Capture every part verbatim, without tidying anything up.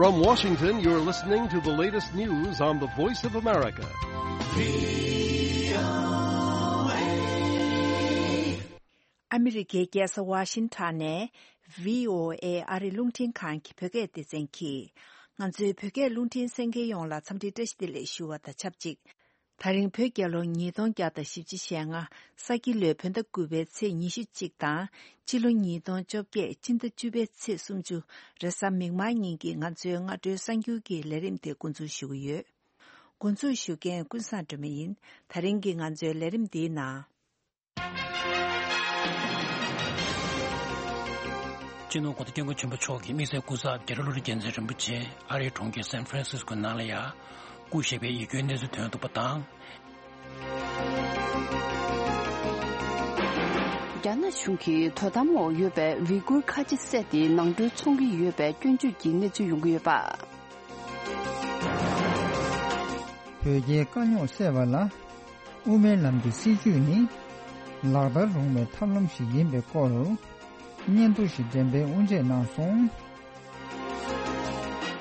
From Washington, you're listening to the latest news on the Voice of America. ཨ་མི་རི་ཀའི་རྒྱལ་ས་ཝ་ཤིང་ཊོན་ནས་བྷི་ཨོ་ཨེ་ཨ་རིའི་རླུང་འཕྲིན་ཁང་གི་བོད་སྐད་སྡེ་ཚན་གྱིས། ང་ཚོའི་བོད་སྐད་རླུང་འཕྲིན་གསན་མཁན་ཡོངས་ལ་འཚམས་འདྲི་བཀྲ་ཤིས་བདེ་ལེགས་ཞུ་བ་དང་ཆབས་ཅིག་ད་རིང་བོད་རྒྱལ་ལོ་ཉིས་སྟོང་བརྒྱ་དང་བཞི་བཅུ་ཞེ་ལྔ། ས་ཁྱི་ལོའི་བོད་ཟླ་དགུ་པའི་ཚེས་ཉི་ཤུ་གཅིག་དང་། ཕྱི་ལོ་ཉིས་སྟོང་བཅོ་བརྒྱད་སྤྱི་ཟླ་བཅུ་པའི་ཚེས་སུམ་ཅུ། རེས་གཟའ་མིག་དམར་ཉིན་གྱི་ང་ཚོའི་སྔ་དྲོའི་གསར་འགྱུར་གྱི་ལས་རིམ་དེ་འགོ་འཛུགས་ཞུ་གི་ཡོད། འགོ་འཛུགས་ཞུ་མཁན་ཀུན་བཟང་སྒྲོལ་མ་ཡིན། ད་རིང་གི་ང་ཚོའི་ལས་རིམ་འདིའི་ནང་། སྤྱི་ནོར་༸གོང་ས་༸སྐྱབས་མགོན་ཆེན་པོ་མཆོག་གི་དམིགས་བསལ་སྐུ་ཚབ་རྒྱ་རི་བློ་གྲོས་རྒྱལ་མཚན་རིན་པོ་ཆེ་ཨ་རིའི་གྲོང་ཁྱེར་སན་ཧྥ་རན་སིས་ཀོ་ནང་ལ་ཡ་སྐུ་གཤེགས་པའི་ཡིད་སྐྱོའི་གནས་ཚུལ་ཐོན་འདུག་པ་དང་། རྒྱ་ནག་གཞུང་གིས་དོ་དམ་འོག་ཡོད་པའི་ཝི་གུར་ཁ་ཆེ་བསད་དེ་ནང་ཁྲོལ་འཚོང་གི་ཡོད་པའི་སྐྱོན་བརྗོད་ཀྱི་གནས་ཚུལ་ཡོང་གི་ཡོད་པ། བོད་རྒྱའི་དཀའ་རྙོག་སེལ་བ་ལ། དབུ་མའི་ལམ་གྱི་སྲིད་བྱུས་ནི། ལག་བསྟར་རུང་བའི་ཐབས་ལམ་ཞིག་ཡིན་པའི་སྐོར། སྙན་ཐོ་ཞིག་འགྲེམས་སྤེལ་དབུ་འབྱེད་གནང་སོང་།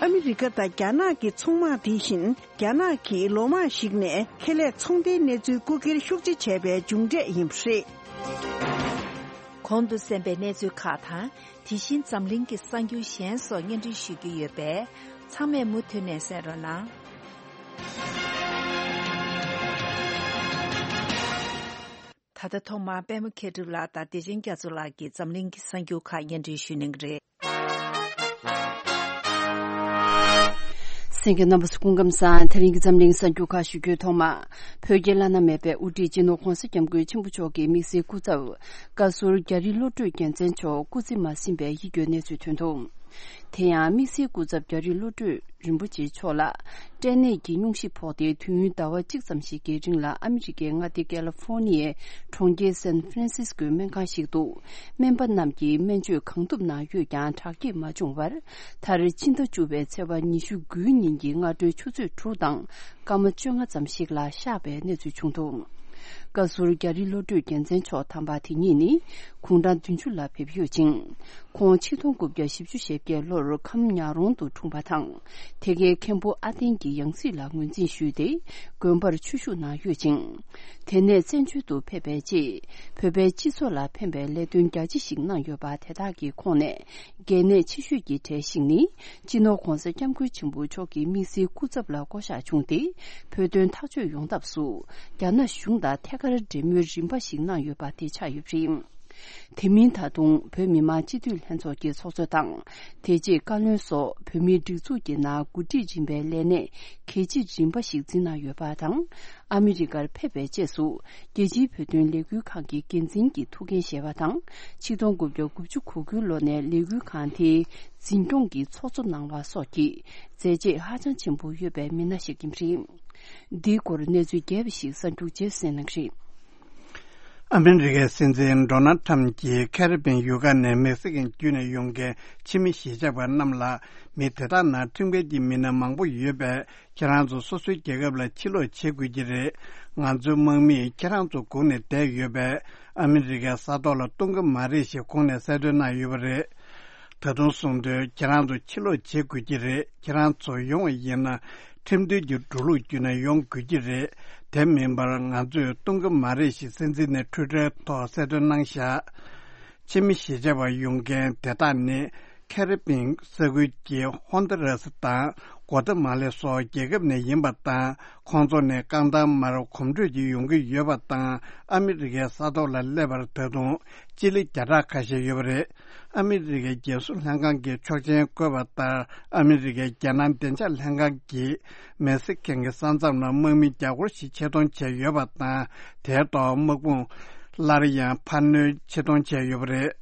ཨ་མི་རི་ཀ་དང་རྒྱ་ནག་གི་ཚོང་དམག་དེ་བཞིན་རྒྱ་ནག་གིས་ལོ་མང་ཞིག་ནས་ཁེ་ལས་ཚོང་འབྲེལ་གནས་ཚུལ་རྐུ་འཁྱེར་ཤུགས་ཆེ་བྱས་པའི་མཇུག་འབྲས་ཡིན་པ་རེད། གོང་དུ་གསན་པའི་གནས་ཚུལ་ཁག་དང་། དེ་བཞིན་འཛམ་གླིང་གི་གསར་འགྱུར་གཞན་སོགས་སྙན་སྒྲོན་ཞུ་རྒྱུ་ཡོད་པས། ཚང་མས་མུ་མཐུད་ནས་གསན་རོགས་གནང་། ད་ལྟ་ཐོག་མར་པད་མ་མཁས་གྲུབ་ལགས་དང་བདེ་ཆེན་རྒྱ་མཚོ་ལགས་ཀྱིས་འཛམ་གླིང་གི་གསར་འགྱུར་ཁག་སྙན་སྒྲོན་ཞུ་གནང་གི་རེད། གསན་མཁན་རྣམ་པ་ཚོ་སྐུ་ཁམས་བཟང་། དེ་རིང་གི་འཛམ་གླིང་གསར་འགྱུར་ཁག་ཞུ་རྒྱུའི་ཐོག་མ། བོད་ཀྱི་བླ་ན་མེད་པའི་དབུ་ཁྲིད་སྤྱི་ནོར་༸གོང་ས་༸སྐྱབས་མགོན་ཆེན་པོ་མཆོག་གི་དམིགས་བསལ་སྐུ་ཚབ། བཀའ་ཟུར་རྒྱ་རི་བློ་གྲོས་རྒྱལ་མཚན་མཆོག་སྐུ་ཚེ་མ་ཟིན་པའི་ཡིད་སྐྱོའི་གནས་ཚུལ་ཐོན་འདུག་དེ་ཡང་དམིགས་བསལ་སྐུ་ཚབ་རྒྱ་རི་བློ་གྲོས་རིན་པོ་ཆེ་མཆོག་ལ་སྐྲན་ནད་ཀྱི་སྙུང་གཞི་ཕོག་སྟེ། དུས་ཡུན་ཟླ་བ་གཅིག་ཙམ་ཞིག་གི་རིང་ལ་ཨ་མི་རི་ཀའི་མངའ་སྡེ་ཀ་ལི་ཧྥོ་ནི་ཡའི་གྲོང་ཁྱེར་སན་ཧྥ་རན་སིས་ཀོའི་སྨན་ཁང་ཞིག་ཏུ་སྨན་པ་རྣམས་ཀྱིས་སྨན་བཅོས་གང་ཐུབ་གནང་ཡོད་ཀྱང་དྲག་སྐྱེད་མ་བྱུང་བར། མཐར་ཕྱི་ཟླ་བཅུ་པའི་ཚེས་པ་ཉི་ཤུ་དགུའི་ཉིན་གྱི་སྔ་དྲོའི་ཆུ་ཚོད་དྲུག་དང་སྐར་མ་བཅོ་ལྔ་ཙམ་ཞིག་ལ་གཤེགས་པའི་གནས་ཚུལ་བྱུང་འདུག་བཀའ་ཟུར་རྒྱ་རི་བློ་གྲོས་རྒྱལ་མཚན་མཆོག་དམ་པ་དེ་ཉིད་ནི་དགུང་གྲངས་བདུན་ཅུ་ལ་ཕེབས་ཡོད་ཅིང་། ཁོང་ཆིག་སྟོང་དགུ་བརྒྱ་བཞི་བཅུ་ཞེ་བརྒྱད་ལོར་ཁམས་ཉག་རོང་དུ་འཁྲུངས་པ་དང་། དེ་གའི་མཁན་པོ་ཨ་བརྟན་གྱི་ཡང་སྲིད་ལ་ངོས་འཛིན་ཞུས་ཏེ། དགོན་པར་ཆོས་ཞུགས་གནང་ཡོད་ཅིང་། དེ་ནས་བཙན་བྱོལ་དུ་ཕེབས་པའི་རྗེས། བོད་པའི་སྤྱི་ཚོགས་ལ་ཕན་པའི་ལས་དོན་རྒྱ་ཆེ་ཞིག་གནང་ཡོད་པ་དེ་དག་གི་ཁོངས་ནས། གལ་གནད་ཆེ་ཤོས་ཀྱི་གྲས་ཤིག་ནི། སྤྱི་ནོར་༸གོང་ས་༸སྐྱབས་མགོན་ཆེན་པོ་མཆོག་གི་དམིགས་བསལ་སྐུ་ཚབ་ལ་བསྐོ་གཞག་བྱུང་སྟེ། བོད་དོན་ཐག་གཅོད་ཡོང་ཐབས་སུ། རྒྱ་ནག་གཞུང་དང་ཐད་ཀར་འབྲེལ་མོལ་རིམ་པ་ཞིག་གནང་ཡོད་པ་དེ་ཆགས་ཡོད་པ་རེད། དེ་མིན་ད་དུང་བོད་མི་མང་སྤྱི་འཐུས་ལྷན་ཚོགས་ཀྱི་ཚོགས་གཙོ་དང་། དེ་རྗེས་བཀའ་བློན་སོགས་བོད་མིའི་སྒྲིག་འཛུགས་ཀྱི་ནང་འགོ་ཁྲིད་རིམ་པའི་ལས་གནས་གལ་ཆེ་རིམ་པ་ཞིག་འཛིན་གནང་ཡོད་པ་དང་། ཨ་མི་རི་ཀར་ཕེབས་པའི་རྗེས་སུ། རྒྱལ་སྤྱིའི་བོད་དོན་ལས་འགུལ་ཁང་གི་འགན་འཛིན་གྱི་ཐུགས་འགན་བཞེས་པ་དང་། ཆིག་སྟོང་དགུ་བརྒྱ་དགུ་བཅུ་གོ་དགུའི་ལོ་ནས་ལས་འགུལ་ཁང་དེའི་འཛིན་སྐྱོང་གི་ཚོགས་གཙོ་གནང་བ་སོགས་ཀྱི་མཛད་རྗེས་ཧ་ཅང་ཆེན་པོ་ཡོད་པའི་མི་སྣ་ཞིག་ཡིན་པ་རེད། འདིའི་སྐོར་གནས་ཚུལ་རྒྱས་པ་ཞིག་གསར་འགྱུར་རྗེས་གསན་གནང་གི་རེད། ཨ་མི་རི་ཀའི་སྲིད་འཛིན་ཌོ་ནལ་ཊམ་གྱིས་ཁེ་རི་བྷེན་ཡུལ་ཁག་ནས་མེག་སི་ཀན་བརྒྱུད་ནས་ཡོང་མཁན་ཕྱི་མི་གཞིས་ཆགས་པ་རྣམས་ལ། མི་དེ་དག་ནང་ཁྲིམས་འགལ་གྱི་མི་སྣ་མང་པོ་ཡོད་པས། ཁྱེད་རང་ཚོ་སོ་སོའི་རྒྱལ་ཁབ་ལ་ཕྱིར་ལོག་བྱེད་དགོས་ཀྱི་རེད། ང་ཚོའི་དམག་མིས་ཁྱེད་རང་ཚོ་སྒུག་ནས་བསྡད་ཡོད་པས། ཨ་མི་རི་ཀའི་ས་ཐོག་ལ་གཏོང་གི་མ་རེད་ཞེས་ཁོང་ནས་གསལ་སྟོན་གནང་ཡོད་པ་རེད། ད་དུང་གསུངས་དོན། ཁྱེད་རང་ཚོ་ཕྱིར་ལོག་བྱེད་དགོས་ཀྱི་རེད། ཁྱེད་རང་ཚོ་ཡོང་བ་ཡིན་ན། ཁྲིམས་མཐུན་གྱི་འགྲོ་ལུགས་བརྒྱུད་ནས་ཡོང་དགོས་ཀྱི་རེད། དེ་མིན་པར་ང་ཚོས་གཏོང་གི་མ་རེད་ཞེས་སྲིད་འཛིན་ནས་ཊུའི་ཊར་ཐོག་གསལ་སྟོན་གནང་བཞག་ཕྱི་མི་གཞིས་ཆགས་པ་ཡོང་མཁན་དེ་དག་ནི། ཁེ་རི་བྷེན་ས་ཁུལ་གྱི་ཧོན་དུ་ར་སི་དང་། གོ་ཏ་མ་ལེ་སོགས་རྒྱལ་ཁབ་ནས་ཡིན་པ་དང་། ཁོང་ཚོ་ནི་རྐང་ཐང་མར་གོམ་བགྲོད་ཀྱིས་ཡོང་གི་ཡོད་པ་དང་། ཨ་མི་རི་ཀའི་ས་ཐོག་ལ་སླེབས་པར་ད་དུང་སྤྱི་ལེ་བརྒྱ་ཕྲག་ཁ་ཤས་ཡོད་པ་རེད། ཨ་མི་རི་ཀའི་རྒྱལ་སྲུང་ལྷན་ཁང་གིས་ཆོག་མཆན་བཀོད་པ་ལྟར། ཨ་མི་རི་ཀའི་རྒྱལ་ནང་བདེ་འཇགས་ལྷན་ཁང་གིས་མེག་སི་ཀན་གྱི་ས་མཚམས་ལ་དམག་མི་བརྒྱ་སྐོར་ཞིག་ཆེད་གཏོང་བྱས་ཡོད་པ་དང་། དེའི་ཐོག་དམག་དཔུང་སླར་ཡང་འཕར་སྣོན་ཆེད་གཏོང་བྱས་ཡོད་པ་རེད།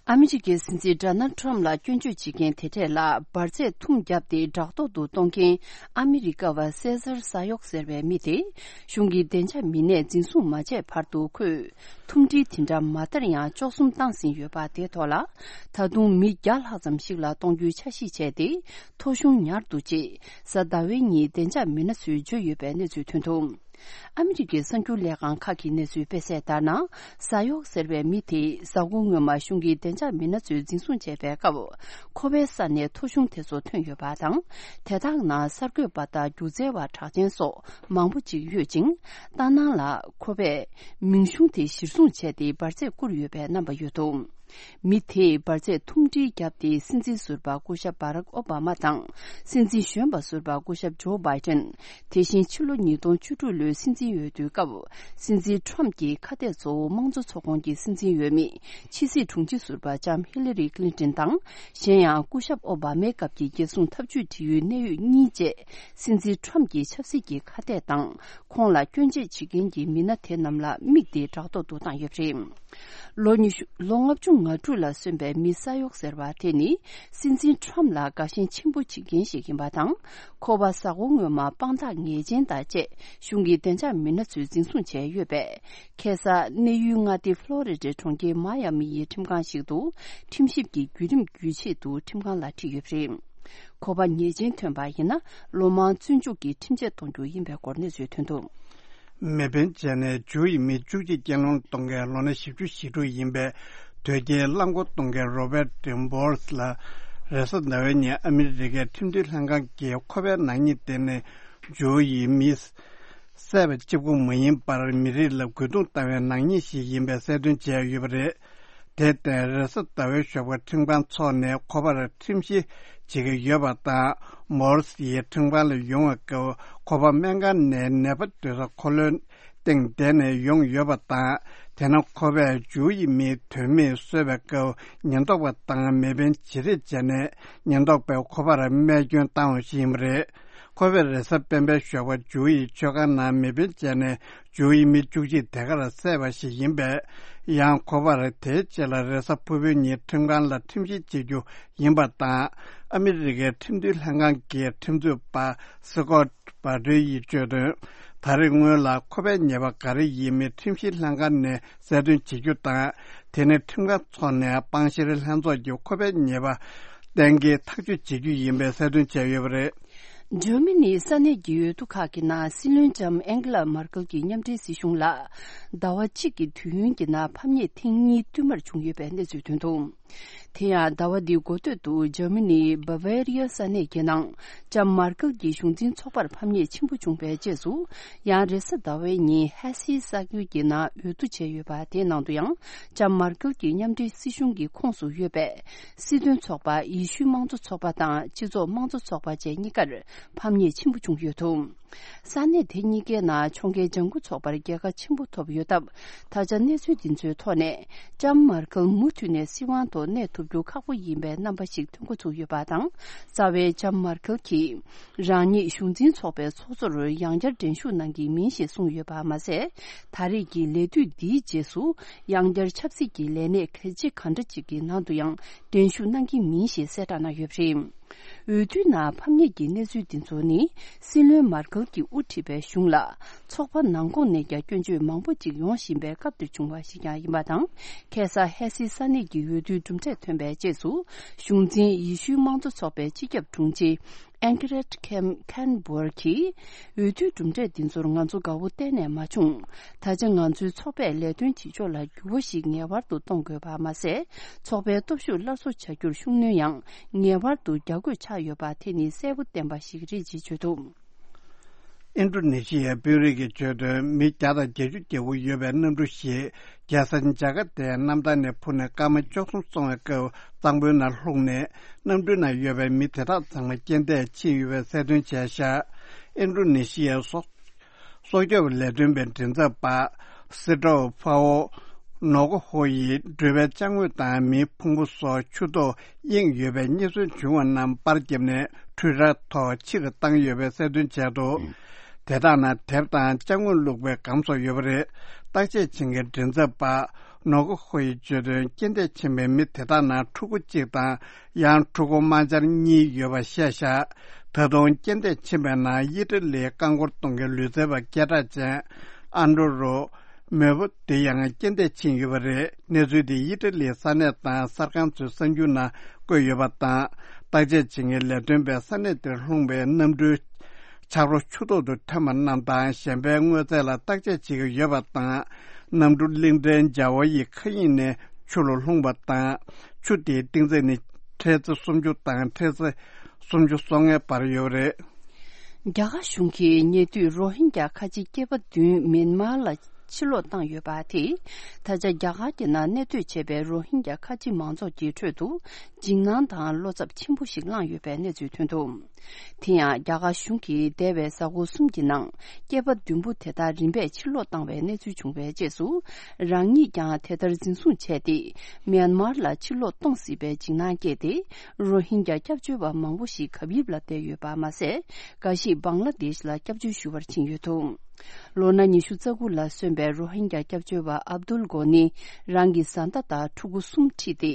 ཨ་མི་རི་ཀའི་སྲིད་འཛིན་ཌོ་ནལ་ཊམ་ལ་སྐྱོན་བརྗོད་བྱེད་མཁན་དེ་གྲས་ལ་འབར་རྫས་ཐུམ་བརྒྱབ་སྟེ་བྲག་ཐོག་ཏུ་གཏོང་མཁན་ཨ་མི་རི་ཀ་བ་སེ་ཟར་ས་ཡོག་ཟེར་བའི་མི་དེ། གཞུང་གི་བདེ་འཇགས་མི་སྣས་འཛིན་བཟུང་མ་བྱས་བར་དུ་ཁོས་ཐུམ་སྒྲིལ་དེ་འདྲ་མ་བསྟར་ཡང་འཇོག་གསུམ་བཏང་ཟིན་ཡོད་པ་དེའི་ཐོག་ལ། ད་དུང་མི་བརྒྱ་ལྷག་ཙམ་ཞིག་ལ་གཏོང་རྒྱུའི་འཆར་གཞི་བྱས་ཏེ། ཐོ་གཞུང་ཉར་འདུག་ཅེས་གཟའ་ཟླ་བའི་ཉིན་བདེ་འཇགས་མི་སྣ་ཚོས་བརྗོད་ཡོད་པའི་གནས་ཚུལ་ཐོན་འདུག་ཨ་མི་རི་ཀའི་གསར་འགྱུར་ལས་ཁང་ཁག་གི་གནས་ཚུལ་སྤེལ་གསལ་ལྟར་ན། ཟ་གཡོག་ཟེར་བའི་མི་དེས་གཟའ་འཁོར་སྔོན་མ་གཞུང་གི་བདེ་འཇགས་མི་སྣ་ཚོས་འཛིན་བཟུང་བྱས་པའི་སྐབས། ཁོ་པའི་ས་ནས་ཐོ་གཞུང་དེ་ཚོ་ཐོན་ཡོད་པ་དང་། དེ་དག་ནང་གསར་འགོད་པ་དང་སྒྱུ་རྩལ་བ་གྲགས་ཅན་སོགས་མང་པོ་ཅིག་ཡོད་ཅིང་། ཏཱ་ནང་ལ་ཁོ་པས་མིང་གཞུང་དེ་གཞིར་བཟུང་བྱས་ཏེ་འབར་རྫས་བསྐུར་ཡོད་པའི་རྣམ་པ་ཡོད་འདུག། མི་དེས་འབར་རྫས་ཐུམ་སྒྲིལ་བརྒྱབ་སྟེ། སྲིད་འཛིན་ཟུར་པ་སྐུ་ཞབས་བྷ་རག་ཨོ་བྷ་མ་དང་། སྲིད་འཛིན་གཞོན་པ་ཟུར་པ་སྐུ་ཞབས་ཇོ་བྷའི་ཏན། དེ་བཞིན་ཕྱི་ལོ་ཉིས་སྟོང་བཅུ་དྲུག་ལོའི་སྲིད་འཛིན་འོས་བསྡུའི་སྐབས། སྲིད་འཛིན་ཁྲོམ་གྱི་ཁ་གཏད་གཙོ་བོ་དམངས་གཙོ་ཚོགས་ཁོངས་ཀྱི་སྲིད་འཛིན་འོས་མི། ཕྱི་སྲིད་དྲུང་ཆེ་ཟུར་པ་ལྕམ་ཧི་ལ་རི་ཀི་ལིན་ཏོན་དང་། གཞན་ཡང་སྐུ་ཞབས་ཨོ་བྷ་མའི་སྐབས་ཀྱི་རྒྱལ་སྲུང་འཐབ་ཇུས་འབྲེལ་ཡོད་གནད་ཡོད་གཉིས་བཅས། སྲིད་འཛིན་ཁྲོམ་གྱི་ཆབ་སྲིད་ཀྱི་ཁ་གཏད་དང་། ཁོང་ལ་སྐྱོན་བརྗོད་བྱེད་མཁན་གྱི་མི་སྣ་དེ་རྣམས་ལ་དམིགས་ཏེ་དྲག་ཐོག་ཏུ་བཏང་ཡོད་པ་རེད། ལོ་ཉི་ཤུ། ལོ་ལྔ་བཅུ་ང་དྲུག་ལ་སོན་པའི་མི་ས་གཡོག་ཟེར་བ་དེ་ནི། སྲིད་འཛིན་ཁྲོམ་ལ་དགའ་ཞེན་ཆེན་པོ་བྱེད་མཁན་ཞིག་ཡིན་པ་དང་། ཁོ་པ་གཟའ་འཁོར་སྔོན་མ་དཔང་རྟགས་ངེས་ཅན་དང་བཅས། གཞུང་གི་བདེ་འཇགས་མི་སྣ་ཚོས་འཛིན་བཟུང་བྱས་ཡོད་པས། ཁ་སང་གནས་ཡུལ་མངའ་སྡེ་ཕློ་རི་ཌའི་གྲོང་ཁྱེར་མ་ཡ་མི་ཡི་ཁྲིམས་ཁང་ཞིག་ཏུ། ཁྲིམས་ཞིབ་ཀྱི་བརྒྱུད་རིམ་བརྒྱུད་ཆེད་དུ་ཁྲིམས་ཁང་ལ་ཁྲིད་ཡོད་པ་རེད། ཁོ་པ་ཉེས་ཅན་ཐོན་པ་ཡིན་ན། ལོ་མང་བཙོན་འཇུག་གི་ཁྲིམས་ཆད་གཏོང་རྒྱུ་ཡིན་པའི་སྐོར་གནས་ཚུལ་ཐོན་འདུག། མེ་འཕེན་བྱས་ནས་ཇུའུ་ཡི་མི་བཅུ་གཅིག་རྐྱེན་ལམ་གཏོང་མཁན་ལོ་ན་བཞི་བཅུ་ཞེ་དྲུག་ཡིན་པའི་དོལ་རྒྱལ་རླངས་འཁོར་གཏོང་མཁན་རོ་བྷར་ཏི་མོ་རི་སི་ལ། རེས་གཟའ་ཟླ་བའི་ཉིན་ཨ་མི་རི་ཀའི་ཁྲིམས་མཐུན་ལྷན་ཁང་གིས་ཁོ་པའི་ནག་ཉེས་དེ་ནི་ཇུའུ་ཡི་མི་བསད་པ་གཅིག་པུ་མ་ཡིན་པར། མི་རིགས་ལ་རྒོལ་རྡུང་བཏང་བའི་ནག་ཉེས་ཤིག་ཡིན་པའི་གསལ་སྟོན་བྱས་ཡོད་པ་རེད། དེར་བརྟེན། རེས་གཟའ་ཟླ་བའི་ཞོགས་པར་ཁྲིམས་ཁང་འཚོགས་ནས་ཁོ་པར་ཁྲིམས་བཤེར་བྱེད་ཀྱི་ཡོད་པ་དང་། མོ་རི་སི་ཡིས་ཁྲིམས་ཁང་ལ་ཡོང་བའི་སྐབས། ཁོ་པ་སྨན་ཁང་ནས་ནད་པ་སྡོད་ས་འཁོར་ལོའི་སྟེང་བསྡད་ནས་ཡོང་ཡོད་པ་དང་། དེ་ན་ཁོ་པས་ཇུའུ་ཡི་མིའི་དོན་མེད་གསོད་པའི་སྐབས། ཉེན་རྟོག་པ་དང་མེ་འཕེན་བྱེད་རེས་བྱས་ནས། ཉེན་རྟོག་པས་ཁོ་པར་རྨས་སྐྱོན་བཏང་བ་ཞིག་ཡིན་པ་རེད། ཁོ་པས་རེས་གཟའ་སྤེན་པའི་ཞོགས་པ་ཇུའུ་ཡི་མཆོད་ཁང་ནང་མེ་འཕེན་བྱས་ནས། ཇུའུ་ཡི་མི་བཅུ་གཅིག་དེ་གར་བསད་པ་ཞིག་ཡིན་པས། ཡང་ཁོ་པར་དེའི་རྗེས་ལ་རེས་གཟའ་ཕུར་བུའི་ཉིན་ཁྲིམས་ཁང་ལ་ཁྲིམས་བཤེར་བྱེད་རྒྱུ་ཡིན་པ་དང་། ཨ་མི་རི་ཀའི་ཁྲིམས་མཐུན་ལྷན་ཁང་གི་ཁྲིམས་རྩོད་པ་སི་ཀོ་ཊི་བྷ་ཏྲི་ཡིས་བརྗོད་དོན། ད་རེས་སྔོན་ལ་ཁོ་པའི་ཉེས་པ་ག་རེ་ཡིན་མིན་ཁྲིམས་བཤེར་ལྷན་ཁང་ནས་གསལ་སྟོན་བྱེད་རྒྱུ་དང་། དེ་ནས་ཁྲིམས་ཁང་འཚོགས་ནས་སྤང་བཤེར་ལྷན་ཚོགས་ཀྱིས་ཁོ་པའི་ཉེས་པ་གཏན་འཁེལ་ཐག་གཅོད་བྱེད་རྒྱུ་ཡིན་པའི་གསལ་སྟོན་བྱས་ཡོད་པ་རེད། འཇར་མ་ནིའི་ས་གནས་ཀྱི་འོས་བསྡུ་ཁག་གི་ནང་སྲིད་བློན་ལྕམ་ཨེང་གེ་ལ་མར་ཀེལ་གྱི་མཉམ་འབྲེལ་སྲིད་གཞུང་ལ། ཟླ་བ་གཅིག་གི་དུས་ཡུན་གྱི་ནང་ཕམ་ཉེས་ཐེངས་གཉིས་བསྟུད་མར་བྱུང་ཡོད་པའི་གནས་ཚུལ་ཐོན་འདུག། དེ་ཡང་ཟླ་བ་འདིའི་འགོ་སྟོད་དུ་འཇར་མ་ནིའི་བྷ་ཝེ་རི་ཡ་ས་གནས་ཀྱི་ནང་ལྕམ་མར་ཀེལ་གྱི་གཞུང་འཛིན་ཚོགས་པར་ཕམ་ཉེས་ཆེན་པོ་བྱུང་བའི་རྗེས་སུ། ཡང་རེས་གཟའ་ཟླ་བའི་ཉིན་ཧེ་སི་ས་ཁུལ་གྱི་ནང་འོས་བསྡུ་བྱས་ཡོད་པ་དེའི་ནང་དུ་ཡང་ལྕམ་མར་ཀེལ་གྱི་མཉམ་འབྲེལ་སྲིད་གཞུང་གི་ཁོངས་སུ་ཡོད་པའི་སྲིད་དོན་ཚོགས་པ་ཡེ་ཤུའི་དམངས་གཙོ་ཚོགས་པ་དང་སྤྱི་ཚོགས་དམངས་གཙོ་ཚོགས་པ་བཅས་གཉིས་ཀར་ཕམ་ཉེས་ཆེན་པོ་བྱུང་ཡོད་འདུག། ས་གནས་དེ་གཉིས་ཀའི་ནང་ཕྱོགས་འགལ་ལྗང་ཁུ་ཚོགས་པར་རྒྱལ་ཁ་ཆེན་པོ་ཐོབ་ཡོད་སྟབས། ད་ཆ་གནས་ཚུལ་འདི་ཚོའི་ཐོག་ནས་ལྕམ་མར་ཀེལ་མུ་མཐུད་ནས་སྲིད་དབང་ཐོག་གནས་ཐུབ་རྒྱུ་ཁག་པོ་ཡིན་པའི་རྣམ་པ་ཞིག་ཐོན་འགོ་ཚུགས་ཡོད་པ་དང་། རྩ་བའི་ལྕམ་མར་ཀེལ་གྱིས་རང་ཉིད་གཞུང་འཛིན་ཚོགས་པའི་ཚོགས་གཙོར་ཡང་བསྐྱར་འགྲན་ཞུགས་གནང་གི་མིན་ཞེས་གསུངས་ཡོད་པ་མ་ཟད། ད་རེས་ཀྱི་ལས་དུས་འདིའི་རྗེས་སུ་ཡང་བསྐྱར་ཆབ་སྲིད་ཀྱི་ལས་གནས་གལ་ཆེ་གང་འདྲ་ཅིག་གི་ནང་དུ་ཡང་འགྲན་ཞུགས་གནང་གི་མིན་ཞེས་གསལ་བསྒྲགས་གནང་ཡོད་པ་རེད། འོས་བསྡུའི་ནང་ཕམ་ཉེས་ཀྱི་གནས་ཚུལ་འདི་ཚོ་ནི། སྲིད་བློན་མར་ཀེལ་གྱིས་དབུ་ཁྲིད་པའི་གཞུང་ལ་ཚོགས་པ་ནང་ཁོངས་ནས་ཀྱང་སྐྱོན་བརྗོད་མང་པོ་ཅིག་ཡོང་བཞིན་པའི་སྐབས་དེར་བྱུང་བ་ཞིག་ཀྱང་ཡིན་པ་དང་། ཁ་སང་ཧེ་སི་ས་གནས་ཀྱི་འོས་བསྡུའི་གྲུབ་འབྲས་ཐོན་པའི་རྗེས་སུ། གཞུང་འཛིན་ཡེ་ཤུའི་དམངས་གཙོ་ཚོགས་པའི་སྤྱི་ཁྱབ་དྲུང་ཆེ་ཨེང་ཀེ་རེད་ཁེམ་ཁན་བོར་གྱིས། འོས་བསྡུའི་གྲུབ་འབྲས་འདི་ཚོར་ང་ཚོ་དགའ་བོ་གཏན་ནས་མ་བྱུང་། ད་ཆ་ང་ཚོའི་ཚོགས་པས་ལས་དོན་བྱེད་ཕྱོགས་ལ་འགྱུར་བ་ཞིག་ངེས་པར་དུ་གཏོང་དགོས་པ་མ་ཟད། ཚོགས་པའི་སྟོབས་ཤུགས་སླར་གསོ་བྱ་རྒྱུར་ཤུགས་སྣོན་ཡང་ངེས་པར་དུ་རྒྱག་དགོས་ཆགས་ཡོད་པ་དེ་ནི་གསལ་པོ་བསྟན་པ་ཞིག་རེད་ཅེས་བརྗོད་འདུག། ཨིན་ཌོ་ནེ་ཤི་ཡའི་དཔོན་རིགས་ཀྱིས་བརྗོད་དོན། མི་བརྒྱ་དང་བརྒྱད་ཅུ་གྱ་དགུ་ཡོད་པའི་གནམ་གྲུ་ཞིག་རྒྱལ་ས་ཇ་ཀར་ཏའི་གནམ་ཐང་ནས་འཕུར་ནས་སྐར་མ་བཅུ་གསུམ་སོང་བའི་སྐབས་གཙང་པོའི་ནང་ལྷུང་ནས། གནམ་གྲུའི་ནང་ཡོད་པའི་མི་དེ་དག་ཚང་མ་རྐྱེན་འདས་ཕྱིན་ཡོད་པའི་གསལ་སྟོན་བྱས་བཞག། ཨིན་ཌོ་ནེ་ཤི་ཡའི་སྲོག་སྲོག་སྐྱོབ་ལས་དོན་པའི་མགྲིན་ཚབ་པ་སི་ཏྲོ་ཕ་ཨོ་ནོ་ཀོ་ཧོ་ཡིས་འགྲུལ་པའི་ཅ་དངོས་དང་མིའི་ཕུང་པོ་སོགས་ཆུ་ཐོག་གཡེང་ཡོད་པའི་རྙེད་སོན་བྱུང་བ་རྣམས་པར་བརྒྱབ་ནས་འཕྲུལ་རར་ཐོག་ཕྱིར་བཏང་ཡོད་པའི་གསལ་སྟོན་བྱས་འདུག། དེ་དག་ནང་དེབ་དང་ཅ་དངོས་བླུགས་པའི་སྒམ་སོགས་ཡོད་པ་རེད། བརྟག་དཔྱད་བྱེད་མཁན་མགྲིན་ཚབ་པ་ནོ་ཀོ་ཧོ་ཡིས་བརྗོད་དོན། རྐྱེན་འདས་ཕྱིན་པའི་མི་དེ་དག་ནང་ཕྲུ་གུ་གཅིག་དང་། ཡང་ཕྲུ་གུ་དམར་འབྱར་གཉིས་ཡོད་པ་བཤད་བཞག། ད་དུང་རྐྱེན་འདས་ཕྱིན་པའི་ནང་ཡི་ཏི་ལིའི་རྐང་འཁོར་གཏོང་མཁན་ལུས་རྩལ་བ་སྐད་གྲགས་ཅན་ཨན་ཏྲོ་རོ་མེ་བོ་དེ་ཡང་རྐྱེན་འདས་ཕྱིན་ཡོད་པ་རེད། གནས་ཚུལ་དེ་ཡི་ཏི་ལིའི་ས་གནས་དང་གསར་ཁང་ཚོའི་གསར་འགྱུར་ནང་བཀོད་ཡོད་པ་དང་། བརྟག་དཔྱད་བྱེད་མཁན་ལས་དོན་པས་ས་གནས་དེར་ལྷུང་བའི་གནམ་གྲུའི་ ཆབ་རོ་ཆུ་ཐོག་ཏུ་ཐོན་པ་རྣམས་དང་གཞན་པའི་དངོས་རྫས་ལ་བརྟག་དཔྱད་བྱེད་ཀྱི་ཡོད་པ་དང་། གནམ་གྲུ་གླིང་ཕྲན་ཇའོ་ཡི་མཁའ་དབྱིངས་ནས་ཆུ་ལ་ལྷུང་བ་དང་། ཆུ་དེའི་གཏིང་ཚད་ནི་ཁྲལ་རྩ་སུམ་ཅུ་དང་ཁྲལ་རྩ་སུམ་ཅུ་སོ་ལྔའི་བར་ཡོད་རེད། རྒྱ་གར་གཞུང་གིས་ཉེ་དུས་རོ་ཧིན་རྒྱ་ཁ་ཆེ་སྐྱེས་པ་བདུན་མིན་མར་ལ་ཕྱིར་ལོག་བཏང་ཡོད་པ་དེས། ད་ཆ་རྒྱ་གར་གྱི་ནང་གནས་སྡོད་བྱས་པའི་རོ་ཧིན་རྒྱ་ཁ་ཆེ་མང་ཚོགས་ཀྱི་ཁྲོད་དུ་འཇིགས་སྣང་དང་བློ་འཚབ་ཆེན་པོ་ཞིག་བསླངས་ཡོད་པའི་གནས་ཚུལ་ཐོན་འདུག་དེ་ཡང་རྒྱ་གར་གཞུང་གིས་འདས་པའི་གཟའ་འཁོར་གསུམ་གྱི་ནང་སྐྱེས་པ་བདུན་པོ་དེ་དག་རིམ་པས་ཕྱིར་ལོག་བཏང་བའི་གནས་ཚུལ་བྱུང་བའི་རྗེས་སུ། རང་ཉིད་ཀྱང་དེ་ལྟར་འཛིན་བཟུང་བྱས་ཏེ། མིན་མར་ལ་ཕྱིར་ལོག་གཏོང་སྲིད་པའི་འཇིགས་སྣང་སྐྱེས་ཏེ། རོ་ཧིན་རྒྱ་སྐྱབས་བཅོལ་བ་མང་པོ་ཞིག་གབ་ཡིབ་ལ་བསྡད་ཡོད་པ་མ་ཟད། འགའ་ཞིག་བང་ལ་དེཤ་ལ་སྐྱབས་བཅོལ་ཞུ་བར་ཕྱིན་ཡོད་འདུག་ལོ་ན་ཉི་ཤུ་རྩ་དགུ་ལ་སོན་པའི་རོ་ཧིན་རྒྱ་སྐྱབས་བཅོལ་བ་ཨབ་དུལ་གོ་ནི་རང་གི་བཟའ་ཟླ་དང་ཕྲུ་གུ་གསུམ་ཁྲིད་དེ།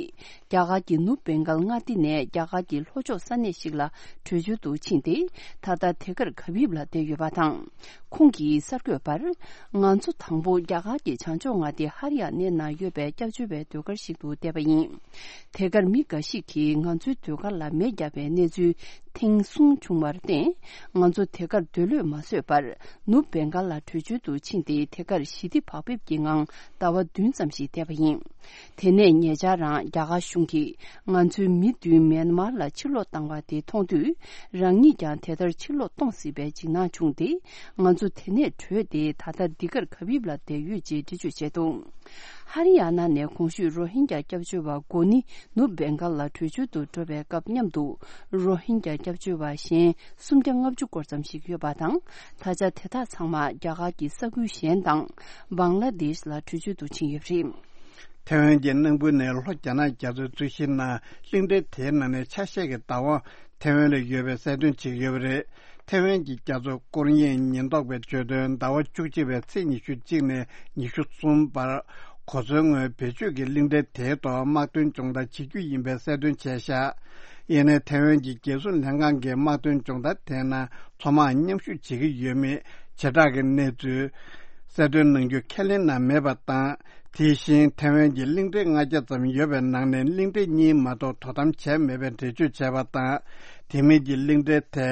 རྒྱ་གར་གྱི་ནུབ་བེང་གལ་མངའ་སྡེ་ནས་རྒྱ་གར་གྱི་ལྷོ་ཕྱོགས་ས་གནས་ཤིག་ལ་བྲོས་བྱོལ་དུ་ཕྱིན་ཏེ། ད་ལྟ་དེ་གར་གབ་ཡིབ་ལ་བསྡད་ཡོད་པ་དང་། ཁོང་གིས་གསར་འགོད་པར། ང་ཚོ་དང་པོ་རྒྱ་གར་གྱི་བྱང་ཕྱོགས་མངའ་སྡེ་ཧ་རི་ཡ་ནའི་ནང་ཡོད་པའི་སྐྱབས་བཅོལ་བའི་སྡོད་སྒར་ཞིག་ཏུ་བསྡད་པ་ཡིན། དེ་གར་མི་འགའ་ཞིག་གིས་ང་ཚོའི་སྡོད་སྒར་ལ་མེ་བརྒྱབ་པའི་གནས་ཚུལ་ཐེངས་གསུམ་བྱུང་བར་བརྟེན། ང་ཚོ་དེ་གར་སྡོད་ལོས་མ་བཟོད་པར། ནུབ་བེང་གལ་ལ་བྲོས་བྱོལ་དུ་ཕྱིན་ཏེ། དེ་གར་ཞི་བདེ་བག་ཕེབས་ཀྱི་ངང་ཟླ་བ་བདུན་ཙམ་ཞིག་བསྡད་པ་ཡིན། དེ་ནས་ཉེ་ཆར་རང་རྒྱ་གར་གཞུང་གིས་ང་ཚོའི་མི་བདུན་མིན་མར་ལ་ཕྱིར་ལོག་བཏང་བ་དེ་མཐོང་དུས། རང་ཉིད་ཀྱང་དེ་ལྟར་ཕྱིར་ལོག་གཏོང་སྲིད་པའི་འཇིགས་སྣང་བྱུང་སྟེ། ང་ཚོ་དེ་ནས་བྲོས་ཏེ། ད་ལྟ་འདི་གར་གབ་ཡིབ་ལ་བསྡད་ཡོད་ཅེས་འགྲེལ་བརྗོད་བྱས་འདུག་ཧ་རི་ཡ་ན་ནས་གོང་ཞུས་རོ་ཧིན་རྒྱ་སྐྱབས་བཅོལ་བ་གོ་ནི་ནུབ་བེང་གལ་ལ་བྲོས་བྱོལ་དུ་འགྲོ་བའི་སྐབས་མཉམ་དུ། རོ་ཧིན་རྒྱ་སྐྱབས་བཅོལ་བ་གཞན་སུམ་བརྒྱ་ལྔ་བཅུ་སྐོར་ཙམ་ཞིག་ཡོད་པ་དང་། ད་ཆ་དེ་དག་ཚང་མ་རྒྱ་གར་གྱི་ས་ཁུལ་གཞན་དང་། བང་ལ་དེཤ་ལ་བྲོས་བྱོལ་དུ་ཕྱིན་ཡོད་པ་རེད། ཐེ་ཝན་གྱི་གནམ་དཔོན་ནས་ལྷོ་རྒྱ་ནག་རྒྱ་མཚོའི་རྩི་ཤིང་ནང་གླིང་ཕྲན་དེའི་ནང་ནས་ཆ་ཤས་ཀྱི་བདག་དབང་ཐེ་ཝན་ལ་ཡོད་པའི་གསལ་སྟོན་བྱེད་ཀྱི་ཡོད་པ་རེད། ཐེ་ཝན་གྱི་རྒྱ་མཚོ་སྐོར་གཡེང་ཉེན་རྟོག་པས་བརྗོད་དོན། ཟླ་བ་བཅུ་གཅིག་པའི་ཚེས་ཉི་ཤུ་གཅིག་ནས་ཉི་ཤུ་གསུམ་བར་གོ་མཚོན་སྔོན་བེད་སྤྱོད་ཀྱིས་གླིང་ཕྲན་དེའི་ཐོག་དམག་དོན་སྦྱོང་བརྡར་བྱེད་རྒྱུ་ཡིན་པའི་གསལ་སྟོན་བྱས་བཞག་ཡིན་ནའི་ཐེ་ཝན་གྱི་རྒྱལ་སྲུང་ལྷན་ཁང་གིས་དམག་དོན་སྦྱོང་བརྡར་དེའི་ནང་མཚོ་དམག་མཉམ་ཞུགས་བྱེད་ཀྱི་ཡོད་མེད་བྱེ་བྲག་གི་གནས་ཚུལ་གསལ་སྟོན་གནང་རྒྱུ་ཁས་ལེན་གནང་མེད་པ་དང་། དེ་བཞིན་ཐེ་ཝན་གྱི་གླིང་ཕྲན་ལྔ་བརྒྱ་ཙམ་ཡོད་པའི་ནང་ནས་གླིང་ཕྲན་གཉིས་མ་གཏོགས་དོ་དམ་བྱས་མེད་པའི་འགྲེལ་བརྗོད་བྱས་པ་དང་། དེ་མིན་གྱི་གླིང་ཕྲན་དེ་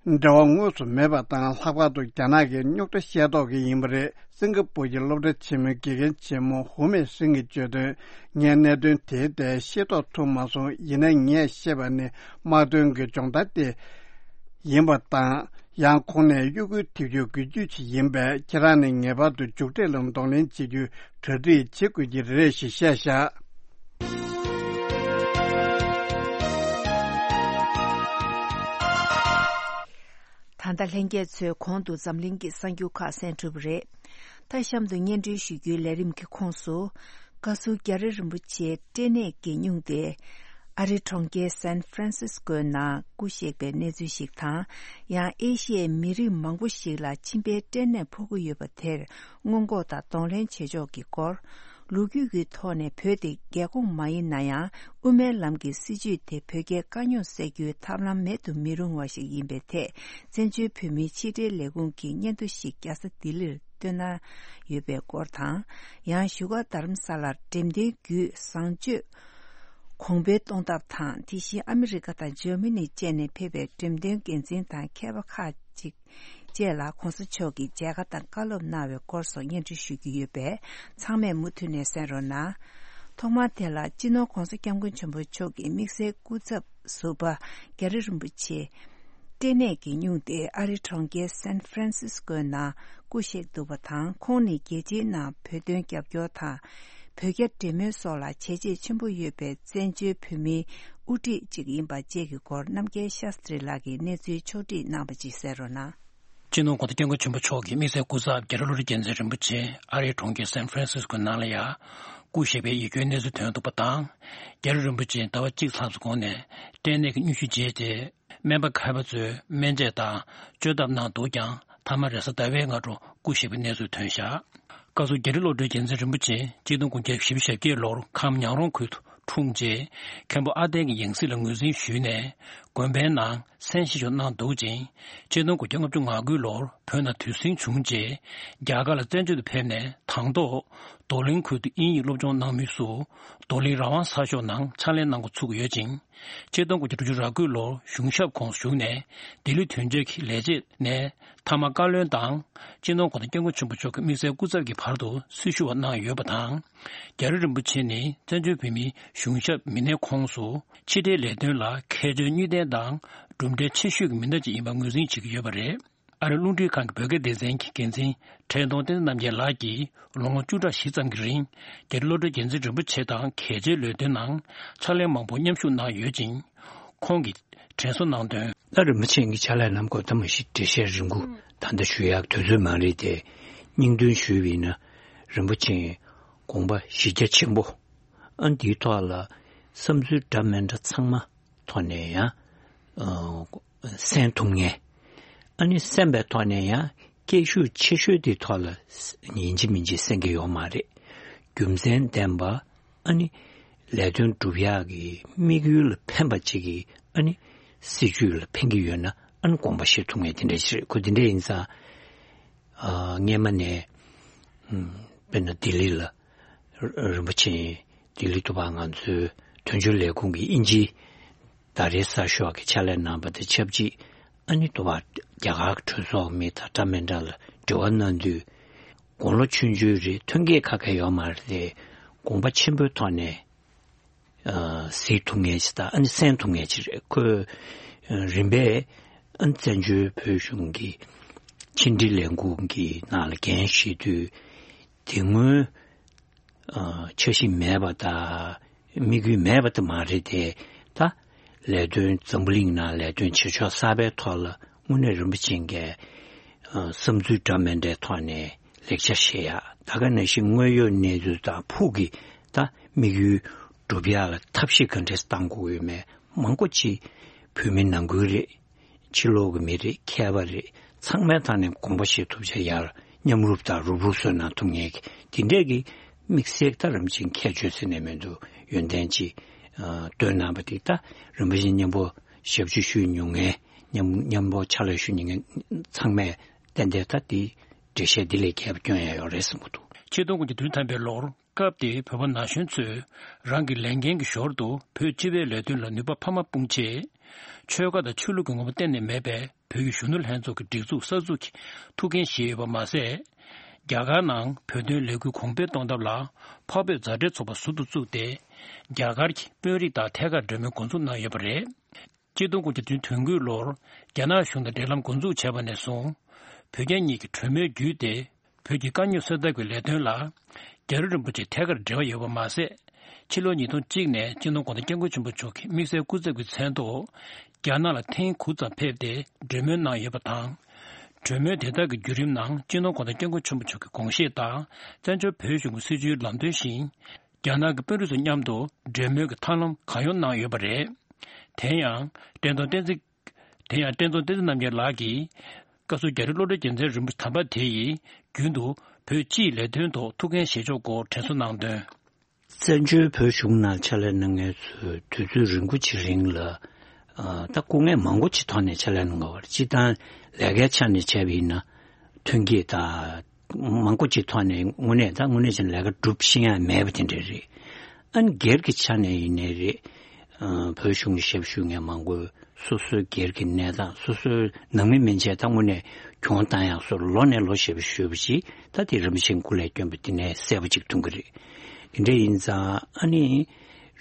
འབྲེལ་བ་དངོས་སུ་མེད་པ་དང་། ལྷག་པར་དུ་རྒྱ་ནག་གིས་རྙོག་དྲ་ཤེས་རྟོགས་ཀྱི་ཡིན་པ་རེད། སིང་ག་པུར་གྱི་སློབ་གྲྭ་ཆེན་མོའི་དགེ་རྒན་ཆེན་མོ་ཧུ་མེ་ཧྲིན་གྱིས་བརྗོད་དོན། ངས་གནད་དོན་དེའི་ཐད་ཤེས་རྟོགས་ཐུབ་མ་སོང་། ཡིན་ནའི་ངས་ཤེས་པ་ནི་དམག་དོན་གྱི་སྦྱོང་བརྡར་དེ་ཡིན་པ་དང་། ཡང་ཁོང་ནས་གཡོ་འགུལ་ཐེབས་རྒྱུ་དགོས་རྒྱུ་ཞིག་ཡིན་པས། ཁྱེད་རང་ནས་ངེས་པར་དུ་མཇུག་འབྲས་ལ་གདོང་ལེན་བྱེད་རྒྱུའི་གྲ་སྒྲིག་བྱེད་དགོས་ཀྱི་རེད་ཞེས་བཤད་བཞག་ད་ལྟ་ལྷན་རྒྱས་ཚོས་གོང་དུ་འཛམ་གླིང་གི་གསར་འགྱུར་ཁག་གསན་གྲུབ་པ་རེད། ད་གཤམ་དུ་སྙན་སྒྲོན་ཞུ་རྒྱུའི་ལས་རིམ་གྱི་ཁོངས་སུ། བཀའ་ཟུར་རྒྱ་རི་རིན་པོ་ཆེའི་སྐྲན་ནད་ཀྱིས་སྙུང་སྟེ། ཨ་རིའི་གྲོང་ཁྱེར་སན་ཧྥ་རན་སིས་ཀོའི་ནང་སྐུ་གཤེགས་པའི་གནས་ཚུལ་ཞིག་དང་། ཡང་ཨེ་ཤི་ཡའི་མི་རིགས་མང་པོ་ཞིག་ལ་མཆིན་པའི་སྐྲན་ནད་ཕོག་གི་ཡོད་པ་དེར་སྔོན་འགོག་དང་གདོང་ལེན་བྱེད་ཕྱོགས་ཀྱི་སྐོར། ལོ་རྒྱུས་ཀྱི་ཐོག་ནས་བོད་དེ་རྒྱལ་ཁོངས་མ་ཡིན་ན་ཡང་། དབུ་མའི་ལམ་གྱི་སྲིད་བྱུས་དེ་བོད་རྒྱའི་དཀའ་རྙོག་སེལ་རྒྱུའི་ཐབས་ལམ་མེད་དུ་མི་རུང་བ་ཞིག་ཡིན་པའི་ཐད། བཙན་བྱོལ་བོད་མིའི་ཕྱི་འབྲེལ་ལས་ཁུངས་ཀྱིས་སྙན་ཐོ་ཞིག་རྒྱལ་ས་ལྡི་ལིར་བཏོན་གནང་ཡོད་པའི་སྐོར་དང་། ཡང་བཞུགས་སྒར་རྡ་རམ་ས་ལར་འགྲེམས་སྟོན་བརྒྱུད་བཟང་སྤྱོད་གོང་འཕེལ་གཏོང་ཐབས་དང་། དེ་བཞིན་ཨ་མི་རི་ཀ་དང་འཇར་མ་ནི་བཅས་ནས་ཕེབས་པའི་འགྲེམས་སྟོན་འགན་འཛིན་དང་མཁས་པ་ཁག་ཅིག་བཅས་ལ་གོང་ས་མཆོག་གིས་མཇལ་ཁ་དང་བཀའ་སློབ་གནང་བའི་སྐོར་སོགས་སྙན་སྒྲོན་ཞུ་རྒྱུ་ཡོད་པས། ཚང་མས་མུ་མཐུད་ནས་གསན་རོགས་གནང་། ཐོག་མར་དེ་ལ་སྤྱི་ནོར་༧གོང་ས་༧སྐྱབས་མགོན་ཆེན་པོ་མཆོག་གི་དམིགས་བསལ་སྐུ་ཚབ་ཟུར་པ་རྒྱ་རི་རིན་པོ་ཆེ་སྐྲན་ནད་ཀྱིས་སྙུང་སྟེ་ཨ་རིའི་གྲོང་ཁྱེར་སན་ཧྥ་རན་སིས་ཀོའི་ནང་སྐུ་གཤེགས་འདུག་པ་དང་། ཁོང་ནི་རྒྱལ་སྤྱིའི་ནང་བོད་དོན་རྒྱབ་སྐྱོར་དང་། བོད་རྒྱ་འབྲེལ་མོལ་སོགས་ལ་བྱས་རྗེས་ཆེན་པོ་ཡོད་པའི་བཙན་བྱོལ་བོད་མིའི་དབུ་ཁྲིད་ཅིག་ཡིན་པ་བཅས་ཀྱི་སྐོར་རྣམ་རྒྱལ་ཤཱསྟྲི་ལགས་ཀྱིས་གནས་ཚུལ་ཕྱོགས་བསྒྲིགས་གནང་བ་ཅིག་གསན་རོགས་གནང་། སྤྱི་ནོར་༧གོང་ས་༧སྐྱབས་མགོན་ཆེན་པོ་མཆོག་གི་དམིགས་བསལ་སྐུ་ཚབ་རྒྱ་རི་བློ་གྲོས་རྒྱལ་མཚན་རིན་པོ་ཆེ་ཨ་རིའི་གྲོང་ཁྱེར་སན་ཧྥ་རན་སིས་ཀོ་ནང་ལ་ཡང་སྐུ་གཤེགས་པའི་ཡིད་སྐྱོའི་གནས་ཚུལ་ཐོན་འདུག་པ་དང་། རྒྱ་རི་རིན་པོ་ཆེ་ཟླ་བ་གཅིག་ལྷག་ཙམ་གོང་ནས་སྐྲན་ནད་ཀྱི་སྙུང་གཞི་བརྗེད་དེ། སྨན་པ་མཁས་པ་ཚོས་སྨན་དཔྱད་དང་བཅོས་ཐབས་གནང་འདུག་ཀྱང་། མཐའ་མ་རེས་གཟའ་ཟླ་བའི་སྔ་དྲོ་སྐུ་གཤེགས་པའི་གནས་ཚུལ་ཐོན་བཞག་བཀའ་ཟུར་རྒྱ་རི་བློ་གྲོས་རྒྱལ་མཚན་རིན་པོ་ཆེ་གཅིག་སྟོང་དགུ་བརྒྱ་བཞི་བཅུ་ཞེ་བརྒྱད་ལོར་ཁམས་ཉང་རོང་ཁུལ་དུ་འཁྲུངས་རྗེས། མཁན་པོ་ཨ་ཏན་གྱི་ཡང་སྲིད་ལ་ངོས་འཛིན་ཞུས་ནས། དགོན་པའི་ནང་མཚན་བཞེས་ཆོག་གནང་འདུག་ཅིང་། གཅིག་སྟོང་དགུ་བརྒྱ་ལྔ་བཅུ་ང་དགུ་ལོར་བོད་ནང་དུས་ཟིང་བྱུང་རྗེས། རྒྱ་གར་ལ་བཙན་བྱོལ་དུ་ཕེབས་ནས་དང་ཐོག་ རྡོར་གླིང་ཁུལ་དུ་དབྱིན་ཡིག་སློབ་སྦྱོང་གནང་མུས་སུ། རྡོར་གླིང་རང་དབང་གསར་ཤོག་ནང་ཕྱག་ལས་གནང་འགོ་ཚུགས་ཀྱི་ཡོད་ཅིང་། ཆིག་སྟོང་དགུ་བརྒྱ་དྲུག་ཅུ་རེ་དགུ་ལོར་གཞུང་ཞབས་ཁོངས་སུ་ཞུགས་ནས། ལྡི་ལི་དོན་གཅོད་ཀྱི་ལས་བྱེད་ནས་མཐའ་མ་བཀའ་བློན་དང་། སྤྱི་ནོར་༧གོང་ས་༧སྐྱབས་མགོན་ཆེན་པོ་མཆོག་གི་དམིགས་བསལ་སྐུ་ཚབ་ཀྱི་བར་དུ་སྲི་ཞུ་བ་གནང་ཡོད་པ་དང་། རྒྱ་རི་རིན་པོ་ཆེ་ནི་བཙན་བྱོལ་བོད་མིའི་གཞུང་ཞབས་མི་སྣའི་ཁོངས་སུ་ཕྱི་འབྲེལ་ལས་དོན་ལ་མཁས་མཆོག་གཉིས་ལྡན་དང་། གྲུབ་འབྲས་ཆེ་ཤོས་ཀྱི་མི་སྣ་ཅིག་ཡིན་པ་ངོས་འཛིན་བྱེད་ཀྱི་ཡོད་པ་རེད། ཨ་རིའི་རླུང་འཕྲིན་ཁང་གི་བོད་སྐད་སྡེ་ཚན་གྱི་འགན་འཛིན་ཁྲེན་ཏུང་བསྟན་འཛིན་རྣམ་རྒྱལ་ལགས་ཀྱིས་ལོ་ངོ་བཅུ་ཕྲག་བཞི་ཙམ་གྱི་རིང་རྒྱ་རི་བློ་གྲོས་རྒྱལ་མཚན་རིན་པོ་ཆེ་དང་གལ་ཆེའི་ལས་དོན་ནང་ཕྱག་ལས་མང་པོ་མཉམ་ཞུགས་གནང་ཡོད་ཅིང་། ཁོང་གིས་དྲན་གསོ་གནང་དོན། ད་རིན་པོ་ཆེ་གི་ཕྱག་ལས་རྣམས་སྐོར་ད་མ་གཞི་འགྲེལ་བཤད་རིང་པོ་ད་ལྟ་ཞུ་ཡག་དུས་ཚོད་མ་རེད་དེ། སྙིང་དོན་ཞུས་པ་ཡིན་ན། རིན་པོ་ཆེ་དགོངས་པ་གཞི་རྒྱ་ཆེན་པོ། ཨ་འདིའི་ཐོག་ལ་བསམ་ཚུལ་འདྲ་མི་འདྲ་ཚང་མ་ཐོག་ནས་ཡང་། ཨ། གསན་ཐུབ་མཁན། ཨ་ནི་གསན་པའི་ཐོག་ནས་ཡང་སྐད་ཤུགས་ཆེ་ཤོས་དེའི་ཐོག་ལ་ཡིན་གཅིག་མིན་གཅིག་གསན་གྱི་ཡོད་མ་རེད། རྒྱུ་མཚན་ལྡན་པ། ཨ་ནི་ལས་དོན་སྒྲུབ་ཡག་གི་དམིགས་ཡུལ་ལ་ཕན་པ་ཅིག་གི། ཨ་ནི་སྲིད་ཇུས་ལ་ཕན་གྱི་ཡོད་ན། ཨ་ནི་དགོངས་པ་བཞེས་ཐུབ་མཁན་དེ་འདྲ་ཞིག་རེད། ཁོ་དེ་འདྲ་ཡིན་ཙང་། ཨ། སྔས་མ་ནས། ཨམ། དཔེར་ན་ལྡི་ལི་ལ། ར། རིན་པོ་ཆེ་ལྡི་ལི་དུ་བ་ང་ཚོའི་དོན་གཅོད་ལས་ཁུངས་ཀྱི་དབྱིན་ཇིའི་ཟླ་རེའི་གསར་ཤོག་གི་ཕྱག་ལས་གནང་བ་དང་ཆབས་ཅིག། ཨ་ནི་དུ་བ་རྒྱ་གར་གྱི་གྲོས་ཚོགས་མི་དང་འདྲ་མི་འདྲ་ལ་འབྲེལ་བ་གནང་དུས། དགུང་ལོ་ཆུང་ཆུང་རེད། ཐོན་སྐྱེད་ཁ་ཁ་ཡོད་མ་རེད་དེ། དགོངས་པ་ཆེན་པོའི་ཐོག་ནས། ཨ། གཟིགས་ཐུབ་མཁན་ཞིག་དང་། ཨ་ནི་གསན་ཐུབ་མཁན་ཞིག་རེད། ཁོས། ཨ། རིམ་པས། ཨ། བཙན་བྱོལ་བོད་གཞུང་གི་ཕྱི་འབྲེལ་ལས་ཁུངས་ཀྱི་ནང་ལ་འགན་བཞེས་དུས། དེ་སྔོན། ཨ། འཆར་གཞི་མེད་པ་དང་། དམིགས་ཡུལ་མེད་པ་དེ་མ་རེད་དེ། ད་ལས་དོན། འཛམ་བུ་གླིང་ནང་ལས་དོན་བྱེད་ཕྱོགས་གསར་པའི་ཐོག་ལ་དངོས་གནས་རིན་པོ་ཆེ་གིས། ཨ། བསམ་ཚུལ་འདྲ་མི་འདྲའི་ཐོག་ནས་ལེགས་ཆ་བཞེས་ཡ། ད་ག་ནང་བཞིན་དངོས་ཡོད་གནས་ཚུལ་དང་ཕུགས་ཀྱི་ད་དམིགས་ཡུལ་སྒྲུབ་ཡག་ལ་ཐབས་ཤེས་ག་འདྲས་བཏང་དགོས་ཡོད་མེད། མང་པོ་ཅིག་བོད་མི་ནང་ཁུལ་རེད། ཕྱི་ལོགས་ཀྱི་མི་རེད། མཁས་པ་རེད། ཚང་མའི་ཐོག་ནས་དགོངས་པ་བཞེས་ཐུབ་བྱ་ཡར་མཉམ་རུབ་དང་རུབ་རུབ་བཟོས་གནང་ཐུབ་མཁན་གྱི་དེ་འདྲས་ཀྱི་དམིགས་བསལ་ད་རིན་པོ་ཆེ་ཁྱད་ཆོས་ཟེར་ནས་མི་འདུག། ཡོན་ཏན་ཅིག། ཨ། བཏོན་གནང་བ་དེ། ད་རིན་པོ་ཆེ་མཉམ་པོ་ཞབས་ཕྱི་ཞུ་མྱོང་མཁན། མཉམ། མཉམ་པོ་ཕྱག་ལས་ཞུ་མྱོང་མཁན་ཚང་མས་ཏན་ཏན་ད་དེ་འགྲེལ་བཤད་འདི་ལས་རྒྱས་པ་སྐྱོན་ཡ་ཡོད་རེད་བསམ་གྱི་འདུག། ཆིག་སྟོང་དགུ་བརྒྱ་དོན་ཐམ་པའི་ལོར། སྐབས་དེའི་བོད་པ་ན་གཞོན་ཚོས་རང་གི་ལས་འགན་གྱི་ཞོར་དུ་བོད་སྤྱི་པའི་ལས་དོན་ལ་ནུས་པ་འཕར་མ་སྤུངས་ཆེད། ཆོལ་ཁ་དང་ཆོས་ལུགས་ཀྱི་ངོ་བོ་གཏན་ནས་མེད་པའི་བོད་ཀྱི་གཞོན་ནུ་ལྷན་ཚོགས་ཀྱི་སྒྲིག་འཛུགས་གསར་འཛུགས་ཀྱི་ཐུགས་འགན་བཞེས་ཡོད་པ་མ་ཟད། རྒྱ་གར་ནང་བོད་དོན་ལས་འགུལ་གོང་འཕེལ་གཏོང་ཐབས་ལ་འཕགས་བོད་མཛའ་འབྲེལ་ཚོགས་པ་ཟུར་དུ་བཙུགས་ཏེ། རྒྱ་གར་གྱི་དཔོན་རིགས་དང་ཐད་ཀར་གྲོས་མོལ་འགོ་འཛུགས་གནང་ཡོད་པ་རེད། ཆིག་སྟོང་དགུ་བརྒྱ་དོན་དགུའི་ལོར་རྒྱ་ནག་གཞུང་དང་འབྲེལ་ལམ་འགོ་འཛུགས་བྱས་པ་ནས་བཟུང་། བོད་རྒྱ་གཉིས་ཀྱི་གྲོས་མོལ་བརྒྱུད་དེ། བོད་ཀྱི་དཀའ་རྙོག་སེལ་ཐབས་ཀྱི་ལས་དོན་ལ་རྒྱ་རི་རིན་པོ་ཆེ་ཐད་ཀར་འབྲེལ་བ་ཡོད་པ་མ་ཟད། ཕྱི་ལོ་ཉིས་སྟོང་གཅིག་ནས་སྤྱི་ནོར་༧གོང་ས་༧སྐྱབས་མགོན་ཆེན་པོ་མཆོག་གི་དམིགས་བསལ་སྐུ་ཚབ་ཀྱི་མཚན་ཐོག་རྒྱ་ནག་ལ་ཐེངས་དགུ་ཙམ་ཕེབས་ཏེ་གྲོས་མོལ་གནང་ཡོད་པ་དང་། གྲོས་མོལ་དེ་དག་གི་བརྒྱུད་རིམ་ནང་སྤྱི་ནོར་༧གོང་ས་༧སྐྱབས་མགོན་ཆེན་པོ་མཆོག་གི་དགོངས་བཞེད་དང་། བཙན་བྱོལ་བོད་གཞུང་གི་སྲིད་བྱུས་ལམ་སྟོན་བཞིན། རྒྱ་ནག་གི་དཔོན་རིགས་ཚོ་མཉམ་དུ་གྲོས་མོལ་གྱི་ཐབས་ལམ་གང་ཡོང་གནང་ཡོད་པ་རེད། དེ་ཡང་བཀྲས་མཐོང་བསྟན་འཛིན། དེ་ཡང་བཀྲས་མཐོང་བསྟན་འཛིན་རྣམ་རྒྱལ་ལགས་ཀྱིས། བཀའ་ཟུར་རྒྱ་རི་བློ་གྲོས་རྒྱལ་མཚན་རིན་པོ་ཆེ་དམ་པ་དེ་ཡིས་རྒྱུན་དུ་བོད་སྤྱིའི་ལས་དོན་ཐོག་ཐུགས་འགན་བཞེས་ཕྱོགས་སྐོར་དྲན་གསོ་གནང་དོན། བཙན་བྱོལ་བོད་གཞུང་ནང་ཕྱག་ལས་གནང་མཁན་ཚོས་དུས་ཚོད་རིང་པོ་ཅིག་རིང་ལ། ཨ། ད་སྐུ་ངལ་མང་པོ་ཅིག་ཐོག་ནས་ཕྱག་ལས་གནང་དགོས་པ་རེད། སྤྱིར་བཏང་ལས་ཀའི་ཆ་ནས་བྱས་པ་ཡིན་ན། ཐོན་སྐྱེད་དང་མང་པོ་ཅིག་ཐོག་ནས་དངོས་གནས་ད་དངོས་གནས་བྱས་ན་ལས་ཀ་སྒྲུབ་ཤེས་ཡ་མེད་པ་དེ་འདྲ་རེད། ཨ་ནི་སྒེར་གྱི་ཆ་ནས་ཡིན་ནའི་རེད། ཨ། བོད་གཞུང་གི་ཞབས་ཞུ་མཁན་མང་པོས་སོ་སོའི་སྒེར་གྱི་གནས་སྟངས། སོ་སོའི་ནང་མི་མན་ཆད་ད་དངོས་གནས་གྱོང་བཏང་ཡག་བཟོ་ལོ་ནས་ལོ་ཞེ་པོ་ཞུས་པ་ཅིག། ད་དེ་རིན་པོ་ཆེ་སྐུ་ལས་བསྐྱོན་པ་དེ་ནས་གསལ་པོ་ཅིག་མཐོང་གི་རེད། དེ་འདྲ་ཡིན་ཙང་ཨ་ནི་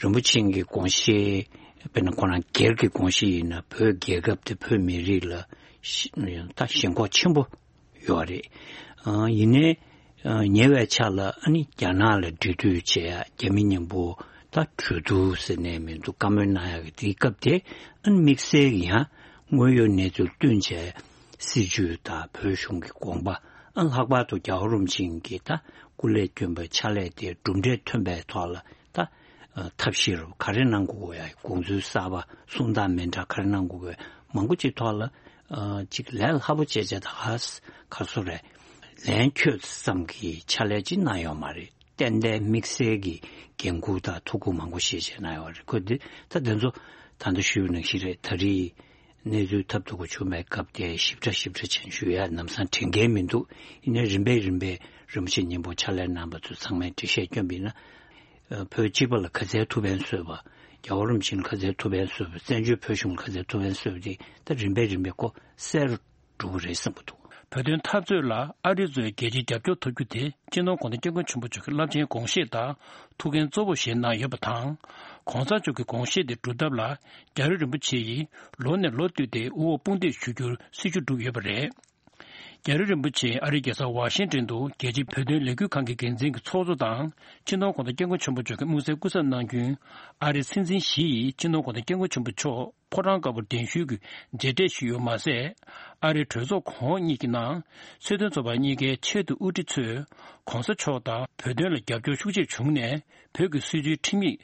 རིན་པོ་ཆེ་གི་དགོངས་བཞེད། དཔེར་ན་ཁོ་རང་སྒེར་གྱི་དགོངས་བཞེད་ཡིན་ན། བོད་རྒྱལ་ཁབ་དེ་བོད་མི་རིགས་ལ་ཞི། ད་ཞེན་ཁོག་ཆེན་པོ་ཡོད་རེད། ཨ། ཡིན་ནའི། ཨ། ཉེ་བའི་ཆར་ལ་ཨ་ནི་རྒྱ་ནག་ལ་འབྲེལ་མཐུད་བྱེད་ཡ། རྒྱ་མི་མཉམ་པོ་ད་གྲོས་བསྡུར་ཟེར་ནས་མི་འདུག། བཀའ་མོལ་གནང་ཡ་གི་དེའི་སྐབས་དེ། ཨ་ནི་དམིགས་བསལ་གྱི་ཡང་དངོས་ཡོད་གནས་ཚུལ་བསྟུན་བྱས་སྲིད་བྱུས་དང་བོད་གཞུང་གི་དགོངས་པ། ཨ། ལྷག་པར་དུ་རྒྱལ་བ་རིན་པོ་ཆེ་གིས་ད་སྐུ་ལས་བསྐྱོན་པའི་ཕྱག་ལས་དེ་གྲུབ་འབྲས་ཐོན་པའི་ཐོག་ལ། ད། ཨ། ཐབས་ཤེས་རུ་ག་རེ་གནང་དགོས་ཡ། དགོངས་ཚུལ་གསར་པ། གསུང་སྟངས་མི་འདྲ་ག་རེ་གནང་དགོས་པའི་མང་པོ་ཅིག་ཐོག་ལ། ཨ། ཅིག་ལས་སླ་པོ་བྱས་བྱས། ད་ག་ས་ག་སོ་རེད། ལན་འཁྱོལ་ཙམ་གྱི་ཕྱག་ལས་ཅིག་གནང་ཡོད་མ་རེད། ཏན་ཏན་དམིགས་བསལ་གྱི་འགན་འཁུར་དང་ཐུགས་ཁུར་མང་པོ་བཞེས་བྱས་གནང་ཡོད་རེད། ཁོ་འདི་ད་དེ་ཚོ་ད་ལྟ་ཞུས་པ་ནང་བཞིན་རེད། ད་རེས་ གནས་ཚུལ་ཐབས་སྡུག་གི་བྱུང་བའི་སྐབས་དེ་ཞིབ་ཕྲ་ཞིབ་ཕྲ་ཅན་ཞུ་ཡ་ལམ་སང་དྲན་གྱི་མི་འདུག་ཡིན་ནའི་རིམ་པས་རིམ་པས་རིན་པོ་ཆེ་མཉམ་པོ་ཕྱག་ལས་གནང་བ་ཚོ་ཚང་མས་འགྲེལ་བཤད་བསྐྱོན་པ་ཡིན་ན། ཨ། བོད་གཅིག་པ་ལ་ག་ཚད་ཐུགས་ཕན་གསོས་པ། རྒྱལ་བ་རིན་པོ་ཆེ་ལ་ག་ཚད་ཐུགས་ཕན་གསོས་པ། བཙན་བྱོལ་བོད་གཞུང་ལ་ག་ཚད་ཐུགས་ཕན་གསོས་པ་དེ་ད་རིམ་པས་རིམ་པས་ཁོ་གསལ་རུ་འགྲོ་གི་རེད་བསམ་གྱི་འདུག་བོད་དོན་འཐབ་རྩོད་ལ་ཨ་རི་ཚོས་རྒྱལ་སྤྱིའི་རྒྱབ་སྐྱོར་ཐོབ་རྒྱུ་དེ་སྤྱི་ནོར་༧གོང་ས་༧སྐྱབས་མགོན་ཆེན་པོ་མཆོག་གི་རླབས་ཆེན་དགོངས་བཞེད་དང་ཐུགས་འགན་གཙོ་བོ་ཞིག་གནང་ཡོད་པ་དང་། ༧གོང་ས་མཆོག་གི་དགོངས་བཞེད་དེ་སྒྲུབ་ཐབས་ལ་རྒྱལ་བ་རིན་པོ་ཆེ་ཡིས་ལོ་ནས་ལོ་བསྟུད་དེ་དབུ་འོག་དཔུང་འདེགས་ཞུ་རྒྱུར་སྲིད་ཇུས་བསྒྲུབས་ཡོད་པ་རེད། རྒྱལ་བ་རིན་པོ་ཆེ་ཨ་རིའི་རྒྱལ་ས་ཝ་ཤིང་ཏོན་དུ་རྒྱལ་སྤྱིའི་བོད་དོན་ལས་འགུལ་ཁང་གི་འགན་འཛིན་གྱི་ཚོགས་གཙོ་དང་སྤྱི་ནོར་༧གོང་ས་༧སྐྱབས་མགོན་ཆེན་པོ་མཆོག་གི་དམིགས་བསལ་སྐུ་ཚབ་གནང་རྒྱུའི་ཨ་རིའི་སྲིད་འཛིན་ཞི་ཡིས་སྤྱི་ནོར་༧གོང་ས་༧སྐྱབས་མགོན་ཆེན་པོ་མཆོག་ཕོ་བྲང་དཀར་པོར་གདན་ཞུས་ཀྱིས་མཇལ་འཕྲད་ཞུས་ཡོད་མ་ཟད། ཨ་རིའི་གྲོས་ཚོགས་གོང་འོག་གཉིས་ཀྱི་ནང་ཚོས་དོན་ཚོགས་པ་གཉིས་ཀའི་ཆེས་མཐོའི་དབུ་ཁྲིད་ཚོས་༧གོང་ས་མཆོག་དང་བོད་དོན་ལ་རྒྱབ་སྐྱོར་ཤུགས་ཆེ་བྱུང་ནས་བོད་ཀྱི་སྲིད་བྱུས་ཁྲིམས་ཡིག་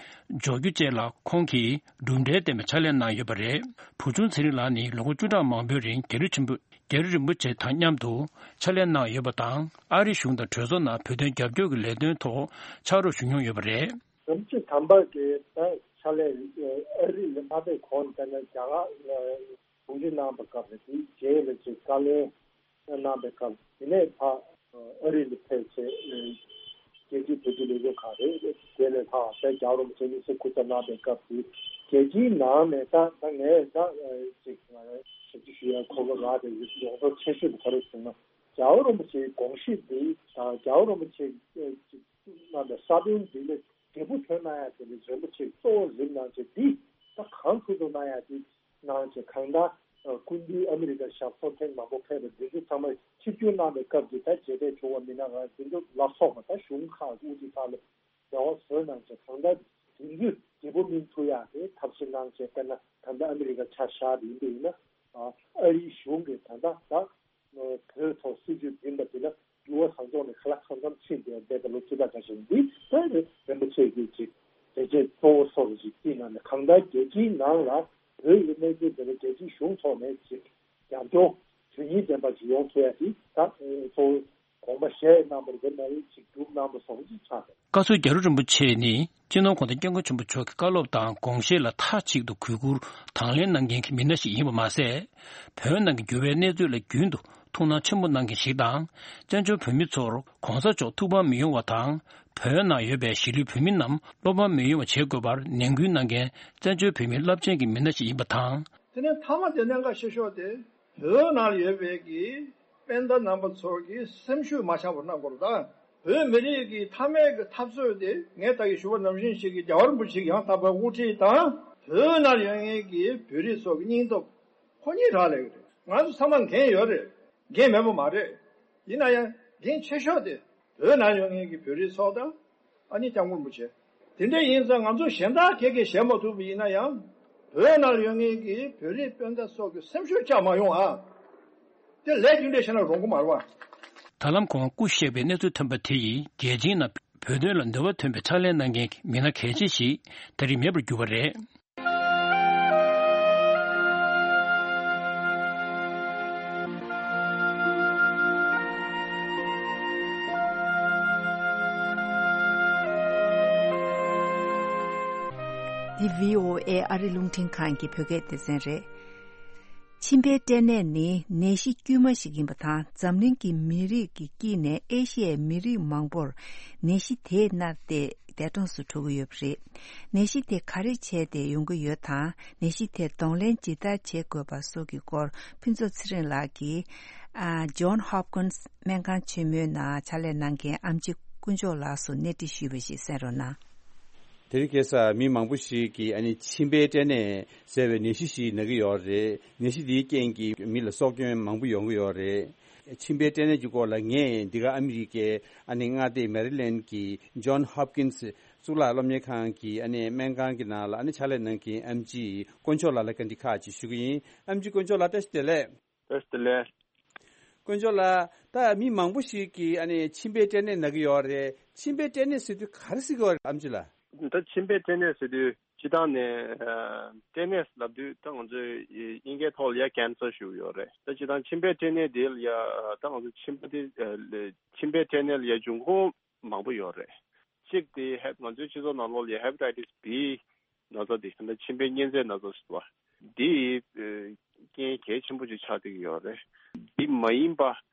འཇོག་རྒྱུ་བཅས་ལ་ཁོང་གིས་གྲུབ་འབྲས་ལྡན་པའི་ཕྱག་ལས་གནང་ཡོད་པ་རེད། བུ་ཆུང་ཚེ་རིང་ལགས་ནི་ལོ་ངོ་བཅུ་ཕྲག་མང་པོའི་རིང་རྒྱལ་བ་ཆེན་པོ་རྒྱལ་བ་རིན་པོ་ཆེ་དང་མཉམ་དུ་ཕྱག་ལས་གནང་ཡོད་པ་དང་། ཨ་རིའི་གཞུང་དང་གྲོས་ཚོགས་ནང་བོད་དོན་རྒྱབ་སྐྱོར་གྱི་ལས་དོན་ཐོག་ཕྱག་རོགས་ཞུ་མྱོང་ཡོད་པ་རེད། རིན་པོ་ཆེ་དམ་པ་གིས་ད་ཕྱག་ལས་ཨ་རི་ལ་མ་ཕེབས་གོང་ལ་ད་ནི་རྒྱ་གར་ལ་གདུང་སེམས་གནང་བའི་སྐབས་ལ་དེའི་རྗེས་ལ་ཅིག་བཀའ་བློན་གནང་བའི་སྐབས། དེ་ནས་ཕར་ཨ་རི་ལ་ཕེབས་བྱས་རྒྱལ་སྤྱིའི་བོད་ཀྱི་ལས་འགུལ་ཁང་རེད། དེ་ནས་ཕར་བྱས་རྒྱལ་བ་རིན་པོ་ཆེ་དམིགས་བསལ་སྐུ་ཚབ་གནང་བའི་སྐབས་དེ་རྒྱལ་སྤྱིའི་ནང་ནས་ད་ད་ངས་ད་ཅིག་ཞབས་ཕྱི་ཞུ་ཡ་ཁོ་གོ་རག་དེ་ཡོངས་རྫོགས་ཆེ་ཤོས་དེ་ག་རེ་ཟེར་ན། རྒྱལ་བ་རིན་པོ་ཆེའི་དགོངས་གཞི་འདི་དང་རྒྱལ་བ་རིན་པོ་ཆེ་ཅིག་གནང་བའི་ས་བོན་འདི་ལ་འབྲས་བུ་ཐོན་གནང་ཡ་དེ་ལ་རིན་པོ་ཆེ་གཙོ་བོ་རིམ་གནང་བྱས་འདི་ད་གང་ཐུབ་ཐུབ་གནང་ཡ་དེ་གནང་བྱས། གང་ལྟར་སྐུ་མདུན་ཨ་མི་རི་ཀ་ཞབས་སོར་ཐེངས་མང་པོ་ཕེབས་པ་འདི་ཚོ་ཚང་མ་ཆིབས་བསྒྱུར་གནང་བའི་སྐབས་ཀྱི་ད་མཇལ་འཕྲད་བྱུང་བ་མིན་ན་རང་འདི་ཚོ་ལ་སོགས་པ་ད་གཞུང་ཁག་དབུ་ཁྲིད་ཁག་ལ་འབྲེལ་བ་བཟོས་གནང་བྱས། གང་ལྟར་དེ་ཚོས་འབྲས་བུ་སྨིན་ཐུབ་ཡ་དེ་ཐབས་ཤེས་གནང་བྱས། དཔེར་ན་ད་ལྟ་ཨ་མི་རི་ཀ་ཆ་བཞག་པ་ཡིན་པ་ཡིན་ན། ཨ་རིའི་གཞུང་གིས་ད་ལྟ་ད་བོད་ཐོག་སྲིད་བྱུས་འཛིན་པ་དེ་ལ་འགྱུར་བ་གང་བྱུང་ནས་ཁ་ལག་ཁང་ཁམས་ཕྱིན་ཏེ་བསྡད་པ་ལོ་བཅུ་ཕྲག་ཁ་ཤས་འདི་ལྟར་རིན་པོ་ཆེ་གིས་ཅིག་བྱས་རྗེས་གཙོ་བོ་སོགས་ཅིག་བརྩིས་གནང་ནས། གང་ལྟར་རྒྱལ་སྤྱིའི་ནང་ལ་བོད་ཀྱི་གནས་ཚུལ་དེ་ལ་རྒྱལ་སྤྱིའི་གཞུང་ཐོག་ནས་ཅིག་རྒྱབ་སྐྱོར་དོན་སྙིང་ལྡན་པ་ཅིག་ཡོང་ཐུབ་ཡ་དེ་ད་གཙོ་བོ་དགོངས་པ་བཞེས་གནང་བ་རེད་མ་རེད། ཅིག་སྒྲུབ་གནང་བ་སོགས་ཅིག་ཆགས་འདུག་བཀའ་ཟུར་རྒྱ་རི་རིན་པོ་ཆེ་ནི་སྤྱི་ནོར་༧གོང་ས་༧སྐྱབས་མགོན་ཆེན་པོ་མཆོག་གི་བཀའ་སློབ་དང་དགོངས་བཞེད་ལ་མཐའ་གཅིག་ཏུ་གུས་བཀུར་དང་ལེན་གནང་མཁན་གྱི་མི་སྣ་ཞིག་ཡིན་པ་མ་ཟད། བོད་ནང་གི་འགྱུར་བའི་གནས་ཚུལ་ལ་རྒྱུན་དུ་ཐུགས་སྣང་ཆེན་པོ་གནང་མཁན་ཞིག་དང་། བཙན་བྱོལ་བོད་མི་ཚོར་༧གོང་ས་མཆོག་ཐུགས་ཕམ་མི་ཡོང་བ་དང་། བོད་ནང་ཡོད་པའི་གཞིས་ལུས་བོད་མི་རྣམས་བློ་ཕམ་མི་ཡོང་བ་བྱེད་དགོས་པར་ནན་སྐུལ་གནང་མཁན་བཙན་བྱོལ་བོད་མིའི་རླབས་ཆེན་གྱི་མི་སྣ་ཞིག་ཡིན་པ་དང་། དེ་ནས་མཐའ་མ་དེ་གནད་འགག་ཆེ་ཤོས་དེ་བོད་ནང་ཡོད་པའི་གི་སྤུན་ཟླ་རྣམ་པ་ཚོ་གི་སེམས་ཤུགས་མ་ཆག་པར་གནང་དགོས་རེད། ད་བོད་མི་རིགས་ཀྱི་མཐའ་མའི་གི་འཐབ་རྩོད་དེ་ངས་ད་གིན་ཞུ་བ་ནང་བཞིན་ཞིག་གི་རྒྱལ་བ་རིན་པོ་ཆེ་ཡང་དག་པའི་དབུ་ཁྲིད་དང་བོད་ནང་ཡོད་མཁན་གྱི་བོད་རིགས་ཚོ་གི་སྙིང་སྟོབས་ཁོ་གཉིས་རག་ལས་ཀྱི་རེད། ང་ཚོ་ཚང་མ་འགན་ཡོད་རེད། འགན་མེད་པ་མ་རེད། ཡིན་ན་ཡང་འགན་ཆེ་ཤོས་དེ་བོད་ནང་ཡོད་མཁན་གྱི་བོད་རིགས་ཚོ་དང་། ཨ་ནི་སྐྱབས་མགོན་རིན་པོ་ཆེ། དེ་འདྲ་ཡིན་ཙང་ང་ཚོ་གཞན་དག་ག་གིས་བྱེད་མ་ཐུབ་པ་ཡིན་ན་ཡང་། བོད་ནང་ཡོད་མཁན་གྱི་བོད་རིགས་སྤུན་ཟླ་སོགས་ཀྱི་སེམས་ཤུགས་བཅག་མ་ཡོང་ཨ། དེ་ལས་རྒྱུ་འབྲས་བཤད་ན་རུང་གི་མ་རེད་བ། ད་ལམ་ཁོང་སྐུ་གཤེགས་པའི་གནས་ཚུལ་ཐོན་པ་དེ་ཡིས་རྒྱལ་སྤྱིའི་ནང་བོད་དོན་ལ་འདོད་པ་ཐོན་པའི་ཕྱག་ལས་གནང་མཁན་གྱི་མི་སྣ་གལ་ཆེ་ཞིག་ད་རེས་མེད་པར་གྱུར་པ་རེད། འདི་བྷི་ཨོ་ཨེ་ཨ་རི་རླུང་འཕྲིན་ཁང་གི་བོད་སྐད་སྡེ་ཚན་རེད། མཆིན་པའི་སྐྲན་ནད་ནི་ནད་གཞི་དཀྱུས་མ་ཞིག་ཡིན་པ་དང་། འཛམ་གླིང་གི་མི་རིགས་ཀྱི་དཀྱིལ་ནས་ཨེ་ཤི་ཡའི་མི་རིགས་མང་པོར་ནད་གཞི་དེས་མནར་ཏེ་འདས་གྲོངས་སུ་འགྲོ་གི་ཡོད་པ་རེད། ནད་གཞི་དེ་ག་རེ་བྱས་ཏེ་ཡོང་གི་ཡོད་དང་། ནད་གཞི་དེར་གདོང་ལེན་ཇི་ལྟར་བྱེད་དགོས་པ་སོགས་ཀྱི་སྐོར་ཕུན་ཚོགས་ཚེ་རིང་ལགས་ཀྱིས། ཨ། John Hopkins སྨན་ཁང་ཆེན་མོའི་ནང་ཕྱག་ལས་གནང་མཁན་ཨེམ་ཆི་དཀོན་མཆོག་ལགས་སུ་གནས་འདྲི་ཞུས་པ་ཞིག་གསན་རོགས་གནང་། དེ་རིང་ཁ་སང་མི་མང་པོ་ཞིག་གིས་ཨ་ནི་མཆིན་པའི་སྐྲན་ནད་ཟེར་བའི་ནད་གཞི་ཞིག་ན་གི་ཡོད་རེད། ནད་གཞི་འདིའི་རྐྱེན་གྱིས་མི་ལ་སྲོག་སྐྱོན་མང་པོ་ཡོང་གི་ཡོད་རེད། མཆིན་པའི་སྐྲན་ནད་ཀྱི་སྐོར་ལ་ངས་འདི་ག་ཨ་མི་རི་ཀའི་ཨ་ནི་མངའ་སྡེ་མེ་རི་ལེན་གྱི་John Hopkins གཙུག་ལག་སློབ་གཉེར་ཁང་གི་ཨ་ནི་སྨན་ཁང་གི་ནང་ལ་ཨ་ནི་ཕྱག་ལས་གནང་མཁན་ཨེམ་ཆི་དཀོན་མཆོག་ལགས་ལ་བཀའ་འདྲི་ཁག་ཅིག་ཞུ་གི་ཡིན། ཨེམ་ཆི་དཀོན་མཆོག་ལགས་བཀྲ་ཤིས་བདེ་ལེགས། བཀྲ་ཤིས་བདེ་ལེགས། དཀོན་མཆོག་ལགས། ད་མི་མང་པོ་ཞིག་གིས་ཨ་ནི་མཆིན་པའི་སྐྲན་ནད་ན་གི་ཡོད་རེད། མཆིན་པའི་སྐྲན་ནད་ཟེར་དུས་ག་རེ་ཟེར་གི་ཡོད་རེད་ཨེམ་ཆི་ལགས། ད་མཆིན་པའི་སྐྲན་ནད་ཟེར་དུས་སྤྱིར་བཏང་ནས་ཨ་སྐྲན་ནད་ལབ་དུས་ད་ང་ཚོས་དབྱིན་སྐད་ཐོག་ལ་ཡ་cancer ཞུ་གི་ཡོད་རེད། ད་སྤྱིར་བཏང་མཆིན་པའི་སྐྲན་ནད་དེ་ལ་ཡ་ད་ང་ཚོ་མཆིན་པ་དེ་ཨ་མཆིན་པའི་སྐྲན་ནད་ལ་ཡ་འབྱུང་ཁུངས་མང་པོ་ཡོད་རེད། གཅིག་དེ་ཧེ་ང་ཚོའི་སྤྱི་ཚོགས་ནང་ལོགས་ལ་ཡ་hepatitis B ན་ཚ་དེ་ད་མཆིན་པའི་གཉན་ཚད་ན་ཚ་ཟེར་བ་དེ་ཨ་ རྐྱེན་གལ་ཆེན་པོ་ཅིག་ཆགས་བསྡད་ཀྱི་ཡོད་རེད། འདི་མ་ཡིན་པ་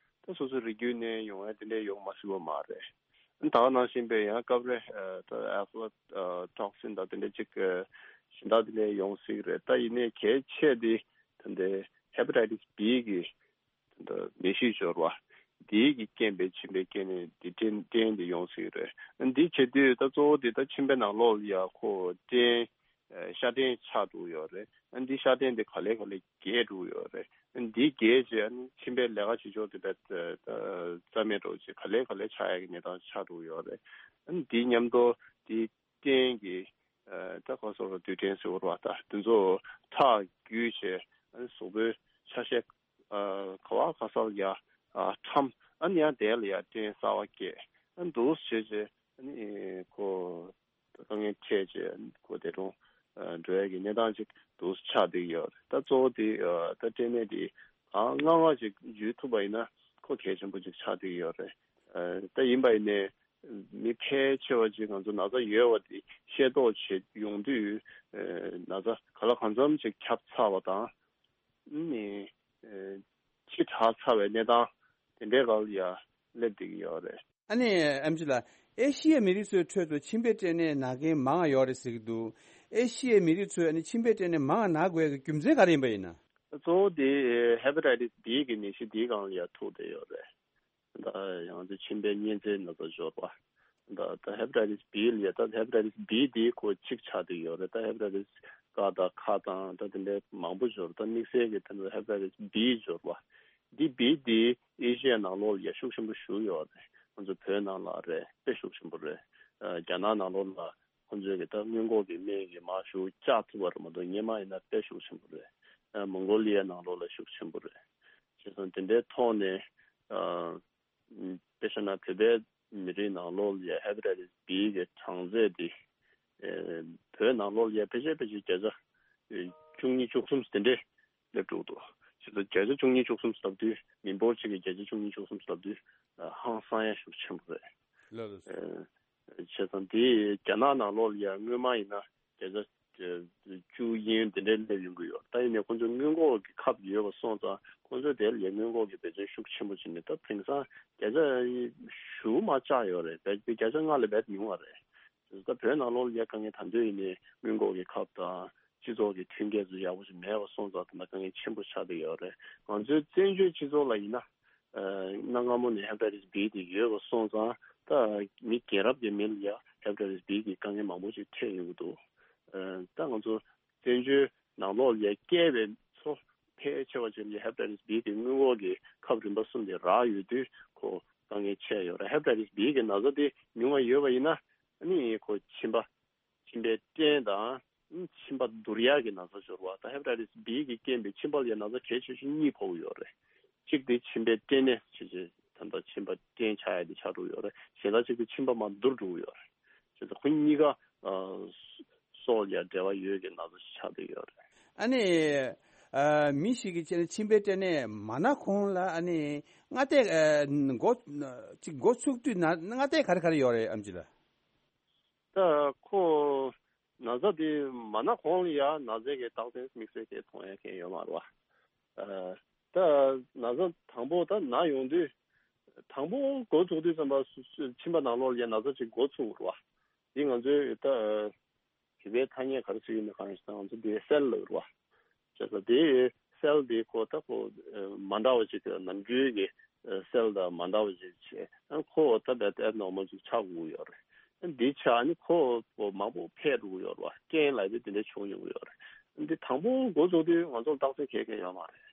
ད་སོ་སོའི་རིགས་རྒྱུད་ནས་ཡོང་ཡ་དེ་འདྲ་ཡོང་མ་སྲིད་པ་མ་རེད། ད་ག་ནང་བཞིན་པའི་ཡང་སྐབས་རེ་ད་ཨ་ཕ་ཊོག་སིན་དང་དེ་འདྲ་ཅིག་གཞན་དག་དེ་འདྲ་ཡོང་སྲིད་རེད། ད་ཡིན་ནའི་གལ་ཆེ་དེ་ད་འདི་ཧེ་པ་ཊའི་ཊི་སི་བི་གི་ད་ནད་གཞི་སྦྱོར་བ་དེ་གི་རྐྱེན་པས་མཆིན་པའི་སྐྱེ་གནས་འདི་སྐྲན་སྐྲན་དེ་ཡོང་སྲིད་རེད། འདི་བྱེད་དུས་ད་གཙོ་བོ་དེ་ད་མཆིན་པའི་ནང་ལོགས་ལ་ཡ་ཁོ་སྐྲན་ཤ་སྐྲན་ཆགས་འགྲོ་ཡོད་རེད། ཨ་འདི་ཤ་སྐྲན་འདི་ག་ལེ་ག་ལེ་རྒྱས་འགྲོ་ཡོད་རེད། ཨ་འདི་རྒྱས་རྗེས་ཨ་ནི་མཆིན་པའི་ལས་ཀ་བྱེད་ཕྱོགས་དེ་བས་རྩ་མེད་འགྲོ་རྗེས་ག་ལེ་ག་ལེ་ཆགས་ཡག་གི་གནས་སྟངས་ཆགས་འགྲོ་ཡོད་རེད། ཨ་འདི་མཉམ་དུ་འདི་སྐྲན་གྱི་ད་ག་སོགས་རྡུལ་ཕྲན་ཟེར་བ་ད་དེ་ཚོ་ཁྲག་རྒྱུས་བྱས་ཨ་ནི་གཟུགས་པོའི་ཆ་ཤས་ག་བ་ག་ས་ལ་ཡ་ཁྲམ་ཨ་ནི་ཡང་དེ་ལ་ཡ་སྐྲན་གསར་བ་སྐྱེས་ཨ་འདུག་བྱས་རྗེས་ཨ་ནི་ཁོ། དཀའ་ངལ་འཕྲད་རྗེས་ཁོ་དེ་རུ་འགྲོ་ཡ་གི་གནས་སྟངས་ཅིག་འདུག་ཆགས་བསྡད་ཡོད་རེད། ད་གཙོ་བོ་དེ་ད་སྐྲན་ནད་དེ་གང་སྔ་སྔ་ཅིག་འཇུ་ཐུབ་པ་ཡིན་ན་ཁོ་གལ་ཆེན་པོ་ཅིག་ཆགས་བསྡད་ཡོད་རེད། ད་ཡིན་པ་ཡིན་ནའི་མི་ཕལ་ཆེ་བ་ཅིག་ང་ཚོ་ན་ཚ་ཡོད་པ་དེ་ཤེས་རྟོགས་བྱེད་ཡོང་དུས་ན་ཚ་ག་ལ་གང་འཚམ་ཅིག་ཁྱབ་ཚར་བ་དང་ནི་ཕྱི་དྲགས་ཚར་བའི་གནས་སྟངས་དེ་འདྲའི་སྒང་ལ་ཡ་སླེབས་བསྡད་ཀྱི་ཡོད་རེད། ཨ་ནི་ཨེམ་ཆི་ལགས། ཨེ་ཤི་ཡའི་མི་རིགས་ཚོའི་ཁྲོད་དུ་མཆིན་པའི་སྐྲན་ནད་ན་མཁན་མང་བ་ཡོད་རེད་ཟེར་གྱི་འདུག་ཨེ་ཤི་ཡའི་མི་རིགས་ཚོས་ཨ་ནི་མཆིན་པའི་སྐྲན་ནད་མང་བ་ན་དགོས་ཡག་གི་རྒྱུ་མཚན་ག་རེ་ཡིན་པ་ཡིན་ན། གཙོ་བོ་དེ་ཧེ་པ་ཊའི་ཊི་སི་བི་གི་ནད་གཞི་འདིའི་སྒང་ལ་ཡ་ཐུག་བསྡད་ཡོད་རེད། ད་ཡང་ཚེ་མཆིན་པའི་གཉན་ཚད་ན་ཚ་སྦྱོར་བ། ད་ད་ཧེ་པ་ཊའི་ཊི་སི་བི་ལ་ཡ་ད་ཧེ་པ་ཊའི་ཊི་སི་བི་དེ་ཁོ་གཅིག་ཆགས་བསྡད་ཡོད་རེད། ད་ཧེ་པ་ཊའི་ཊི་སི་ཀ་དང་ཁ་དང་ད་དེ་འདྲའི་མང་པོ་སྦྱོར། ད་དམིགས་བསལ་གྱི་ད་ཧེ་པ་ཊའི་ཊི་སི་བི་སྦྱོར་བ་འདི་བི་དེ་ཨེ་ཤི་ཡའི་ནང་ལོགས་ལ་ཡ་ཤུགས་ཆེན་པོ་ཞུགས་ཡོད་རེད། ང་ཚོ་བོད་ནང་ལ་རེད་དཔེ་ཤུགས་ཆེན་པོ་རེད། རྒྱ་ནག་ནང་ལོགས་ལ་ཁོང་ཚོས་གི་ད་སྔོན་འགོག་གི་སྨན་གྱི་མ་ཞུ་བཅག་ཐུབ་པ་རེད་མ་གཏོགས་སྔོན་མ་ཡིན་ན་དཔེ་ཤུགས་ཆེན་པོ་རེད། མོང་གོ་ལི་ཡའི་ནང་ལོགས་ལ་ཤུགས་ཆེན་པོ་རེད། བྱས་ཙང་དེ་འདྲའི་ཐོག་ནས་དཔེ་བཞག་ན་བོད་པའི་མི་རིགས་ནང་ལོགས་ལ་ཧེ་པ་ཊའི་ཊི་སི་བི་གི་གྲངས་ཚད་དེ་བོད་ནང་ལོགས་ལ་ཕལ་ཆེར་ཕལ་ཆེར་བརྒྱ་ཆ་བཅུ་གཉིས་བཅུ་གསུམ་དེ་འདྲའི་སླེབས་འགྲོ་འདུག་བྱས་ཙང་བརྒྱ་ཆ་བཅུ་གཉིས་བཅུ་གསུམ་ལབ་དུས་མི་འབོར་གཅིག་གི་བརྒྱ་ཆ་བཅུ་གཉིས་བཅུ་གསུམ་ལབ་དུས་ཧང་སང་ཡ་ཤུགས་ཆེན་པོ་རེད། ལགས་ལགས་སོ། བྱས་ཙང་དེ་རྒྱ་ནག་ནང་ལོགས་ལ་ཡང་སྔོན་མ་ཡིན་ན་བརྒྱ་ཆ་བཅུ་ཡན་དེ་འདྲའི་སླེབས་ཡོང་གི་ཡོད། ད་ཡིན་ནའི་ཁོང་ཚོ་སྔོན་འགོག་གི་ཁབ་ཡོད་པ་སོང་ཙང་ཁོང་ཚོས་དེ་ལ་ཡང་སྔོན་འགོག་གི་འབད་བརྩོན་ཤུགས་ཆེན་པོ་བྱས་ནས་ད་དེང་སང་བརྒྱ་ཆ་བཞི་མ་བཅག་ཡོད་རེད། བརྒྱ་ཆ་ལྔ་ལས་བརྒལ་ཉུང་བ་རེད། ད་བོད་ནང་ལོགས་ལ་ཡ་དཀའ་ངལ་ད་དུང་ཡིན་ནའི་སྔོན་འགོག་གི་ཁབ་དང་སྤྱི་ཚོགས་ཀྱི་མཐུན་རྐྱེན་ཚོ་ཡག་པོ་ཞིག་མེད་པ་སོང་ཙང་ད་ལྟ་དཀའ་ངལ་ཆེན་པོ་ཆགས་བསྡད་ཡོད་རེད། ང་ཚོའི་བཙན་བྱོལ་སྤྱི་ཚོགས་ལ་ཡིན་ན་གནའ་སྔ་མོ་ནས་ཧེ་པ་ཊའི་ཊི་སི་བི་དེ་ཡོད་པ་སོང་ཙང་ད་མི་རྒན་རབས་ཀྱི་མི་ལ་ཡ་ཧེ་པ་ཊའི་ཊི་སི་བི་གི་དཀའ་ངལ་མང་པོ་ཞིག་འཕྲད་ཡོང་གི་འདུག་ད་ང་ཚོ་བཙན་བྱོལ་ནང་ལོགས་ལ་ཡ་སྐྱེས་པའི་ཚོ་ཕལ་ཆེ་བ་ཅིག་ལ་ཧེ་པ་ཊའི་ཊི་སི་བི་གི་སྔོན་འགོག་གི་ཁབ་རིམ་པ་གསུམ་དེ་རག་ཡོད་དུས་ཁོ་དཀའ་ངལ་ཆེ་ཡོད་རེད། ཧེ་པ་ཊའི་ཊི་སི་བི་གི་ན་ཚ་དེ་ཉུང་བ་ཡོད་པ་ཡིན་ན་ཨ་ནི་ཁོ་མཆིན་པ་མཆིན་པའི་སྐྲན་དང་མཆིན་པ་འདུར་ཡག་གི་ན་ཚ་སྦྱོར་བ་དང་ཧེ་པ་ཊའི་ཊི་སི་བི་གི་རྐྱེན་པས་མཆིན་པ་ལ་ཡ་ན་ཚ་གལ་ཆེ་ཤོས་གཉིས་ཕོག་གི་ཡོད་རེད། གཅིག་དེ་མཆིན་པའི་སྐྲན་ནད་ཟེར་བྱས་ད་ལྟ་མཆིན་པ་སྐྲན་ཆགས་ཡ་དེ་ཆགས་འགྲོ་གི་ཡོད་རེད། གཞན་དག་གཅིག་དེ་མཆིན་པ་མར་འདུར་འགྲོ་གི་ཡོད་རེད། བྱས་ཙང་ཁོ་གཉིས་ཀ་སྲོག་ལ་ཡ་འབྲེལ་བ་ཡོད་ཀྱི་ན་ཚ་ཞིག་ཆགས་བསྡད་ཡོད་རེད། ཨ་ནི། ཨ་མི་ཞིག་གིས་བྱས་ན་མཆིན་པའི་སྐྲན་ནད་མ་ན་གོང་ལ་ཨ་ནི་སྔ་ལྟས་ཨ་འགོ་ཅིག་འགོ་ཚུགས་དུས་ན་སྔ་ལྟས་ག་རེ་ག་རེ་ཡོད་རེད་ཨེམ་ཆི་ལགས། ད་ཁོ་ན་ཚ་དེ་མ་ན་གོང་ལ་ཡ་ན་ཚའི་གི་རྟགས་མཚན་དམིགས་བསལ་གྱི་མཐོང་ཡ་མཁན་ཡོད་མ་རེད་བ། ཨ་ད་ན་ཚ་དང་པོ་ད་ན་ཡོང་དུས་དང་པོ་འགོ་ཚུགས་དུས་ཙམ་པ་སུ་སུ་མཆིན་པ་ནང་ལོགས་ལ་ཡ་ན་ཚ་ཅིག་འགོ་ཚུགས་རེད་བ། འདི་ང་ཚོའི་ད། བོད་པའི་ཐ་སྙད་ག་རེ་ཟེར་ཡོད་མེད་གང་ཡིན་ཟེར་ན་ང་ཚོ་འདི་སེལ་ལབ་རེད་བ། བྱས་ཙང་དེ་སེལ་དེ་ཁོ་ད་ཁོ་མ་འདྲ་བ་ཅིག་ནམ་རྒྱུན་གྱི་སེལ་དང་མ་འདྲ་བ་ཅིག་བྱས་ཁོ་ད་བད་ཨེབ་ནོར་མལ་ཅིག་ཆགས་དགོས་ཡོད་རེད། འདི་ཆགས་ནི་ཁོ་མང་པོ་འཕེལ་འགྲོ་གི་ཡོད་རེད་བ། རྐྱེན་ལབ་དུས་དེ་འདྲ་བྱུང་ཡོང་གི་ཡོད་རེད། འདི་དང་པོ་འགོ་བཙུགས་དུས་ང་ཚོར་རྟགས་མཚན་གང་ཡང་ཡོད་མ་རེད།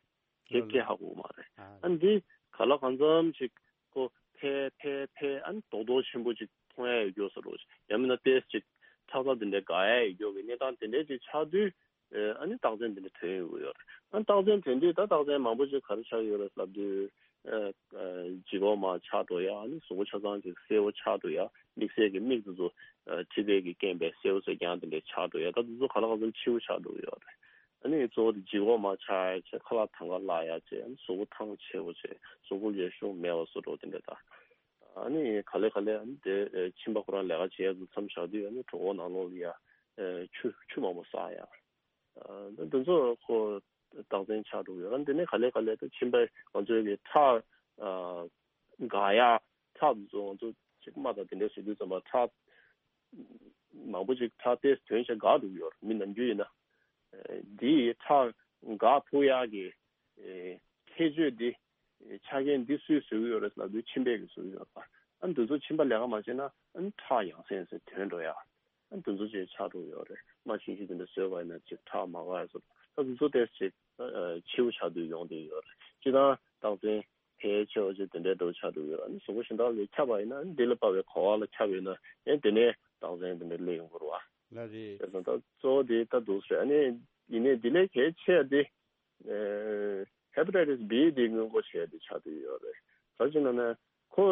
ཁྱེད་ཀྱིས་ཧ་གོ་མ་རེད། ཨ་འདི་ག་ལ་གང་འཚམ་ཞིག་ཁོ་འཕེལ་འཕེལ་འཕེལ་ཨ་ནི་རྡོག་རྡོག་ཆེན་པོ་ཅིག་མཐོང་ཡ་ཡོད་རྒྱུ་བཟོ་འདྲ་ཞིག་ཡང་མིན་ན་ཏོག་ཙམ་ཅིག་ཁྲག་རྩ་དེ་འདྲ་འགག་ཡ་ཡོད་རྒྱུ་གི་གནས་སྟངས་དེ་འདྲ་ཅིག་ཆགས་དུས་ཨ་ནི་རྟགས་མཚན་དེ་འདྲ་ཐོན་ཡོང་གི་ཡོད་རེད། ཨ་རྟགས་མཚན་ཐོན་དུས་ད་རྟགས་མཚན་མང་པོ་ཅིག་ག་རེ་ཆགས་ཡོད་རེད་ལབ་དུས་ལྗིད་ཁོག་མར་ཆག་འགྲོ་ཡ། ཨ་ནི་གཟུགས་པོ་ཆ་ཚང་ཅིག་སེར་པོ་ཆགས་འགྲོ་ཡ། དམིགས་བསལ་གྱི་མིག་དེ་ཚོ་མཁྲིས་པའི་གི་རྐྱེན་པས་སེར་པོ་སེར་རྐྱང་དེ་འདྲ་ཆགས་འགྲོ་ཡ། ད་དེ་ཚོ་ག་ལ་གང་འཚམ་འཕྱི་བོ་ཆགས་འགྲོ་གི་ཡོད་རེད། ཨ་ནི་གཙོ་བོ་དེ་ལྗིད་ཁོག་མར་ཆག་ཡ་བྱས། ཁ་ལག་དང་ག་ལ་ཡ་བྱས། ཨ་ནི་གཟུགས་པོ་ཐང་ཆད་པོ་བྱས། གཟུགས་པོ་ལ་ཤུགས་མེད་པ་བཟོ་འདྲ་དེ་འདྲ་དང་། ཨ་ནི་ག་ལེ་ག་ལེ་ཨ་ནི་དེ་མཆིན་པ་ཁོ་རང་ལས་ཀ་བྱེད་ཡ་ཚོ་མཚམས་བཞག་དུས་ཨ་ནི་གྲོད་ཁོག་ནང་ལོགས་ལ་ཡ་ཆུ་ཆུ་མང་པོ་བཟའ་ཡ། ཨ་ནི་དེ་ཚོ་ཁོ་ རྟགས་མཚན་ཆགས་འགྲོ་གི་ཡོད་རེད། འདི་ནས་ག་ལེ་ག་ལེ་ད་མཆིན་པ་ང་ཚོའི་གི་ཁྲག་འགག་ཡ་ཁྲག་འདི་ཚོ་ང་ཚོ་ཅིག་རྨ་དང་དེ་འདྲ་བཟོ་དུས་ཙམ་པ་ཁྲག་མང་པོ་ཅིག་ཁྲག་ཏེས་ཐོན་བྱས་འགག་འགྲོ་གི་ཡོད་རེད། མི་ནམ་རྒྱུན་ཡིན་ན་འདི་ཁྲག་འགག་ཐུབ་ཡ་གི་ཁྱད་ཆོས་འདི་ཆ་རྐྱེན་འདི་སུས་བཟོས་ཀྱི་ཡོད་རེད་ལབ་དུས་མཆིན་པས་ཀྱི་བཟོས་ཀྱི་ཡོད་པ། ཨ་འདི་ཚོ་མཆིན་པ་ལས་ཀ་མ་བྱས་ན་ཨ་ཁྲག་ཡང་སེ་ཡང་སེ་ཐོན་འགྲོ་ཡ། ཨ་འདི་ཚོ་ཅིག་ཆགས་འགྲོ་ཡོད་རེད། རྨ་ཤིང་ཤིང་དེ་འདྲ་བཟོས་པ་ཡིན་ན་ཅིག་ཁྲག་མ་འགག་ཡ་བཟོ་ད་འདི་ཚོ་ཏོག་ཙམ་ཅིག་ཨ་ཨ་ཕྱི་པོ་ཆགས་དུས་ཡོང་བསྡད་ཡོད་རེད། སྤྱིར་བཏང་རྟགས་མཚན་ཕལ་ཆེ་བ་ཅིག་དེ་འདྲའི་འགྲོ་ཆགས་འགྲོ་ཡོད། ཨ་ནི་གཟུགས་པོ་གཞན་དག་ལ་ཁྱབ་པ་ཡིན་ན་ཨ་ནི་འདི་ལ་དཔག་པའི་གོ་བ་ལ་ཁྱབ་ཡོད་ན་ཡང་དེ་ནས་རྟགས་མཚན་དེ་འདྲ་སླེབས་ཡོང་གི་རེད་བ། ལགས་རེད། བྱས་ཙང་ད་གཙོ་བོ་དེ་ད་འདུག་ཟེར། ཨ་ནི་ཡིན་ནའི་འདི་ལས་གལ་ཆེ་བ་དེ་ཨེ་ཧེ་པ་ཊའི་ཊི་སི་བྷི་དེ་སྔོན་འགོག་བྱེད་ཡ་དེ་ཆགས་བསྡད་ཡོད་རེད། ག་རེ་ཟེར་ན་ན་ཁོ་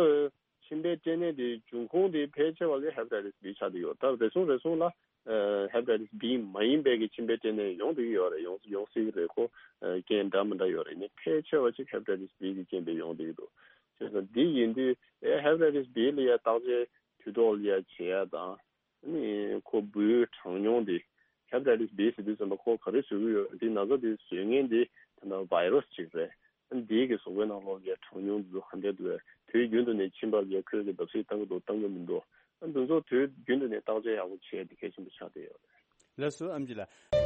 མཆིན་པའི་སྐྲན་ནད་དེ་འབྱུང་ཁུངས་དེ་ཕལ་ཆེ་བ་གི་ཧེ་པ་ཊའི་ཊི་སི་བྷི་ཆགས་བསྡད་ཡོད། ད་རེ་ཟུང་རེ་ཟུང་ལ་ཨེ་ཧེ་པ་ཊའི་ཊི་སི་བྷི་མ་ཡིན་པའི་གི་མཆིན་པའི་སྐྲན་ནད་ཡོང་བསྡད་ཡོད་རེད། ཡོང་ཡོང་སྲིད་གི་རེད། ཁོ་ཨེ་རྐྱེན་འདྲ་མི་འདྲ་ཡོད་རེད། ནི་ཕལ་ཆེ་བ་ཅིག་ཧེ་པ་ཊའི་ཊི་སི་བྷི་གི་རྐྱེན་པས་ཡོང་བསྡད་ཀྱི་འདུག་བྱས་ཙང་འདི་ཡིན་དུས་ཨེ་ཧེ་པ་ཊའི་ཊི་སི་བྷི་ལ་ཡ་བརྟག་དཔྱད་དུས་ཐོག་ལ་ཡ་བྱེད་ཡ་དང་། ནི་ཁོ་འབུའི་གྲངས་ཉུང་འདི་ཧེ་པ་ཊའི་ཊི་སི་བྷི་ཟེར་དུས་ཙམ་པ་ཁོ་ག་རེ་བཟོ་གི་ཡོད། འདི་ན་ཚ་འདི་བཟོ་མཁན་འདི་ད་ལྟ་བྷའི་རུ་སི་ཅིག་རེད། འདི་གི་གཟུགས་པོའི་ནང་ལོགས་ཀྱི་གྲངས་ཉུང་འདི་ཚོ་ག་འདྲས་འདུག་དུས་རྒྱུན་དུ་ནས་མཆིན་པ་ལ་ཁོས་ཀྱི་བརྡབ་གསིག་བཏང་གི་འདུག་བཏང་གི་མི་འདུག་འདི་ཚོ་དུས་རྒྱུན་དུ་ནས་བརྟག་དཔྱད་ཡག་པོ་བྱས་འདི་གལ་ཆེན་པོ་ཆགས་བསྡད་ཡོད་རེད། ལགས་སོ་ཨེམ་ཆི་ལགས།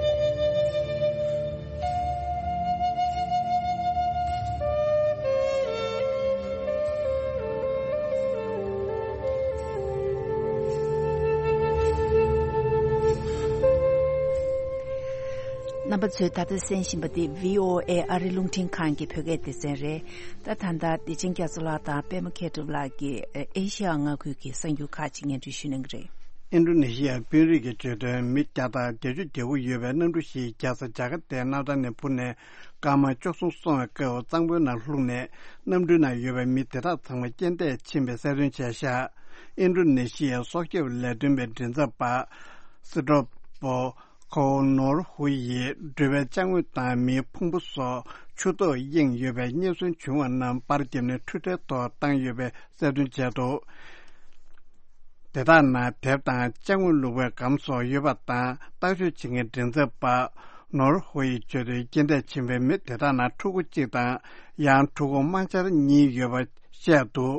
རྣམ་པ་ཚོས་ད་ལྟ་གསན་བཞིན་པ་འདི་བྷི་ཨོ་ཨེ་ཨ་རིའི་རླུང་འཕྲིན་ཁང་གི་བོད་སྐད་སྡེ་ཚན་རེད། ད་ད་ལྟ་བདེ་ཆེན་རྒྱ་མཚོ་ལགས་དང་པད་མ་མཁས་གྲུབ་ལགས་ཀྱིས་ཨེ་ཤི་ཡ་མངའ་ཁུལ་གྱི་གསར་འགྱུར་ཁག་ཅིག་སྙན་སྒྲོན་ཞུ་གནང་གི་རེད། ཨིན་ཌོ་ནེ་ཤི་ཡའི་དཔོན་རིགས་ཀྱི་བརྗོད་དོན། མི་བརྒྱ་དང་བརྒྱད་ཅུ་གྱ་དགུ་ཡོད་པའི་གནམ་གྲུ་ཞིག་རྒྱལ་ས་ཇ་ཀར་ཏའི་གནམ་ཐང་ནས་འཕུར་ནས་སྐར་མ་བཅུ་གསུམ་སོང་བའི་སྐབས་གཙང་པོའི་ནང་ལྷུང་ནས་གནམ་གྲུའི་ནང་ཡོད་པའི་མི་དེ་དག་ཚང་མ་རྐྱེན་འདས་ཕྱིན་པའི་གསལ་སྟོན་བྱས་ཤག་ཨིན་ཌོ་ནེ་ཤི་ཡའི་སྲོག་སྐྱོབ་ལས་དོན་པའི་མགྲིན་ཚབ་པ་སི་ཏྲོ་པོ་ཁོ་ནོར་ཧུ་ཡིས་འགྲུལ་པའི་ཅ་དངོས་དང་མིའི་ཕུང་པོ་སོགས་ཆུ་ཐོག་གཡེང་ཡོད་པའི་རྙེད་སོན་བྱུང་བ་རྣམས་པར་བརྒྱབ་ནས་འཕྲུལ་ཁྲལ་ཐོག་བཏང་ཡོད་པའི་གསལ་སྟོན་བྱས་འདུག་དེ་དག་ནང་དེབ་དང་ཅ་དངོས་བླུགས་པའི་སྒམ་སོགས་ཡོད་པ་དང་། བརྟག་དཔྱད་བྱེད་མཁན་མགྲིན་ཚབ་པ་ནོར་ཧུ་ཡིས་བརྗོད་དོན། རྐྱེན་འདས་ཕྱིན་པའི་མི་དེ་དག་ནང་ཕྲུ་གུ་གཅིག་དང་ཡང་ཕྲུ་གུ་དམར་འབྱར་གཉིས་ཡོད་པ་བཤད་འདུག་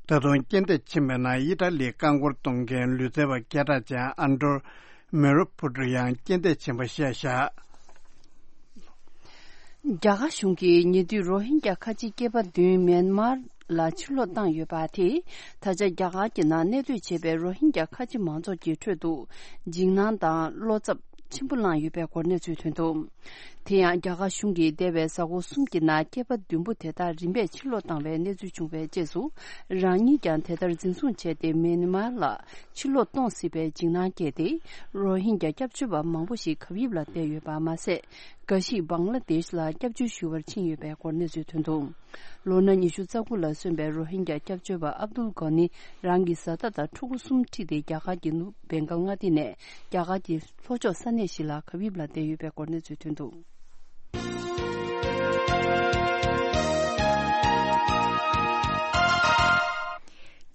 ད་དུང་རྐྱེན་འདས་ཕྱིན་པའི་ནང་ཨི་ཊ་ལིའི་རྐང་འཁོར་གཏོང་མཁན་ལུས་རྩལ་བ་སྐད་གྲགས་ཅན་ཨན་ཏྲོ་མེ་རུ་ཕུ་ཏྲུ་ཡང་རྐྱེན་འདས་ཕྱིན་པ་བཤད་བཞག་རྒྱ་གར་གཞུང་གིས་ཉེ་དུས་རོ་ཧིན་རྒྱ་ཁ་ཆེ་སྐྱེས་པ་བདུན་མེན་མར་ལ་ཕྱིར་ལོག་བཏང་ཡོད་པ་དེས། ད་ཆ་རྒྱ་གར་གྱི་ནང་གནས་སྡོད་བྱེད་པའི་རོ་ཧིན་རྒྱ་ཁ་ཆེ་མང་ཚོགས་ཀྱི་ཁྲོད་དུ་འཇིགས་སྣང་དང་བློ་འཚབ་ཆེན་པོ་བསླངས་ཡོད་པའི་སྐོར་གནས་ཚུལ་ཐོན་འདུག་དེ་ཡང་རྒྱ་གར་གཞུང་གིས་འདས་པའི་གཟའ་འཁོར་གསུམ་གྱི་ནང་སྐྱེས་པ་བདུན་པོ་དེ་དག་རིམ་པས་ཕྱིར་ལོག་བཏང་བའི་གནས་ཚུལ་བྱུང་བའི་རྗེས་སུ། རང་ཉིད་ཀྱང་དེ་ལྟར་འཛིན་བཟུང་བྱས་ཏེ་མེན་མར་ལ་ཕྱིར་ལོག་གཏོང་སྲིད་པའི་འཇིགས་སྣང་སྐྱེས་ཏེ། རོ་ཧིན་རྒྱ་སྐྱབས་བཅོལ་བ་མང་པོ་ཞིག་གབ་ཡིབ་ལ་བསྡད་ཡོད་པ་མ་ཟད། འགའ་ཞིག་བང་ལ་དེཤ་ལ་སྐྱབས་བཅོལ་ཞུ་བར་ཕྱིན་ཡོད་པའི་སྐོར་གནས་ཚུལ་ཐོན་འདུག་ལོ་ན་ཉི་ཤུ་རྩ་དགུ་ལ་སོན་པའི་རོ་ཧིན་རྒྱ་སྐྱབས་བཅོལ་བ་ཨབ་དུལ་གྷོ་ནི་རང་གི་བཟའ་ཟླ་དང་ཕྲུ་གུ་གསུམ་ཁྲིད་དེ་རྒྱ་གར་གྱི་ནུབ་བེང་གལ་མངའ་སྡེ་ནས་རྒྱ་གར་གྱི་ལྷོ་ཕྱོགས་ས་གནས་ཤིག་ལ་གབ་ཡིབ་ལ་བསྡད་ཡོད་པའི་སྐོར་གནས་ཚུལ་ཐོན་འདུག་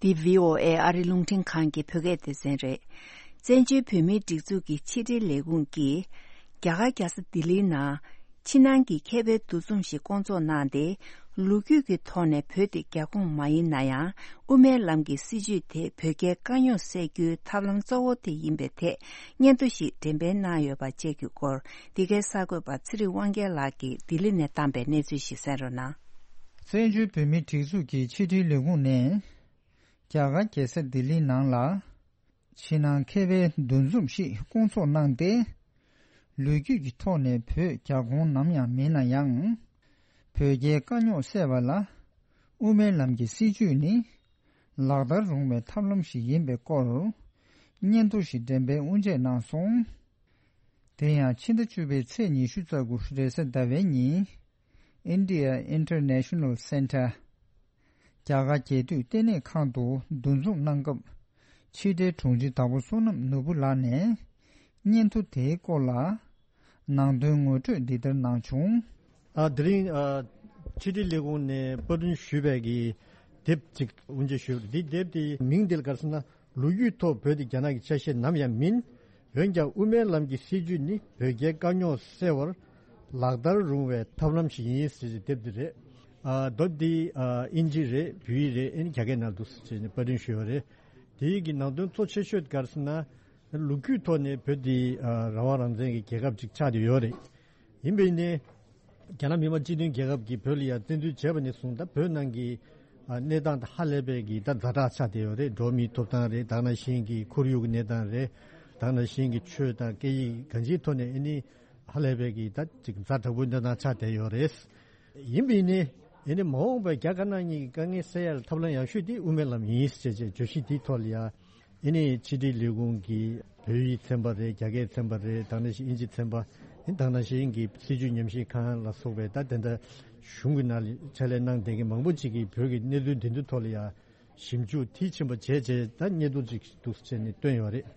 འདི་བྷི་ཨོ་ཨེ་ཨ་རིའི་རླུང་འཕྲིན་ཁང་གི་བོད་སྐད་སྡེ་ཚན་རེད། བཙན་བྱོལ་བོད་མིའི་སྒྲིག་འཛུགས་ཀྱི་ཕྱི་དྲིལ་ལས་ཁུངས་ཀྱིས། རྒྱ་གར་རྒྱལ་ས་ལྡི་ལིའི་ནང་། ཕྱི་ནང་གི་མཁས་པའི་འདུ་འཛོམས་ཤིག་བསྐོང་ཚོགས་གནང་སྟེ། ལོ་རྒྱུས་ཀྱི་ཐོག་ནས་བོད་དེ་རྒྱ་ཁོངས་མ་ཡིན་ན་ཡང་། དབུ་མའི་ལམ་གྱི་སྲིད་བྱུས་དེ་བོད་རྒྱའི་དཀའ་རྙོག་སེལ་རྒྱུའི་ཐབས་ལམ་གཙོ་བོ་དེ་ཡིན་པའི་ཐད་སྙན་ཐོ་ཞིག་འགྲེམས་སྤེལ་གནང་ཡོད་པ་བཅས་ཀྱི་སྐོར། འདི་གའི་གསར་འགོད་པ་ཚེ་རིང་དབང་རྒྱལ་ལགས་ཀྱིས་ལྡི་ལི་ནས་བཏང་པའི་གནས་ཚུལ་ཞིག་གསན་རོགས་གནང་། བཙན་བྱོལ་བོད་མིའི་སྒྲིག་འཛུགས་ཀྱི་ཕྱི་དྲིལ་ལས་ཁུངས་ནས། རྒྱ་གར་རྒྱལ་ས་ལྡི་ལིའི་ནང་ལ། ཕྱི་ནང་མཁས་པའི་འདུ་འཛོམས་ཤིག་བསྐོང་ཚོགས་གནང་སྟེ། ལོ་རྒྱུས་ཀྱི་ཐོག་ནས་བོད་རྒྱ་ཁོངས་ནམ་ཡང་མིན་ན་ཡང་། བོད་རྒྱའི་དཀའ་རྙོག་སེལ་བ་ལ། དབུ་མའི་ལམ་གྱི་སྲིད་བྱུས་ནི། ལག་བསྟར་རུང་བའི་ཐབས་ལམ་ཞིག་ཡིན་པའི་སྐོར། སྙན་ཐོ་ཞིག་འགྲེམས་སྤེལ་དབུ་འབྱེད་གནང་སོང་། དེ་ཡང་ཕྱི་ཟླ་བཅུ་པའི་ཚེས་ཉི་ཤུ་རྩ་དགུ་རེས་གཟའ་ཟླ་བའི་ཉིན། India International Center། རྒྱ་གར་རྒྱལ་དུས་ལྟེ་གནས་ཁང་དུ་འདུ་འཛོམས་གནང་སྐབས། ཕྱི་དྲིལ་དྲུང་ཆེ་དྭགས་པོ་བསོད་ནམས་ནོར་བུ་ལགས་ནས། སྙན་ཐོ་དེའི་སྐོར་ལ། ནང་དོན་ངོ་སྤྲོད་འདི་ལྟར་གནང་བྱུང་། ཨ། དེ་རིང་ཨ། ཕྱི་དྲིལ་ལས་ཁུངས་ནས་པར་སྐྲུན་ཞུས་པའི་གི་དེབ་ཅིག་དབུ་འབྱེད་ཞུས་པ་རེད། འདི་དེབ་དེའི་མིང་འདི་ལ་ག་རེ་ཟེར་ན། ལོ་རྒྱུས་ཐོག་བོད་དེ་རྒྱ་ནག་གི་ཆ་ཤས་ནམ་ཡང་མིན། འོན་ཀྱང་དབུ་མའི་ལམ་གྱི་སྲིད་བྱུས་ནི་བོད་རྒྱའི་དཀའ་རྙོག་སེལ་བར་ ལག་བསྟར་རུང་བའི་ཐབས་ལམ་ཞིག་ཡིན་ཟེར་གྱི་དེབ་འདི་རེད། ཨ་མདོ་འདི་ཨ་དབྱིན་ཇི་རེད། བོད་ཡིག་རེད། ཨ་ནི་རྒྱ་སྐད་ནང་འདུག་ཟེར་ནས་པར་སྐྲུན་ཞུས་པ་རེད། དེའི་གི་ནང་དོན་གཙོ་ཆེ་ཤོས་ག་རེ་ཟེར་ན། ལོ་རྒྱུས་ཐོག་ནས་བོད་འདི་ཨ་རང་དབང་རང་བཙན་གྱི་རྒྱལ་ཁབ་ཅིག་ཆགས་བསྡད་ཡོད་རེད། ཡིན་པས་ནི། རྒྱ་ནག་མི་དམངས་སྤྱི་མཐུན་རྒྱལ་ཁབ་ཀྱིས་བོད་ལ་ཡང་བཙན་འཛུལ་བྱས་པ་ནས་བཟུང་ད་བོད་ནང་གི་ཨ་གནས་སྟངས་དེ་ཧ་ལས་པའི་གི་ད་ཛ་དྲག་ཆགས་བསྡད་ཡོད་རེད། འགྲོ་བ་མིའི་ཐོབ་ཐང་རེད། ད་ག་ནང་བཞིན་གྱི་ཁོར་ཡུག་གི་གནས་སྟངས་རེད། ད་ག་ནང་བཞིན་གྱི་ཆོས་དང་སྐད་ཡིག་གང་ཅིའི་ཐོག་ནས་ཨ་ནི་ཧ་ལས་པའི་གི་ད་ཅིག་ཛ་དྲག་པོའི་གནས་སྟངས་ཆགས་བསྡད་ཡོད་རེད། ཡིན་པས་ནི་ཨ་ནི་མ་འོངས་པའི་རྒྱ་དཀར་ནག་གཉིས་ཀྱི་དཀའ་ངལ་སེལ་ཡ་ལ་ཐབས་ལམ་ཡག་ཤོས་དེ་དབུ་མའི་ལམ་ཡིན་ཟེར་བྱས་བརྗོད་གཞི་དེའི་ཐོག་ལ་ཡ། ཨེ་ནི་ཕྱི་དྲིལ་ལས་ཁུངས་ཀྱི་བོད་ཡིག་ཚན་པ་རེད། རྒྱ་སྐད་ཚན་པ་རེད། ད་ག་ནང་བཞིན་དབྱིན་ཇི་ཚན་པ། ཨེ་ད་ག་ནང་བཞིན་གྱི་སྲིད་བྱུས་ཉམས་ཞིབ་ཁང་ལ་སོགས་པའི་ད་དེ་འདྲ་གཞུང་གི་ནང་ལ་ཕྱག་ལས་གནང་བསྡད་མཁན་མང་པོ་ཅིག་གིས་བོད་ཀྱི་གནས་ཚུལ་འདི་ཚོའི་ཐོག་ལ་ཡང་ཞིབ་འཇུག་མཐིལ་ཕྱིན་པ་བྱས་རྗེས་ད་སྙན་ཐོ་ཅིག་འདུག་ཟེར་ནས་བཏོན་ཡོད་རེད།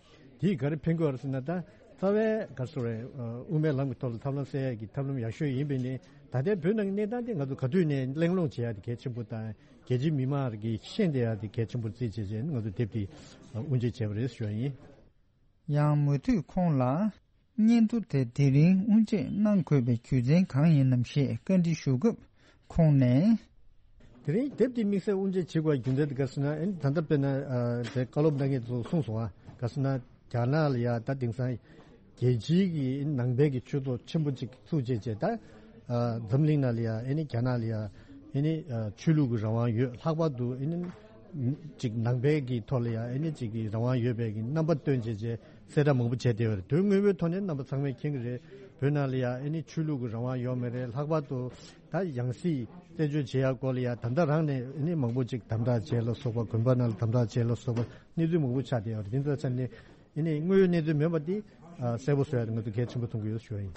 དེས་ག་རེ་ཕན་གྱི་ཡོད་རེད་ཟེར་ན། ད་རྩ་བའི་ག་རེ་ཟེར་དགོས་རེད། དབུ་མའི་ལམ་གྱི་ཐོག་ལ་ཐབས་ལམ་སེལ་ཡག་གི་ཐབས་ལམ་ཡག་ཤོས་ཡིན་པས་ནི། ད་ལྟའི་བོད་ནང་གི་གནས་སྟངས་དེ་ང་ཚོ་ག་དུས་ནས་གླེང་སློང་བྱེད་ཡག་དེ་གལ་ཆེན་པོ་དང་། རྒྱལ་སྤྱིའི་མི་མང་གིས་ཤེས་བསྡད་ཡག་དེ་གལ་ཆེན་པོར་བརྩིས་བྱས་བྱས་ནས་ང་ཚོས་དེབ་དེ་དབུ་འབྱེད་བྱས་པ་རེད་ཞུ་བ་ཡིན། ཡང་མུ་མཐུད་ཁོང་ལ་སྙན་ཐོ་དེ་དེ་རིང་དབུ་འབྱེད་གནང་དགོས་པའི་རྒྱུ་མཚན་གང་ཡིན་ནམ་ཞེས་བཀའ་འདྲི་ཞུ་སྐབས་ཁོང་ནས། དེ་རིང་དེབ་དེ་དམིགས་བསལ་དབུ་འབྱེད་བྱེད་དགོས་རྒྱུ་མཚན་དེ་ག་རེ་ཟེར་ན། ཨེ་ད་ལྟ་དཔེར་ན་ཨ་དེ་བཀའ་སློབ་གནང་མཁན་ཚོས་གསུངས་སོང་ཨ། ག་རེ་ཟེར་ན་རྒྱ་ནག་ལ་ཡ་ད་དེང་སང་རྒྱལ་སྤྱིའི་གི་ནང་པའི་གི་ཆོས་ཚོགས་ཆེན་པོ་གཅིག་བཙུགས་བྱས་བྱས་ད། ཨ་འཛམ་གླིང་ནང་ལ་ཡ་ཨེ་ནི་རྒྱ་ནག་ལ་ཡ་ཨེ་ནི་ཨ་ཆོས་ལུགས་ཀྱི་རང་དབང་ཡོད། ལྷག་པར་དུ་ཨེ་ནི་ཅིག་ནང་པའི་གི་ཐོག་ལ་ཡ་ཨེ་ནི་ཅིག་གི་རང་དབང་ཡོད་པའི་གི་རྣམ་པ་སྟོན་བྱས་བྱས་གསལ་བསྒྲགས་མང་པོ་བྱས་བསྡད་ཡོད་རེད། དོན་དངོས་པོའི་ཐོག་ནས་རྣམ་པ་ཚང་མས་མཁྱེན་གྱི་རེད། བོད་ནང་ལ་ཡ་ཨེ་ནི་ཆོས་ལུགས་ཀྱི་རང་དབང་ཡོད་མ་རེད། ལྷག་པར་དུ་ད་ཡང་སྲིད་བཙན་བྱོལ་བྱེད་ཡ་སྐོར་ལ་ཡ་ད་ལྟ་རང་ནས་ཨེ་ནི་མང་པོ་ཅིག་དམ་དྲག་བྱས་ལ་སོགས་པ། དགོན་པ་ནང་ལ་དམ་དྲག་བྱས་ལ་སོགས་པ་གནས་ཚུལ་མང་པོ་ཆགས་བསྡད་ཡོད་རེད། དེ་ཚོ་ཆ་ནས། ཡིན་ནའི་དངོས་ཡོད་གནས་ཚུལ་མིན་པ་འདི་ཨ་གསལ་པོ་བཟོ་ཡ་དེ་ང་ཚོ་གལ་ཆེན་པོ་མཐོང་གི་ཡོད་ཞུ་བ་ཡིན།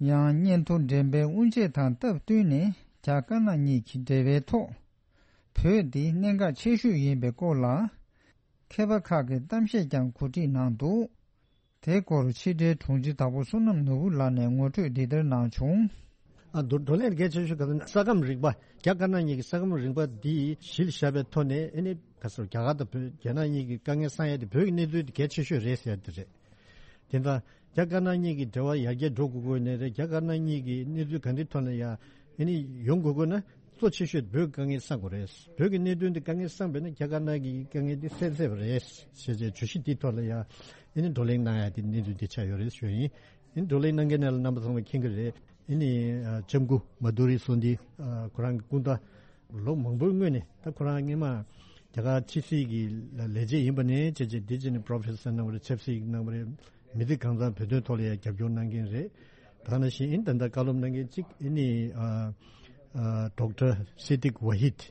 ཡང་སྙན་ཐོ་འགྲེམས་སྤེལ་དབུ་འབྱེད་དང་སྟབས་བསྟུན་ནས་རྒྱ་དཀར་ནག་གཉིས་ཀྱི་འབྲེལ་བའི་ཐོག་བོད་འདི་གནད་འགག་ཆེ་ཤོས་ཡིན་པའི་སྐོར་ལ་མཁས་པ་ཁག་གིས་གཏམ་བཤད་ཀྱང་གོ་སྒྲིག་གནང་འདུག་དེའི་སྐོར་ཕྱི་དྲིལ་དྲུང་ཆེ་དྭགས་པོ་བསོད་ནམས་ནོར་བུ་ལགས་ནས་ངོ་སྤྲོད་འདི་ལྟར་གནང་བྱུང་། ཨ་བགྲོ་བགྲོ་གླེང་གལ་ཆེ་ཤོས་ག་ས་ས་ཁམས་རིག་པ། རྒྱ་དཀར་ནག་གཉིས་ཀྱི་ས་ཁམས་རིག་པ་འདི་གཞི་ལ་བཞག་པའི་ཐོག་ནས་ཨེ་ནི་ག་ཟེར། རྒྱ་གར་དང་བོད། རྒྱ་ནག་གཉིས་ཀྱི་དཀའ་ངལ་སེལ་ཡ་དེ་བོད་ཀྱི་གནས་ཚུལ་དེ་གལ་ཆེ་ཤོས་རེད་ཟེར་ཡ་དེ་རེད། དེ་ལྟར་རྒྱ་དཀར་ནག་གཉིས་ཀྱི་འབྲེལ་བ་ཡར་རྒྱས་འགྲོ་དགོས་དགོས་ནི་རེད། རྒྱ་དཀར་ནག་གཉིས་ཀྱི་གནས་ཚུལ་ག་འདྲའི་ཐོག་ནས་ཡ་ཨེ་ནི་ཡོང་དགོས་དགོས་ན་གཙོ་ཆེ་ཤོས་བོད་ཀྱི་དཀའ་ངལ་སེལ་དགོས་རེད། བོད་ཀྱི་གནད་དོན་དེ་དཀའ་ངལ་སེལ་བས་ན་རྒྱ་དཀར་ནག་གི་དཀའ་ངལ་དེ་སེལ་ཚར་བ་རེད་ཟེར་བྱས་བརྗོད་གཞི་དེའི་ཐོག་ལ་ཡ་ཨེ་ནི་བགྲོ་གླེང་གནང་ཡ་དེ་གནས་ཚུལ་དེ་ཆགས་ཡོད་རེད་ཞུ་ཡ་ཡིན། ཨེ་ནི་བགྲོ་གླེང་གནང་མཁན་ནང་ལ་རྣམ་པ་ཚང་མས་མཁྱེན་གྱི་རེད། ཨེ་ནི་ཨ་ལྕམ་སྐུ་མ་དྷུ་རི་སོ་ནྡི་ཨ་ཁོ་རང་གི་སྐུ་ཟླ་ལོ་མང་པོའི་སྔོན་ནས་ད་ཁོ་རང་སྔོན་མ་རྒྱ་གར་ཕྱི་སྲིད་ཀྱི་ལས་བྱེད་ཡིན་པ་ནས་བྱས་བྱས་དེ་རྗེས་ནས་པྲོ་ཕེ་སར་གནང་བ་རེད། ཆབ་སྲིད་གནང་བ་རེད། མི་ཚེ་གང་ཚང་བོད་དོན་ཐོག་ལ་ཡང་རྒྱབ་སྐྱོར་གནང་མཁན་རེད། ད་ག་ནང་བཞིན་ཨེ་ནི་ད་ལྟ་བཀའ་སློབ་གནང་མཁན་གཅིག་ཨེ་ནི་ཨ་ཨ་ཌོག་ཊར་སི་ཏིག་ཝ་ཧིད།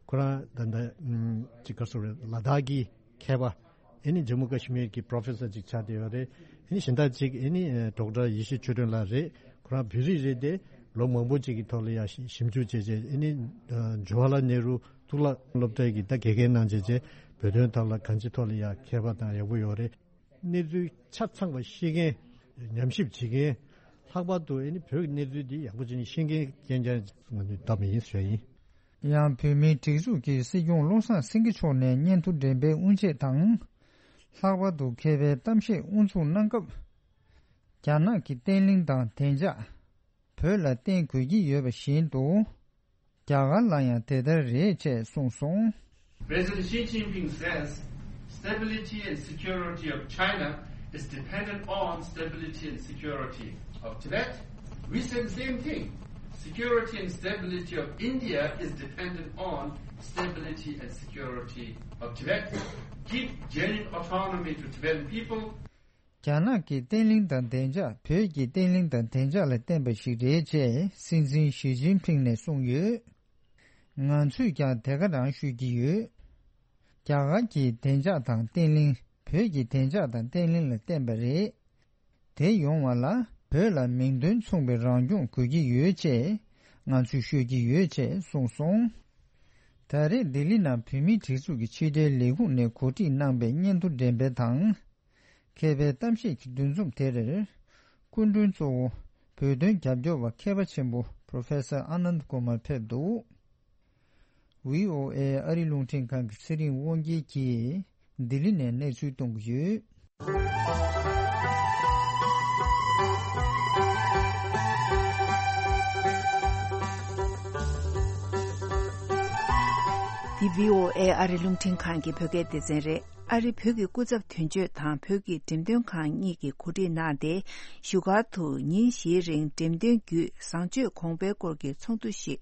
ཁོ་རང་ད་ལྟ་ཨམ་ཅིག་ག་རེ་ཟེར་དགོས་རེད། ལ་དྭགས་ཀྱི་མཁས་པ། ཨེ་ནི་ཇམ་མུ་ཀ་ཤི་མིར་གྱི་པྲོ་ཕེ་སར་ཅིག་ཆགས་བསྡད་ཡོད་རེད། ཨེ་ནི་གཞན་དག་ཅིག་ཨེ་ནི་ཨ་ཌོག་ཊར་ཡེ་ཤེས་ཆོས་སྒྲོན་ལགས་རེད། ཁོ་རང་བོད་རིགས་རེད་དེ། ལོ་མང་པོ་ཅིག་གི་ཐོག་ལ་ཡང་ཞིབ་ཞིབ་འཇུག་བྱས་བྱས། ཨེ་ནི་ཨ་ཇུ་ཝ་ལ་ནེ་རུ་གཙུག་ལག་སློབ་གྲྭའི་གི་ད་དགེ་རྒན་གནང་བྱས་བྱས། བོད་དོན་ཐོག་ལ་གང་ཅིའི་ཐོག་ལ་ཡང་མཁས་པ་དང་ཡག་པོ་ཡོད་རེད། གནས་ཚུལ་ཆ་ཚང་བ་ཤེས་མཁན། ཉམས་ཞིབ་བྱེད་མཁན། ལྷག་པར་དུ་ཨེ་ནི་བོད་ཀྱི་གནས་ཚུལ་འདི་ཡག་པོ་བྱས་ནས་ཤེས་མཁན་རྐྱང་རྐྱང་ང་ཚོས་བདམས་པ་ཡིན་ཟེར་ཡིན། ཡང་བོད་མིའི་སྒྲིག་འཛུགས་ཀྱི་སྲིད་སྐྱོང་བློ་བཟང་སེང་གེ་མཆོག་ནས་སྙན་ཐོ་འགྲེམས་སྤེལ་དབུ་འབྱེད་དང་། ལྷག་པར་དུ་མཁས་པའི་གཏམ་བཤད་དབུ་འཛུགས་གནང་སྐབས། རྒྱ་ནག་གི་བརྟན་ལྷིང་དང་བདེ་འཇགས་བོད་ལ་བརྟེན་དགོས་ཀྱི་ཡོད་པ་བཞིན་དུ། རྒྱ་གར་ལ་ཡང་དེ་ལྟར་རེད་ཅེས་གསུངས་སོང་། President Xi Jinping says stability and security of China is dependent on stability and security of Tibet. We say the same thing. Security and stability of India is dependent on stability and security of Tibet. Give genuine autonomy to Tibetan people. རྒྱ་ནག་གི་བརྟན་ལྷིང་དང་བདེ་འཇགས་བོད་ཀྱི་བརྟན་ལྷིང་དང་བདེ་འཇགས་ལ་བརྟེན་པ་ཞིག་རེད་ཅེས་སྲིད་འཛིན་ཞི་ཅིན་ཕིང་ནས་གསུངས་ཡོད། ང་ཚོས་ཀྱང་དེ་ག་རང་ཤོད་ཀྱི་ཡོད། རྒྱ་གར་གྱི་བདེ་འཇགས་དང་བརྟན་ལྷིང་བོད་ཀྱི་བདེ་འཇགས་དང་བརྟན་ལྷིང་ལ་བརྟེན་པ་རེད། དེ་ཡོང་བ་ལ་བོད་ལ་མིང་དོན་མཚུངས་པའི་རང་སྐྱོང་དགོས་ཀྱི་ཡོད་ཅེས་ང་ཚོས་ཤོད་ཀྱི་ཡོད་ཅེས་གསུངས་སོང་། ད་རེས་ལྡི་ལི་ནང་བོད་མིའི་སྒྲིག་འཛུགས་ཀྱི་ཕྱི་དྲིལ་ལས་ཁུངས་ནས་གོ་སྒྲིག་གནང་པའི་སྙན་ཐོ་འགྲེམས་སྤེལ་དང་། མཁས་པའི་གཏམ་བཤད་ཀྱི་འདུ་འཛོམས་དེར། སྐུ་མགྲོན་གཙོ་བོ་བོད་དོན་རྒྱབ་སྐྱོར་བ་མཁས་པ་ཆེན་པོ་Professor Anand Kumar་ཕེབས་འདུག་ཝི་ཨོ་ཨེ་ཨ་རི་རླུང་འཕྲིན་ཁང་གི་ཚེ་རིང་དབང་རྒྱལ་གྱིས་ལྡི་ལི་ནས་གནས་ཚུལ་གཏོང་གི་ཡོད། འདི་བྷི་ཨོ་ཨེ་ཨ་རི་རླུང་འཕྲིན་ཁང་གི་བོད་སྐད་སྡེ་ཚན་རེད། ཨ་རི་བོད་ཀྱི་སྐུ་ཚབ་དོན་གཅོད་དང་བོད་ཀྱི་འགྲེམས་སྟོན་ཁང་གཉིས་ཀྱིས་གོ་སྒྲིག་གནང་སྟེ། བཞུགས་སྒར་དུ་ཉིན་བཞིའི་རིང་འགྲེམས་སྟོན་བརྒྱུད་བཟང་སྤྱོད་གོང་འཕེལ་སྐོར་གྱི་ཚོགས་འདུ་ཞིག་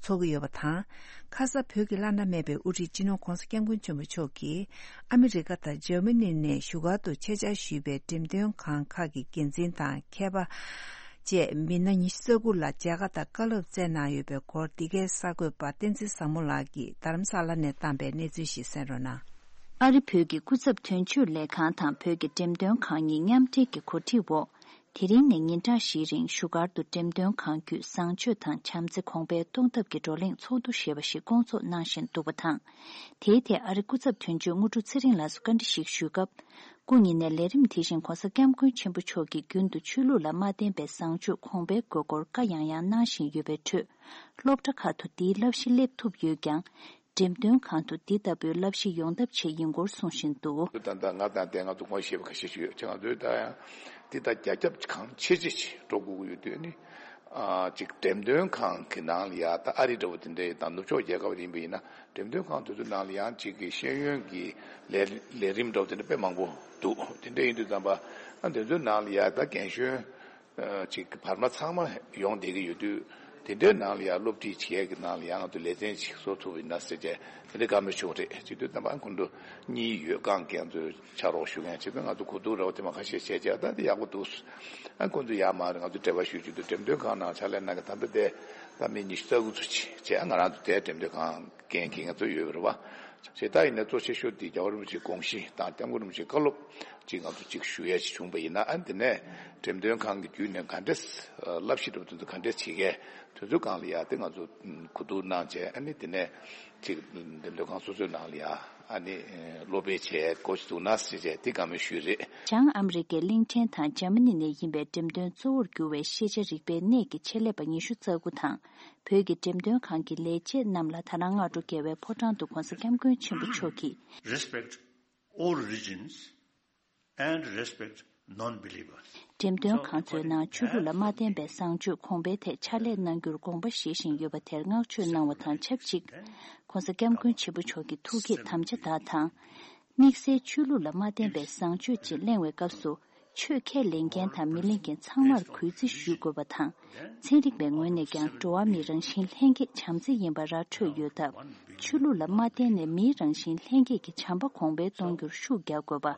འཚོགས་ཀྱི་ཡོད་པ་དང་། ཁ་ས་བོད་ཀྱི་བླ་ན་མེད་པའི་དབུ་ཁྲིད་སྤྱི་ནོར་༧གོང་ས་༧སྐྱབས་མགོན་ཆེན་པོ་མཆོག་གིས་ཨ་མི་རི་ཀ་དང་འཇར་མ་ནི་ནས་བཞུགས་སྒར་དུ་ཆེད་བཅར་ཞུས་པའི་འགྲེམས་སྟོན་ཁང་ཁག་གི་འགན་འཛིན་དང་མཁས་པ་བཅས་མི་སྣ་ཉི་ཤུ་རྩ་དགུ་ལ་མཇལ་ཁ་དང་བཀའ་སློབ་སྩལ་གནང་ཡོད་པའི་སྐོར། འདི་གའི་གསར་འགོད་པ་བསྟན་འཛིན་བཟང་མོ་ལགས་ཀྱིས་རྡ་རམ་ས་ལ་ནས་བཏང་པའི་གནས་ཚུལ་ཞིག་གསན་རོགས་གནང་། ཨ་རི་བོད་ཀྱི་སྐུ་ཚབ་དོན་གཅོད་ལས་ཁང་དང་བོད་ཀྱི་འགྲེམས་སྟོན་ཁང་གཉིས་མཉམ་འབྲེལ་གྱི་གོ་སྒྲིག་འོག་དེ་རིང་ནས་ཉིན་གྲངས་བཞིའི་རིང་བཞུགས་སྒར་དུ་འགྲེམས་སྟོན་ཁང་བརྒྱུད་བཟང་སྤྱོད་དང་བྱམས་བརྩེ་གོང་འཕེལ་གཏོང་ཐབས་ཀྱི་བགྲོ་གླེང་ཚོགས་འདུ་ཞེས་པ་ཞིག་བསྐོང་ཚོགས་གནང་བཞིན་འདུག་པ་དང་། དེའི་ཐད་ཨ་རི་སྐུ་ཚབ་དོན་གཅོད་དངོས་གྲུབ་ཚེ་རིང་ལགས་སུ་བཀའ་འདྲི་ཞིག་ཞུས་སྐབས། སྐུ་ཉིད་ནས་ལས་རིམ་དེ་བཞིན་༧གོང་ས་༧སྐྱབས་མགོན་ཆེན་པོ་མཆོག་གིས་རྒྱུན་དུ་ཆོས་ལུགས་ལ་མ་བརྟེན་པའི་བཟང་སྤྱོད་གོང་འཕེལ་དགོས་སྐོར་བཀའ་ཡང་ཡང་གནང་བཞིན་ཡོད་པའི་ཁྲོད། སློབ་གྲྭ་ཁག་ཏུ་འདིའི་བསླབ་གཞི་སླེབས་ཐུབ་ཡོད་ཀྱང་། འགྲེམས་སྟོན་ཁང་དུ་འདི་ལྟ་བུའི་བསླབ་གཞི་ཡོང་ཐབས་བྱས་ཡིན་སྐོར་གསུངས་བཞིན་འདུག་ད་ལྟ་ང་དང་དེ་ང་ཚོ་ངོ་ཤེས་པ་ཁ་ཤས་ཤིག་ཡོད་ཅེ། ང་ཚོས་ད་ཡང་འདི་ད་རྒྱ་ཁྱབ་གང་ཆེ་ཆེ་ཞིག་འགྲོ་དགོས་ཀྱི་ཡོད་དུས་ནི། ཨ་ཅིག་འགྲེམས་སྟོན་ཁང་གི་ནང་ལ་ཡ་ད་ཨ་རི་འདྲ་བོ་དེ་འདྲ་དང་ནུབ་ཕྱོགས་རྒྱལ་ཁབ་ཡིན་པ་ཡིན་ན། འགྲེམས་སྟོན་ཁང་དེ་ཚོའི་ནང་ལ་ཡང་ཅིག་གི་ཤེས་ཡོན་གྱི་ལས་ལས་རིམ་འདྲ་བོ་དེ་འདྲ་དཔེ་མང་པོ་འདུག་དེ་འདྲ་ཡིན་དུས་ཙམ་པ། ཨ་དེ་ཚོའི་ནང་ལ་ཡ་ད་རྒན་གཞོན་ཨ་ཅིག་བར་མ་ཚང་མ་ཡོང་བསྡད་ཀྱི་ཡོད་དུས། དེ་འདྲའི་ནང་ལ་ཡང་སློབ་ཁྲིད་བྱེད་ཀྱི་ནང་ལ་ཡང་ང་ཚོ་ལེ་ཚན་ཅིག་བཟོ་ཐུབ་ཡིན་ན་ཟེར་བྱས་དེ་འདྲའི་བཀའ་མོལ་ཞུ་བ་རེད། བྱེད་དུས་ཙམ་པ་ཁོང་ཚོ་གཉིས་ཡོད་ཀྱང་ཁྱེད་ཚོས་ཕྱག་རོགས་ཞུ་མཁན་བྱེད་དུས་ང་ཚོ་གོ་བསྡུར་རོགས་དེ་མ་ཁ་ཤས་བྱས་བྱས་ད་དེ་ཡག་པོ་འདུག་ཨ་ཁོང་ཚོ་ཡར་མར་ང་ཚོ་འབྲེལ་བ་ཞུ་རྒྱུ་དུ་འགྲེམས་སྟོན་ཁང་ནང་ཕྱག་ལས་གནང་གི་ད་ལྟ་དེ་ད་མི་ཉི་ཤུ་རྩ་དགུ་ཚོ་ཅིག་བྱས། ང་རང་ཚོ་དེ་འགྲེམས་སྟོན་ཁང་འགན་འཁྱེར་མཁན་ཚོ་ཡོད་པ་རེད་བ། བྱས་ད་ཡིན་ན་གཙོ་ཆེ་ཤོས་དེ་རྒྱལ་བ་རིན་པོ་ཆེའི་དགོངས་གཞི་དང་༧སྐྱབས་མགོན་རིན་པོ་ཆེའི་བཀའ་སློབ་ཅིག་ང་ཚོ་ཅིག་ཞུ་ཡ་ཞིག་བྱུང་པ་ཡིན་ན། ཨ་ནི་དེ་ནས་འགྲེམས་སྟོན་ཁང་གི་བརྒྱུད་ནས་ག་འདྲས་བསླབ་གཞི་འདྲ་པོ་དེ་ཚོ་ག་འདྲས་བྱེད་མཁན་དེ་ཚོའི་སྒང་ལ་ཡ་དེ་ང་ཚོ་གོ་བསྡུར་གནང་བྱས། ཨ་ནི་དེ་ནས་ཅིག་འགྲེམས་སྟོན་ཁང་སོ་སོའི་ནང་ལ་ཡ་ཨ་ནི་སློབ་སྤེལ་བྱས་འགོ་ཞིག་བཙུགས་ན་ཟེར་བྱས་དེ་བཀའ་མོལ་ཞུས་རེད། བྱང་ཨ་མི་རི་ཀའི་གླིང་ཕྲན་དང་འཇར་མ་ནི་ནས་ཡིན་པའི་འགྲེམས་སྟོན་གཙོ་བོར་གྱུར་བའི་ཤེས་བྱ་རིག་པའི་གནས་ཀྱི་ཆེད་ལས་པ་ཉི་ཤུ་རྩ་དགུ་དང་། བོད་ཀྱི་འགྲེམས་སྟོན་ཁང་གི་ལས་བྱེད་རྣམས་ལ་ད་རང་སྔ་དྲོ་རྒྱལ་བའི་ཕོ་བྲང་དུ་༧གོང་ས་༧སྐྱབས་མགོན་ཆེན་པོ་མཆོག་གིས། Respect all religions and respect non-believers. འགྲེམས་སྟོན་ཁང་ཚོའི་ནང་ཆོས་ལུགས་ལ་མ་བརྟེན་པའི་བཟང་སྤྱོད་གོང་འཕེལ་ཐད་ཕྱག་ལས་གནང་རྒྱུར་དགོངས་པ་བཞེས་བཞིན་ཡོད་པ་དེར་བསྔགས་བརྗོད་གནང་བ་དང་ཆབས་ཅིག ༸གོང་ས་༸སྐྱབས་མགོན་ཆེན་པོ་མཆོག་གི་ཐུགས་བསྐྱེད་དམ་བཅའ་དག་དང་། དམིགས་བསལ་ཆོས་ལུགས་ལ་མ་བརྟེན་པའི་བཟང་སྤྱོད་ཅིག་གླེང་བའི་སྐབས་སུ། ཆོས་ཁས་ལེན་མཁན་དང་མི་ལེན་མཁན་ཚང་མར་གུས་བརྩི་ཞུ་དགོས་པ་དང་། ཚན་རིག་པའི་ངོས་ནས་ཀྱང་འགྲོ་བ་མིའི་རང་བཞིན་ལྷན་སྐྱེས་བྱམས་བརྩེ་ཡིན་པ་ར་འཕྲོད་ཡོད་སྟབས། ཆོས་ལུགས་ལ་མ་བརྟེན་ནས་མིའི་རང་བཞིན་ལྷན་སྐྱེས་ཀྱི་བྱམས་པ་གོང་འཕེལ་གཏོང་རྒྱུར་ཤུགས་རྒྱག་དགོས་པ།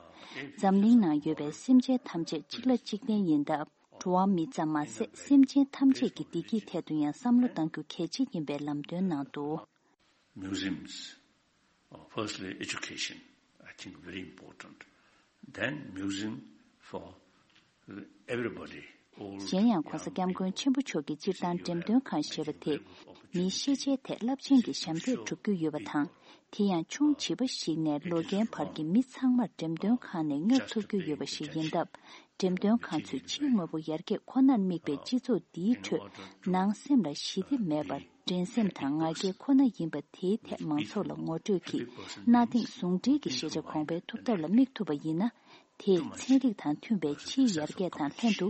འཛམ་གླིང་ནང་ཡོད་པའི་སེམས་ཅན་ཐམས་ཅད་གཅིག་ལ་གཅིག་བརྟེན་ཡིན་སྟབས། འགྲོ་བ་མི་ཙམ་མ་ཟད་སེམས་ཅན་ཐམས་ཅད་ཀྱི་བདེ་སྐྱིད་ཐད་དུ་ཡང་བསམ་བློ་གཏང་རྒྱུ་གལ་ཆེ་ཡིན་པའི་ལམ་སྟོན་གནང་འདུག Museums, uh, firstly, education, I think very important. Then museum for everybody, all གཞན་ཡང་༸གོང་ས་༸སྐྱབས་མགོན་ཆེན་པོ་མཆོག་གིས་སྤྱིར་བཏང་འགྲེམས་སྟོན་ཁང་ཞེས་པ་དེ་མིའི་ཤེས་བྱའི་ཐད་རླབས་ཆེན་གྱི་ཞབས་འདེགས་སྒྲུབ་རྒྱུ་ཡོད་པ་དང་། དེ་ཡང་ཆུང་བྱིས་པ་ཞིག་ནས་ལོ་རྒན་བར་གྱི་མི་ཚང་མར་འགྲེམས་སྟོན་ཁང་ནས་མངགས་ཐུབ་རྒྱུ་ཡོད་པ་ཞིག་ཡིན་སྟབས། འགྲེམས་སྟོན་ཁང་ཚོས་ཕྱིའི་དངོས་པོ་ཡར་རྒྱས་ཁོ་ནར་དམིགས་པའི་སྤྱི་ཚོགས་འདིའི་ཁྲོད་ནང་སེམས་ལ་ཞི་བདེ་མེད་པར། འགྲན་སེམས་དང་ང་རྒྱལ་ཁོ་ན་ཡིན་པ་དེའི་ཐད་མང་ཚོགས་ལ་ངོ་སྤྲོད་ཀྱིས་གནའ་དེང་ཟུང་འབྲེལ་གྱི་ཤེས་བྱ་གོང་འཕེལ་ཐུབ་ཐབས་ལ་དམིགས་ཐུབ་པ་ཡིན་ན། དེས་ཚན་རིག་དང་མཐུན་པའི་ཕྱིའི་ཡར་རྒྱས་དང་ལྷན་དུ་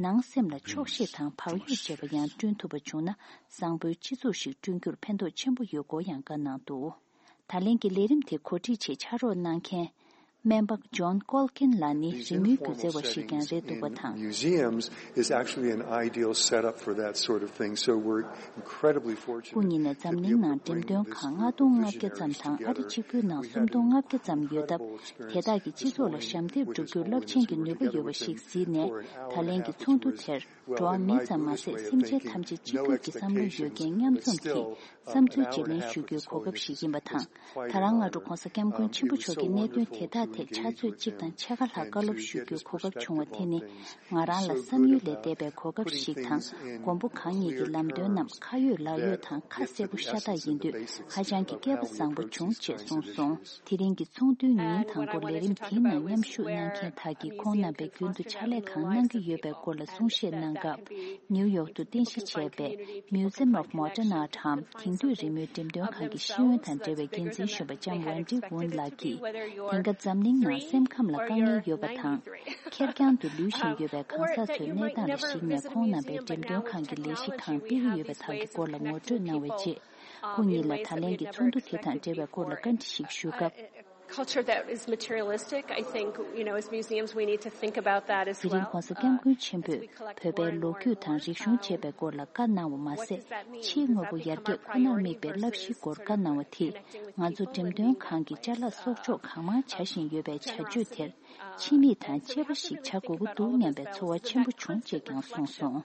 ནང་སེམས་ལ་ཆོག་ཤེས་དང་བག་ཡོད་ཅེས་པ་ཡང་བསྐྲུན་ཐུབ་པ་བྱུང་ན་བཟང་པོའི་སྤྱི་ཚོགས་ཤིག་བསྐྲུན་རྒྱུར་ཕན་ཐོགས་ཆེན་པོ་ཡོད་སྐོར་ཡང་བཀའ་གནང་འདུག་ད་ལན་གྱི་ལས་རིམ་དེ་གོ་སྒྲིག་ཆེད་ཕྱག་རོགས་གནང་མཁན། སྨན་པ་ཇོན་ཀོལ་ཀིན་ལགས་ནི་རི་མོའི་སྒྱུ་རྩལ་བ་ཞིག་ཀྱང་རེད་འདུག་པ་དང་། Museums is actually an ideal setup for that sort of thing, so we're incredibly fortunate. སྐུ་ཉིད་ནས་འཛམ་གླིང་ནང་འགྲེམས་སྟོན་ཁང་ལྔ་སྟོང་ལྔ་བརྒྱ་ཙམ་དང་ཨ་རི་གཅིག་པུའི་ནང་སུམ་སྟོང་ལྔ་བརྒྱ་ཙམ་ཡོད་སྟབས། དེ་དག་གིས་སྤྱི་ཚོགས་ལ་ཞབས་འདེགས་སྒྲུབ་རྒྱུར་རླབས་ཆེན་གྱི་ནུས་པ་ཡོད་པ་ཞིག་གཟིགས་ནས། ད་ལན་གྱི་ཚོགས་འདུ་དེར། འགྲོ་བ་མི་ཙམ་མ་ཟད་སེམས་ཅན་ཐམས་ཅད་གཅིག་གྱུར་གྱི་བསམ་བློ་ཡོད་མཁན་མཉམ་འཛོམས་ཀྱིས་བསམ་ཚུལ་བརྗེ་ལེན་ཞུ་རྒྱུའི་གོ་སྐབས་ཤིག་ཡིན་པ་དང་། ད་རང་སྔ་དྲོ་༸གོང་ས་༸སྐྱབས་མགོན་ཆེན་པོ་མཆོག་གིས་གནད་དོན་དེ་དག་ཐད་ཕྱག་ཚོད་གཅིག་དང་ཕྱེད་ཀ་ལྷག་བཀའ་སློབ་ཞུ་རྒྱུའི་གོ་སྐབས་བྱུང་བ་དེ་ནི། ང་རང་ལ་བསམ་ཡུལ་ལས་འདས་པའི་གོ་སྐབས་ཤིག་དང་། མགོན་པོ་གང་ཉིད་ཀྱི་ལམ་སྟོན་རྣམས་ཁ་ཡོད་ལག་ཡོད་དང་ཁ་གསལ་པོ་ཤ་སྟག་ཡིན་དུས་ཧ་ཅང་གི་སྐལ་པ་བཟང་པོ་བྱུང་ཅེས་གསུངས་སོང་། དེ་རིང་གི་ཚོགས་འདུའི་ཉིན་དང་པོ་ལས་རིམ་དེའི་ནང་མཉམ་ཞུགས་གནང་མཁན་དག་གིས་ཁོང་རྣམ་པས་རྒྱུན་དུ་ཕྱག་ལས་གང་གནང་གི་ཡོད་པའི་སྐོར་ལ་གསུང་བཤད་གནང་སྐབས། ནིའུ་ཡོག་ཏུ་རྟེན་གཞི་བྱས་པའི་Museum of Modern Art འམ་དེང་དུས་རི་མོའི་འགྲེམས་སྟོན་ཁང་གི་ཤེས་ཡོན་དང་འབྲེལ་བའི་འགན་འཛིན་གཞོན་པ་ལྕམ་ཝན་ཏི་ཝུན་ལགས་ཀྱིས། དེང་སྐབས་འཛམ་ འཛམ་གླིང་ནང་སེམས་ཁམས་ལ་དཀའ་ངལ་ཡོད་པ་དང་། ཁེར་རྐྱང་དུ་ལུས་བཞིན་ཡོད་པའི་གང་ཟག་ཚོའི་གནས་སྟངས་ལ་གཞིགས་ནས། ཁོང་རྣམ་པའི་འགྲེམས་སྟོན་ཁང་གི་ལས་གཞི་གང་སྤེལ་གྱི་ཡོད་པ་དག་གི་སྐོར་ལ་ངོ་སྤྲོད་གནང་བའི་རྗེས། ཁོང་ཉིད་ལ་ད་ལན་གྱི་ཚོགས་འདུ་དེ་དང་འབྲེལ་བའི་སྐོར་ལ་བཀའ་འདྲི་ཞིག་ཞུས་སྐབས། Culture that is materialistic, I think, you know, as museums, we need to think about that as well. དེ་རིང་༸གོང་ས་༸སྐྱབས་མགོན་ཆེན་པོས་བོད་པའི་ལོ་རྒྱུས་དང་རིག་གཞུང་བཅས་པའི་སྐོར་ལ་བཀའ་གནང་བ་མ་ཟད། ཕྱིའི་དངོས་པོ་ཡར་རྒྱས་ཁོ་ནར་དམིགས་པའི་བསླབ་གཞིའི་སྐོར་བཀའ་གནང་བ་དེས། ང་ཚོ་འགྲེམས་སྟོན་ཁང་གི་ཅ་ལག་གསོག་འཇོག་གང་མང་བྱ་བཞིན་ཡོད་པའི་བྱ་སྤྱོད་དེར། ཕྱི་མིག་དང་གཅེས་པ་ཞིག་བྱ་དགོས་ཀྱི་འདུག་སྙམ་པའི་ཚོར་བ་ཆེན་པོ་བྱུང་ཅེས་ཀྱང་གསུངས་སོང་།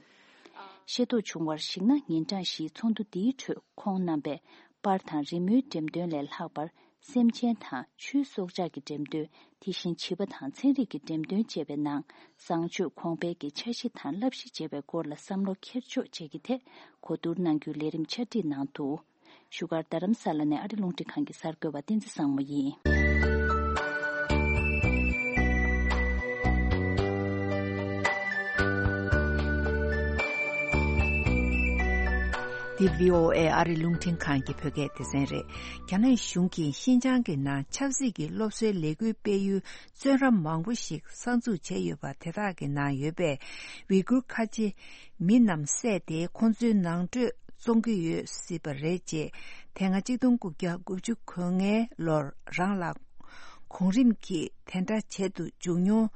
ཤེས་རྟོགས་བྱུང་བར་གཞིགས་ན། ཉིན་གྲངས་བཞིའི་ཚོགས་འདུ་འདིའི་ཁྲོད་ཁོང་རྣམ་པས་པར་དང་རི་མོའི་འགྲེམས་སྟོན་ལས་ལྷག་པར། སེམས་ཅན་དང་ཆུའི་སྲོག་ཆགས་ཀྱི་འགྲེམས་སྟོན། དེ་བཞིན་བྱིས་པ་དང་ཚན་རིག་གི་འགྲེམས་སྟོན་བཅས་པའི་ནང་། བཟང་སྤྱོད་གོང་འཕེལ་གྱི་འཆར་གཞི་དང་བསླབ་གཞི་བཅས་པའི་སྐོར་ལ་བསམ་བློ་འཁྱེར་ཕྱོགས་བཅས་ཀྱི་ཐད་གོ་བསྡུར་གནང་རྒྱུའི་ལས་རིམ་ཕྱག་བྲིས་གནང་འདུག་བཞུགས་སྒར་རྡ་རམ་ས་ལ་ནས་ཨ་རི་རླུང་འཕྲིན་ཁང་གི་གསར་འགོད་པ་བསྟན་འཛིན་བཟང་མོ་ཡིན། འདི་བྷི་ཨོ་ཨེ་ཨ་རི་རླུང་འཕྲིན་ཁང་གི་བོད་སྐད་སྡེ་ཚན་རེད། རྒྱ་ནག་གཞུང་གིས་ཤིན་ཅང་གི་ནང་ཆབ་སྲིད་ཀྱི་སློབ་གསོའི་ལས་འགུལ་སྤེལ་ཡུལ་བཙོན་ར་མང་པོ་ཞིག་གསར་འཛུགས་བྱས་ཡོད་པ། དེ་དག་གི་ནང་ཡོད་པའི་ཝི་གུར་ཁ་ཆེ་མི་རྣམས་བསད་དེ། ཁོང་ཚོའི་ནང་ཁྲོད་བཙོང་གི་ཡོད་སྲིད་པ་རེད་ཅེས། དེ་སྔ་གཅིག་སྟོང་དགུ་བརྒྱ་དགུ་བཅུ་གོ་ལྔའི་ལོར་རང་ལ་གོང་རིམ་གྱིས་དེ་འདྲ་བྱེད་དུ་འཇུག་མྱོང་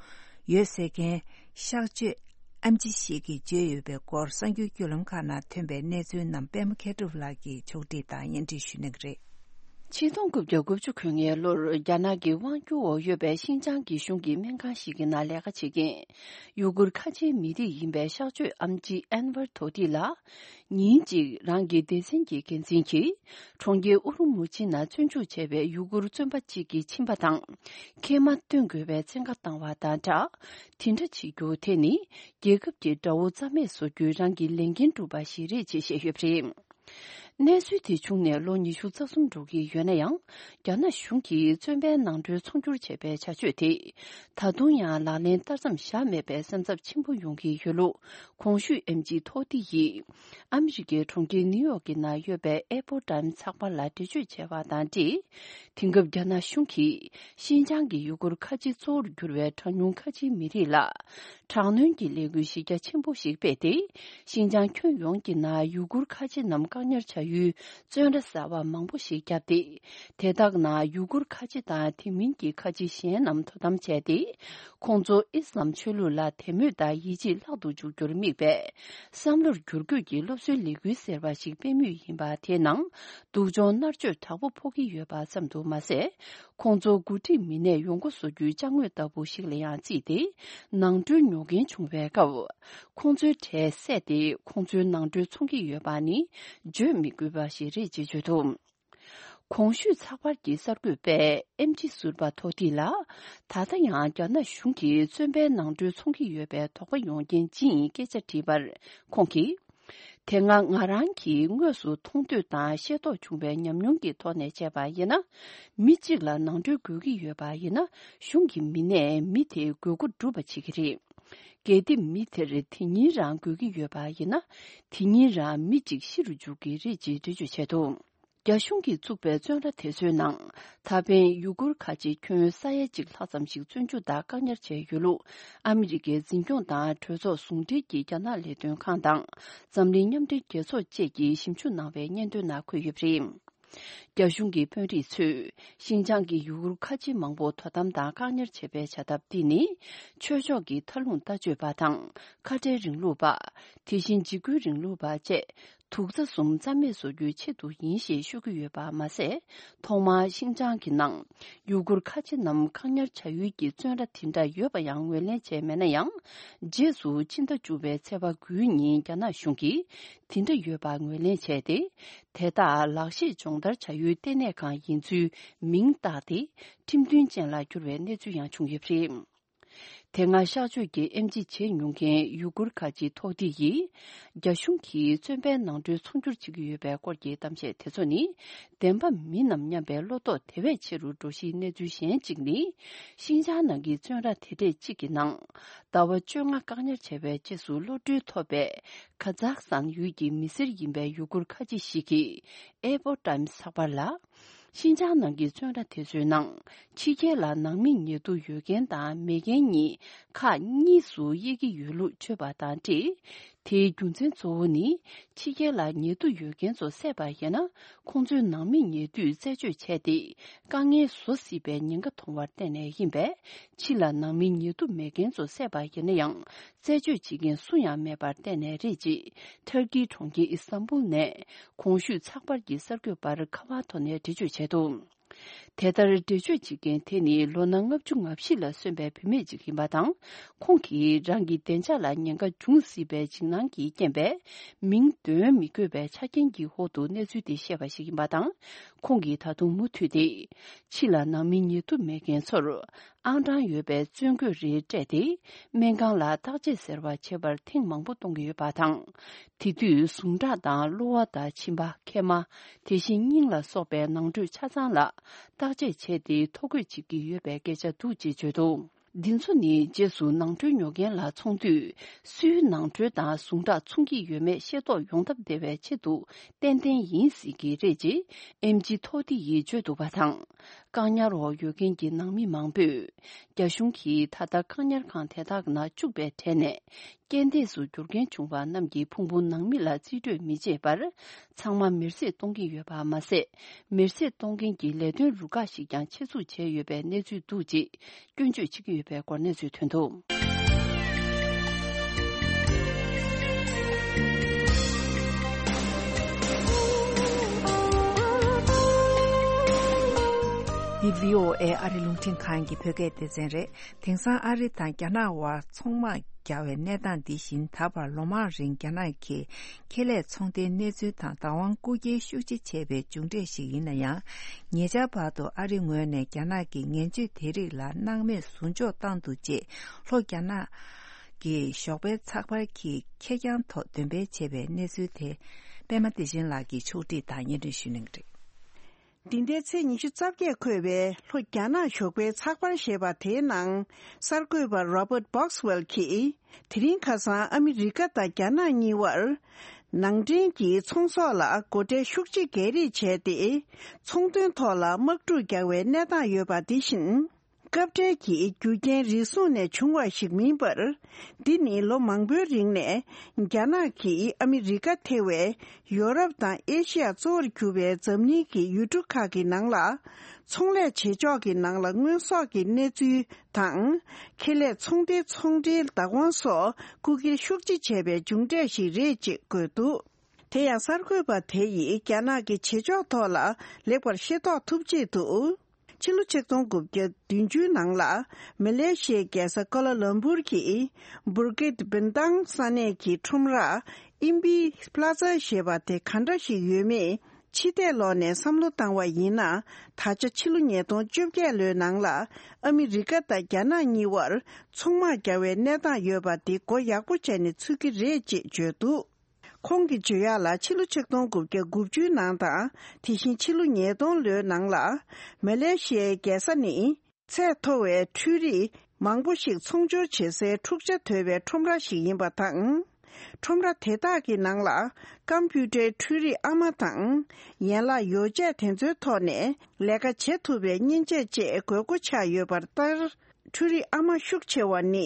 ཡོད་ཟེར་མཁན་གཤག་བཅོས་ཨེམ་ཆི་ཞིག་གིས་བརྗོད་ཡོད་པའི་སྐོར། གསར་འགྱུར་བརྒྱུད་ལམ་ཁག་ནང་ཐོན་པའི་གནས་ཚུལ་རྣམས་པད་མ་མཁས་གྲུབ་ལགས་ཀྱིས་ཕྱོགས་སྒྲིག་དང་སྙན་སྒྲོན་ཞུ་གནང་གི་རེད། ཆིག་སྟོང་དགུ་བརྒྱ་དགུ་བཅུ་གོ་ལྔའི་ལོར་རྒྱ་ནག་གི་དབང་སྒྱུར་འོག་ཡོད་པའི་ཤིན་ཅང་གི་གཞུང་གི་སྨན་ཁང་ཞིག་གི་ནང་ལས་ཀ་བྱེད་མཁན་ཡུ་གུར་ཁ་ཆེའི་མི་རིགས་ཡིན་པའི་གཤག་བཅོས་ཨེམ་ཆི་ཨན་ཝར་དོ་ཏི་ལགས། ཉིན་གཅིག་རང་གི་སྡེ་ཚན་གྱི་འགན་འཛིན་གྱིས་གྲོང་ཁྱེར་ཨུ་རུ་མུ་ཆི་ནང་བཙོན་འཇུག་བྱས་པའི་ཡུ་གུར་བཙོན་པ་གཅིག་གི་མཆིན་པ་དང་མཁལ་མ་བཏོན་དགོས་པའི་བཙན་བཀའ་བཏང་བ་དང་སྦྲགས། དེ་འདྲ་བྱེད་རྒྱུ་དེ་ནི་རྒྱལ་ཁབ་ཀྱི་དགྲ་བོ་རྩ་མེད་བཟོ་རྒྱུའི་རང་གི་ལས་འགན་སྒྲུབ་པ་ཞིག་རེད་ཅེས་བཤད་ཡོད་པ་རེད། གནས་ཚུལ་དེ་བྱུང་ནས་ལོ་ཉི་ཤུ་རྩ་གསུམ་འགྲོ་གི་ཡོད་ན་ཡང་། རྒྱ་ནག་གཞུང་གིས་བཙོན་པའི་ནང་ཁྲོལ་ཚོང་སྒྱུར་བྱས་པའི་བྱ་སྤྱོད་དེ། ད་དུང་ཡང་ལག་ལེན་བསྟར་མཚམས་བཞག་མེད་པའི་སེམས་འཚབ་ཆེན་པོ་ཡོང་གི་ཡོད་ལུགས། གོང་ཞུས་ཨེམ་ཆི་ཐོ་ཏི་ཡིས་ཨ་མི་རི་ཀའི་གྲོང་ཁྱེར་ནིའུ་ཡོག་གི་ནང་ཡོད་པའི་ཨེ་པོ་ཊའིམ་ཚགས་པར་ལ་འགྲེལ་བརྗོད་བྱས་པ་དང་འབྲེལ། དེང་སྐབས་རྒྱ་ནག་གཞུང་གིས་ཤིན་ཅང་གི་ཡུ་གུར་ཁ་ཆེ་གཙོ་བོར་གྱུར་བའི་གྲངས་ཉུང་ཁ་ཆེའི་མི་རིགས་ལ། དྲག་གནོན་གྱི་ལས་འགུལ་གཞི་རྒྱ་ཆེན་པོ་ཞིག་སྤེལ་ཏེ། ཤིན་ཅང་ཁྱོན་ཡོངས་ཀྱི་ནང་ཡུ་གུར་ཁ་ཆེ་རྣམས་བཀག་ཉར་བྱ་ཡུལ་བཙོན་ར་གསར་པ་མང་པོ་ཞིག་བརྒྱབ་སྟེ། དེ་དག་ནང་ཡུ་གུར་ཁ་ཆེ་དང་དེ་མིན་གྱི་ཁ་ཆེ་གཞན་རྣམས་དོ་དམ་བྱས་ཏེ། ཁོང་ཚོ་ཨི་སི་ལམ་ཆོས་ལུགས་ལ་དད་མོས་དང་ཡིད་ཆེས་བརླག་ཏུ་འཇུག་རྒྱུར་དམིགས་པའི་བསམ་བློར་འགྱུར་བཀོད་ཀྱི་སློབ་གསོའི་ལས་འགུལ་ཟེར་བ་ཞིག་སྤེལ་མུས་ཡིན་པ་དེའི་ནང་སྡུག་སྦྱོང་མནར་གཅོད་དྲག་པོ་ཕོག་གི་ཡོད་པ་ཙམ་དུ་མ་ཟད། ཁོང་ཚོ་འགོ་ཁྲིད་མི་སྣས་ཡོང་སྒོ་བཟོ་རྒྱུའི་ཅ་དངོས་ལྟ་བུ་ཞིག་ལ་ཡང་བརྩིས་ཏེ། ནང་ཁྲོལ་ཉོ་མཁན་བྱུང་བའི་སྐབས། ཁོང་ཚོའི་གྲས་བསད་དེ་ཁོང་ཚོའི་ནང་ཁྲོལ་འཚོང་གི་ཡོད་པ་ནི་བརྗོད་མི་དགོས་པ་ཞིག་རེད་ཅེས་བརྗོད་འདུག་གོང་ཞུས་ཚགས་པར་གྱི་གསར་འགོད་པས་ཨེམ་ཆི་ཟུར་པ་ཐོ་ཏི་ལ། ད་ལྟ་ཡང་རྒྱ་ནག་གཞུང་གིས་བཙོན་པའི་ནང་ཁྲོལ་འཚོང་གི་ཡོད་པའི་དོགས་པ་ཡོང་རྐྱེན་ཅི་ཡིན་སྐད་ཆ་དྲིས་པར། ཁོང་གིས། དེ་སྔ་ང་རང་གིས་དངོས་སུ་མཐོང་ཐོས་དང་ཤེས་རྟོགས་བྱུང་བའི་ཉམས་མྱོང་གི་ཐོག་ནས་བྱས་པ་ཡིན་ན། མི་གཅིག་ལ་ནང་ཁྲོལ་དགོས་ཀྱི་ཡོད་པ་ཡིན་ན། གཞུང་གི་མི་སྣས་མི་དེའི་དགོས་མཁོ་སྒྲུབ་པ་བྱེད་ཀྱི་རེད། གལ་ཏེ་མི་དེར་དེ་ཉིན་རང་དགོས་ཀྱི་ཡོད་པ་ཡིན་ན། དེ་ཉིན་རང་མི་གཅིག་ཤི་རུ་འཇུག་གི་རེད་ཅེས་འགྲེལ་བརྗོད་བྱས་འདུག་རྒྱ་གཞུང་གིས་བཙུགས་པའི་བཙོན་ར་དེ་ཚོའི་ནང་ད་ཕན་ཡུ་གུར་ཁ་ཆེ་ཁྱོན་ས་ཡ་གཅིག་ལྷག་ཙམ་ཞིག་བཙོན་འཇུག་དང་བཀག་ཉར་བྱས་ཡོད་ལུགས། ཨ་མི་རི་ཀའི་འཛིན་སྐྱོང་དང་གྲོས་ཚོགས་ཟུང་འབྲེལ་གྱི་རྒྱ་ནག་ལས་དོན་ཁང་དང་འཛམ་གླིང་མཉམ་འབྲེལ་རྒྱལ་ཚོགས་བཅས་ཀྱིས་ཞིབ་འཇུག་གནང་བའི་སྙན་ཐོའི་ནང་འཁོད་ཡོད་པ་རེད། རྒྱ་གཞུང་གི་དཔོན་རིགས་ཚོས་ཤིན་ཅང་གི་ཡུ་གུར་ཁ་ཆེ་མང་པོ་དོ་དམ་དང་བཀག་ཉར་བྱེད་པའི་བྱ་ཐབས་འདི་ནི། ཆོས་ཕྱོགས་ཀྱི་མཐའ་ལྷུང་ལྟ་སྤྱོད་པ་དང་། ཁ་བྲལ་རིང་ལུགས་པ། དེ་བཞིན་འཇིགས་སྐུལ་རིང་ལུགས་པ་བཅས། དུག་རྩྭ་གསུམ་རྩ་མེད་བཟོ་རྒྱུའི་ཆེད་དུ་ཡིན་ཞེས་ཤོད་ཀྱི་ཡོད་པ་མ་ཟད། ཐོག་མར་ཤིན་ཅང་གི་ནང་ཡུ་གུར་ཁ་ཆེ་རྣམས་བཀག་ཉར་བྱ་ཡུལ་གྱི་བཙོན་ར་དེ་འདྲ་ཡོད་པ་ཡང་ངོས་ལེན་བྱས་མེད་ན་ཡང་། རྗེས་སུ་ཕྱི་ཟླ་བཅུ་པའི་ཚེས་པ་དགུའི་ཉིན་རྒྱ་ནག་གཞུང་གིས་དེ་འདྲ་ཡོད་པ་ངོས་ལེན་བྱས་ཏེ། དེ་དག་ལག་ཤེས་སྦྱོང་བརྡར་བྱ་ཡུལ་ལྟེ་གནས་ཁང་ཡིན་ཚུལ་མིང་བཏགས་ཏེ། ཁྲིམས་མཐུན་ཅན་ལ་གྱུར་བའི་གནས་ཚུལ་ཡང་བྱུང་ཡོད་པ་རེད། དེ་སྔ་གཤག་བཅོས་ཀྱི་ཨེམ་ཆི་བྱེད་མྱོང་མཁན་ཡུ་གུར་ཁ་ཆེ་ཐོག་ཏི་ཡིས། རྒྱ་གཞུང་གིས་བཙོན་པའི་ནང་ཁྲོལ་ཚོང་སྒྱུར་བྱེད་ཀྱི་ཡོད་པའི་སྐོར་གྱི་གཏམ་བཤད་དེ་ཚོ་ནི། བདེན་པ་མིན་ནམ་སྙམ་པའི་བློ་དོགས་དེ་བས་ཆེ་རུ་འགྲོ་གཞིའི་གནས་ཚུལ་གཞན་གཅིག་ནི། ཤིན་ཅང་ནང་གི་བཙོན་ར་དེ་གྲས་གཅིག་གི་ནང་། ཟླ་བ་བཅོ་ལྔ་བཀག་ཉར་བྱས་པའི་རྗེས་སུ་གློད་གྲོལ་ཐོབ་པའི། ཁ་ཛག་སྟན་ཡུལ་གྱི་མི་སེར་ཡིན་པའི་ཡུ་གུར་ཁ་ཆེ་ཞིག་གིས། ཨེ་པོ་ཊའིམ་ཚགས་པར་ལ། ཤིན་ཅང་ནང་གི་བཙོན་ར་དེ་ཚོའི་ནང་ཕྱི་རྒྱལ་ལ་ནང་མི་ཉེ་དུ་ཡོད་མཁན་དང་མེད་མཁན་གཉིས་ཁག་གཉིས་སུ་དབྱེ་གི་ཡོད་ལུགས་བརྗོད་པ་དང་འབྲེལ། དེའི་རྒྱུ་མཚན་གཙོ་བོ་ནི་ཕྱི་རྒྱལ་ལ་ཉེ་དུ་ཡོད་མཁན་ཚོ་བསད་པ་ཡིན་ན་ཁོང་ཚོའི་ནང་མི་ཉེ་དུས་རྩད་གཅོད་བྱས་ཏེ་དཀའ་ངལ་བཟོ་སྲིད་པའི་ཉེན་ཁ་མཐོང་བར་བརྟེན་ནས་ཡིན་པས། ཕྱི་ལ་ནང་མི་ཉེ་དུ་མེད་མཁན་ཚོ་བསད་པ་ཡིན་ན་ཡང་རྩད་གཅོད་བྱེད་མཁན་སུ་ཡང་མེད་པར་བརྟེན་ནས་རེད་ཅེས་ཐར་ཀིའི་གྲོང་ཁྱེར་ཨི་སྟན་བུལ་ནས་གོང་ཞུས་ཚགས་པར་གྱི་གསར་འགོད་པར་ཁ་པར་ཐོག་ནས་འགྲེལ་བརྗོད་བྱས་འདུག་དེ་ལྟར་འགྲེལ་བརྗོད་བྱེད་མཁན་དེ་ནི་ལོ་ན་ལྔ་བཅུ་ང་བཞི་ལ་སོན་པའི་བུད་མེད་ཅིག་ཡིན་པ་དང་། ཁོང་གིས་རང་གི་བདེ་འཇགས་ལ་ཉེན་ཁ་འབྱུང་སྲིད་པའི་འཇིགས་སྣང་གི་རྐྱེན་པས་མིང་འདོན་མི་དགོས་པའི་ཆ་རྐྱེན་གྱི་འོག་ཏུ་གནས་ཚུལ་དེ་བཤད་པ་ཞིག་ཡིན་པ་དང་། ཁོང་གིས་ད་དུང་མུ་མཐུད་དེ། ཕྱི་ལ་ནང་མི་ཉེ་དུ་མེད་མཁན་ཚོར་ཨང་གྲངས་ཡོད་པའི་བཙོན་གོས་རེ་སྤྲད་དེ། སྨན་ཁང་ལ་བརྟག་དཔྱད་ཟེར་བ་བྱེད་པར་ཐེངས་མང་པོ་གཏོང་གི་ཡོད་པ་དང་། དེ་དུས་ཟུངས་ཁྲག་དང་གློ་བ་དང་མཆིན་པ། མཁལ་མ། དེ་བཞིན་སྙིང་ལ་སོགས་པའི་ནང་ཁྲོལ་ཆ་ཚང་ལ་བརྟག་དཔྱད་བྱས་ཏེ་ཐོ་འགོད་བྱེད་ཀྱི་ཡོད་པའི་སྐད་ཆ་འདུག་ཅེས་བརྗོད་འདུག་འདི་ཚོ་ནི་རྗེས་སུ་ནང་ཁྲོལ་ཉོ་མཁན་ལ་འཚོང་དུས་སུའི་ནང་ཁྲོལ་དང་ཟུངས་ཁྲག་མཚུངས་ཀྱི་ཡོད་མེད་ཤེས་རྟོགས་ཡོང་ཐབས་བདེ་བའི་ཆེད་དུ་ཏན་ཏན་ཡིན་སྲིད་ཀྱི་རེད་ཅེས་ཨེམ་ཆི་ཐོ་ཏི་ཡིས་བརྗོད་འདུག་པ་དང་། བཀག་ཉར་འོག་ཡོད་མཁན་གྱི་ནང་མི་མང་པོས། རྒྱ་གཞུང་གིས་ད་ལྟ་བཀག་ཉར་ཁང་དེ་དག་ནང་བཅུག་པའི་གྲས་ནས། རྐྱེན་འདས་སུ་གྱུར་མཁན་བྱུང་བ་རྣམས་ཀྱི་ཕུང་པོ་ནང་མི་ལ་རྩིས་སྤྲོད་མི་བྱེད་པར། ཚང་མ་མེར་སྲེག་གཏོང་གི་ཡོད་པ་མ་ཟད། མེར་སྲེག་གཏོང་མཁན་གྱི་ལས་དོན་རུ་ཁག་ཞིག་ཀྱང་ཆེད་འཛུགས་བྱས་ཡོད་པའི་གནས་ཚུལ་འདུག་ཅེས་སྐྱོན་བརྗོད་བྱེད་ཀྱི་ཡོད་པའི་སྐོར་གནས་ཚུལ་ཐོན་འདུག་འདི་བྷི་ཨོ་ཨེ་ཨ་རི་རླུང་འཕྲིན་ཁང་གི་བོད་སྐད་སྡེ་ཚན་རེད། དེང་སང་ཨ་རི་དང་རྒྱ་ནག་དབར་ཚོང་དམག་རྒྱག་པའི་གནས་སྟངས་འདི་བཞིན་ད་བར་ལོ་མང་རིང་རྒྱ་ནག་གི་ཁེ་ལས་ཚོང་སྡེའི་གནས་ཚུལ་དང་བདག་དབང་རྐུ་འཁྱེར་ཤུགས་ཆེ་བྱས་པའི་མཇུག་འབྲས་ཤིག་ཡིན་ན་ཡང་། ཉེ་ཆར་བར་དུ་ཨ་རི་ངོས་ནས་རྒྱ་ནག་གི་ངན་ཇུས་དེ་རིགས་ལ་སྣང་མེད་ཟུར་འཇོག་བཏང་འདུག་ཅེས་ལྷོ་རྒྱ་ནག་གི་ཞོགས་པའི་ཚགས་པར་གྱིས་ཁེར་རྐྱང་ཐོག་འདོན་སྤེལ་བྱས་པའི་གནས་ཚུལ་དེ་པད་མ་བདེ་ཆེན་ལགས་ཀྱིས་ཕྱོགས་བསྒྲིགས་དང་སྙན་སྒྲོན་ཞུ་གནང་གི་རེད། འདི་ཟླའི་ཚེས་ཉི་ཤུ་རྩ་བརྒྱད་འཁོད་པའི་ལྷོ་རྒྱ་ནག་ཞོགས་པའི་ཚགས་པར་ཞེས་པ་དེའི་ནང་གསར་འགོད་པ་Robert Boxwell་གྱིས། དེ་རིང་ཁ་སང་ཨ་མི་རི་ཀ་དང་རྒྱ་ནག་གཉིས་བར་ནང་འདྲེན་གྱི་ཚོང་ཟོག་ལ་སྒོ་ཁྲལ་ཤུགས་ཆེ་གྱ་རེ་བྱས་ཏེ། ཚོང་དོན་ཐོག་ལ་དམག་འཁྲུག་རྒྱག་པའི་གནས་སྟངས་ཡོད་པ་འདི་བཞིན། སྐབས་འཕྲལ་གྱི་རྒྱུ་རྐྱེན་རེ་ཟུང་ནས་བྱུང་བ་ཞིག་མིན་པར། འདི་ནི་ལོ་མང་པོའི་རིང་ནས་རྒྱ་ནག་གིས་ཨ་མི་རི་ཀ་ཐེ་བའི་ཡོ་རོབ་དང་ཨེ་ཤི་ཡ་གཙོ་བོར་གྱུར་པའི་འཛམ་གླིང་གི་ཡུལ་གྲུ་ཁག་གི་ནང་ལ་ཚོང་ལས་བྱེད་ཕྱོགས་ཀྱི་ནང་ལ་དངོས་ཟོག་གི་གནས་ཚུལ་དང་ཁེ་ལས་ཚོང་སྡེའི་ཚོང་འབྲེལ་བདག་དབང་སོགས་རྐུ་འཁྱེར་ཤུགས་ཆེ་བྱས་པའི་མཇུག་འབྲས་ཤིག་རེད་ཅེས་བཀོད་འདུག་དེ་ཡང་གསར་འགོད་པ་དེ་ཡིས་རྒྱ་ནག་གི་བྱེད་ཕྱོགས་ཐོག་ལ་ལེགས་པར་ཤེས་རྟོགས་ཐུབ་ཆེད་དུ། ཕྱི་ལོ་ཆིག་སྟོང་དགུ་བརྒྱ་བདུན་ཅུ་ནང་ལ་མ་ལེ་ཤི་ཡའི་རྒྱལ་ས་ཀོ་ལ་ལམ་པུར་གྱི་བུར་ཀིད་བིན་ཏང་ས་གནས་ཀྱི་ཁྲོམ་ར་ཨིམ་པི་པླ་ཛ་ཞེས་པ་དེ་ག་འདྲ་ཞིག་ཡོད་མེད་ཕྱི་བལྟས་ལོག་ནས་བསམ་བློ་བཏང་བ་ཡིན་ན། ད་ཆ་ཕྱི་ལོ་ཉིས་སྟོང་བཅོ་བརྒྱད་ལོའི་ནང་ལ་ཨ་མི་རི་ཀ་དང་རྒྱ་ནག་གཉིས་བར་ཚོང་དམག་རྒྱག་པའི་གནས་སྟངས་ཡོད་པ་འདི་མགོ་ཡག་པོ་བྱས་ནས་ཚུད་ཀྱི་རེད་ཅེས་བརྗོད་འདུག་ཁོང་གིས་བརྗོད་ཡག་ལ་ཕྱི་ལོ་ཆིག་སྟོང་དགུ་བརྒྱ་དགུ་བཅུའི་ནང་དང་དེ་བཞིན་ཕྱི་ལོ་ཉིས་སྟོང་ལོའི་ནང་ལ་མ་ལེ་ཤི་ཡའི་རྒྱལ་ས་ནི་ཚད་མཐོ་བའི་འཕྲུལ་རིག་མང་པོ་ཞིག་ཚོང་སྦྱོར་བྱེད་སའི་འཁྲུག་ཆ་དོད་པའི་ཁྲོམ་ར་ཞིག་ཡིན་པ་དང་། ཁྲོམ་ར་དེ་དག་གི་ནང་ལ་ཀམ་པུ་ཊར་འཕྲུལ་རིག་ཨ་མ་དང་ཡན་ལག་ཡོ་བྱད་དེ་ཚོའི་ཐོག་ནས་ལས་ཀ་བྱེད་ཐུབ་པའི་མཉེན་ཆས་བཅས་དགོས་མཁོ་ཆགས་ཡོད་པ་ལྟར། འཕྲུལ་རིག་ཨ་མ་ཤུགས་ཆེ་བ་ནི་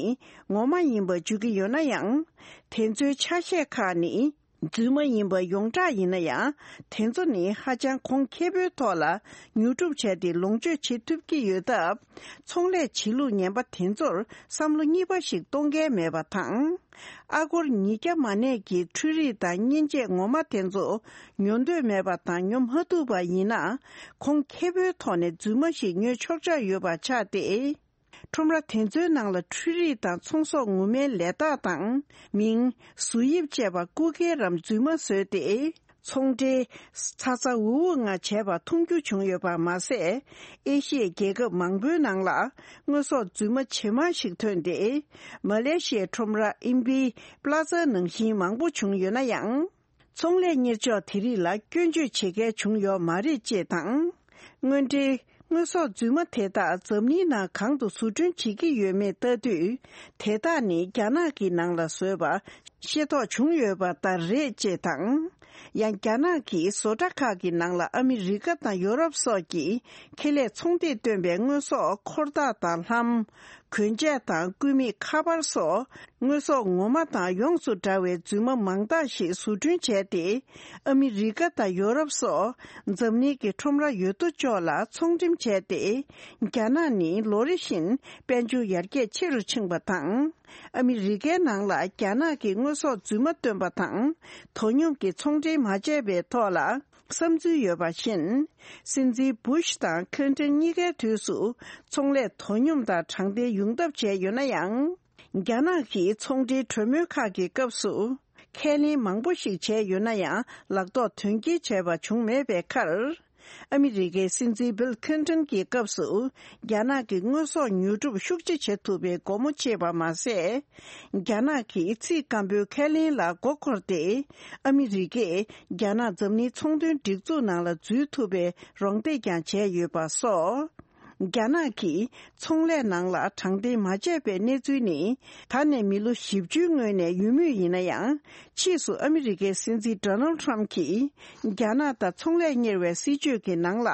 ངོ་མ་ཡིན་པ་བརྗོད་ཀྱི་ཡོད་ན་ཡང་། དེ་ཚོའི་ཆ་ཤས་ཁག་ནི་རྫུན་མ་ཡིན་པ་ཡོངས་གྲགས་ཡིན་ན་ཡང་། དེ་ཚོ་ནི་ཧ་ཅང་གོང་ཁེ་པོའི་ཐོག་ལ་ཉོ་སྒྲུབ་བྱས་ཏེ་ལོངས་སྤྱོད་བྱེད་ཐུབ་ཀྱི་ཡོད་སྟབས། ཚོང་ལས་བྱེད་ལུགས་ངན་པ་དེ་ཚོར་བསམ་བློ་གཉིས་པ་ཞིག་གཏོང་མཁན་མེད་པ་དང་། ཨ་སྒོར་ཉིས་བརྒྱ་མ་གནས་ཀྱི་འཕྲུལ་རིག་དང་མཉེན་ཆས་ངོ་མ་དེ་ཚོ་ཉོ་འདོད་མེད་པ་དང་ཉོ་མ་ཐུབ་པ་ཡིན་ན། གོང་ཁེ་པོའི་ཐོག་ནས་རྫུན་མ་ཞིག་ཉོས་ཆོག་ཆོག་ཡོད་པ་ཆགས་ཏེ། ཁྲོམ་ར་དེ་ཚོའི་ནང་ལ་འཕྲུལ་རིག་དང་ཚོང་ཟོག་ངོ་མའི་ལས་རྟགས་དང་མིང་། བཟོ་དབྱིབས་བཅས་པ་རྐུ་འཁྱེར་རམ་རྫུན་མ་བཟོས་ཏེ། ཚོང་འབྲེལ་ཚ་ཚ་འུར་འུར་ངང་བྱས་པ་མཐོང་རྒྱུ་བྱུང་ཡོད་པ་མ་ཟད། ཨེ་ཤི་ཡའི་རྒྱལ་ཁབ་མང་པོའི་ནང་ལ་དངོས་ཟོག་རྫུན་མ་ཇེ་མང་ཞིག་ཐོན་ཏེ། མ་ལེ་ཤི་ཡའི་ཁྲོམ་ར་ཨིམ་པི་པླ་ཛ་ནང་བཞིན་མང་པོ་བྱུང་ཡོད་ན་ཡང་། ཚོང་ལས་གཉེར་ཕྱོགས་དེ་རིགས་ལ་སྐྱོན་བརྗོད་བྱེད་མཁན་བྱུང་ཡོད་མ་རེད་ཅེས་དང་། དངོས་འབྲེལ་དངོས་ཟོག་རྫུན་མ་དེ་དག་འཛམ་གླིང་ནང་གང་དུ་བཟོ་སྐྲུན་བྱེད་ཀྱི་ཡོད་མེད་ལྟ་དུས། དེ་དག་ནི་རྒྱ་ནག་གི་ནང་ལ་བཟོས་པ་ ཤེས་རྟོགས་བྱུང་ཡོད་པ་ལྟར་རེད་ཅེས་དང་། ཡང་རྒྱ་ནག་གིས་བཟོ་གྲྭ་ཁག་གི་ནང་ལ་ཨ་མི་རི་ཀ་དང་ཡོ་རོབ་སོགས་ཀྱི་ཁེ་ལས་ཚོང་སྡེས་བཏོན་པའི་དངོས་ཟོག་འཁོར་ཐག་དང་ལྷམ། གོན་ཆས་དང་སྐུད་མེད་ཁ་པར་སོགས་དངོས་ཟོག་ངོ་མ་དང་ཡོངས་སུ་འདྲ་བའི་རྫུན་མ་མང་དག་ཞིག་བཟོ་སྐྲུན་བྱས་ཏེ། ཨ་མི་རི་ཀ་དང་ཡོ་རོབ་སོགས་འཛམ་གླིང་གི་ཁྲོམ་ར་ཡོད་དོ་ཅོག་ལ་ཚོང་འགྲེམས་བྱས་ཏེ། རྒྱ་ནག་ནི་ལོ་རེ་བཞིན་དཔལ་འབྱོར་ཡར་རྒྱས་ཆེ་རུ་ཕྱིན་པ་དང་། ཨ་མི་རི་ཀའི་ནང་ལ་རྒྱ་ནག་གི་དངོས་ཟོག་རྫུན་མ་བཏོན་པ་དང་དོ་སྙོམས་ཀྱི་ཚོང་འབྲེལ་མ་བྱས་པའི་ཐོག་ལ་བསམ་ཚུལ་ཡོད་པ་བཞིན། སྲིད་འཛིན་བུ་ཤ་དང་ཁིན་ཏོན་གཉིས་ཀའི་དུས་སུ་ཚོང་ལས་དོ་སྙོམས་དང་དྲང་བདེན་ཡོང་ཐབས་བྱས་ཡོད་ན་ཡང་། རྒྱ་ནག་གིས་ཚོང་འབྲེལ་གྲོས་མོལ་ཁག་གི་སྐབས་སུ་ཁས་ལེན་མང་པོ་ཞིག་བྱས་ཡོད་ན་ཡང་ལག་ཐོག་དོན་འཁྱོལ་བྱས་པ་བྱུང་མེད་པའི་ཁར། ཨ་མི་རི་ཀའི་སྲིད་འཛིན་བིལ་ཁིན་ཏོན་གྱི་སྐབས་སུ་རྒྱ་ནག་གི་དངོས་ཟོག་ཉོ་སྒྲུབ་ཤུགས་ཆེ་བྱེད་ཐུབ་པའི་སྒོ་མོ་ཕྱེས་པ་མ་ཟད། རྒྱ་ནག་གིས་ཚིག་སྐམ་པོའི་ཁས་ལེན་ལ་མགོ་འཁོར་ཏེ། ཨ་མི་རི་ཀས་རྒྱ་ནག་འཛམ་གླིང་ཚོང་དོན་སྒྲིག་འཛུགས་ནང་ལ་འཛུལ་ཐུབ་པའི་རོགས་འདེགས་ཀྱང་བྱས་ཡོད་པ་སོགས། རྒྱ་ནག་གིས་ཚོང་ལས་ནང་ལ་དྲང་བདེན་མ་བྱས་པའི་གནས་ཚུལ་ནི། ད་ནས་མི་ལོ་བཞི་བཅུའི་སྔོན་ནས་ཡོད་མུས་ཡིན་ན་ཡང་། ཕྱིས་སུ་ཨ་མི་རི་ཀའི་སྲིད་འཛིན་ཌོ་ནལ་ཊམ་གྱིས་རྒྱ་ནག་དང་ཚོང་ལས་གཉེར་བའི་སྲིད་ཇུས་ཀྱི་ནང་ལ།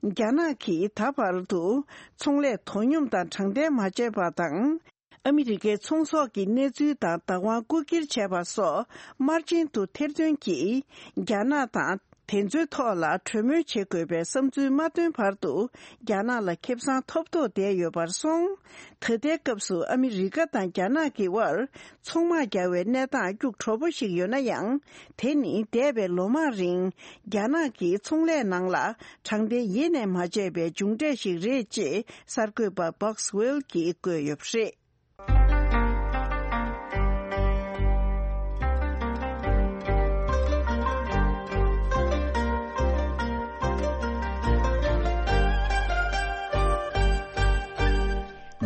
རྒྱ་ནག་གིས་ད་བར་དུ་ཚོང་ལས་དོ་སྙོམས་དང་དྲང་བདེན་མ་བྱས་པ་དང་། ཨ་མི་རི་ཀའི་ཚོང་ཟོག་གི་གནས་ཚུལ་དང་བདག་དབང་རྐུ་འཁྱེར་བྱས་པ་སོགས་དམར་རྗེན་དུ་ཐེར་འདོན་གྱིས་རྒྱ་ནག་དང་དེ་ཚོའི་ཐོག་ལ་གྲོས་མོལ་བྱེད་དགོས་པའི་བསམ་ཚུལ་མ་བཏོན་བར་དུ་རྒྱ་ནག་ལ་ཁེ་བཟང་ཐོབ་ཐོབ་བསྡད་ཡོད་པར་སོང་། ད་ལྟའི་སྐབས་སུ་ཨ་མི་རི་ཀ་དང་རྒྱ་ནག་གི་དབར་ཚོང་དམག་རྒྱག་པའི་གནས་སྟངས་སྐྱུག་བྲོ་པོ་ཞིག་ཡོད་ན་ཡང་། དེ་ནི་འདས་པའི་ལོ་མང་རིང་རྒྱ་ནག་གིས་ཚོང་ལས་ནང་ལ་དྲང་བདེན་ཡེ་ནས་མ་བྱས་པའི་མཇུག་འབྲས་ཤིག་རེད་ཅེས་གསར་འགོད་པ་Boxwell་གྱིས་བཀོད་ཡོད་པ་རེད།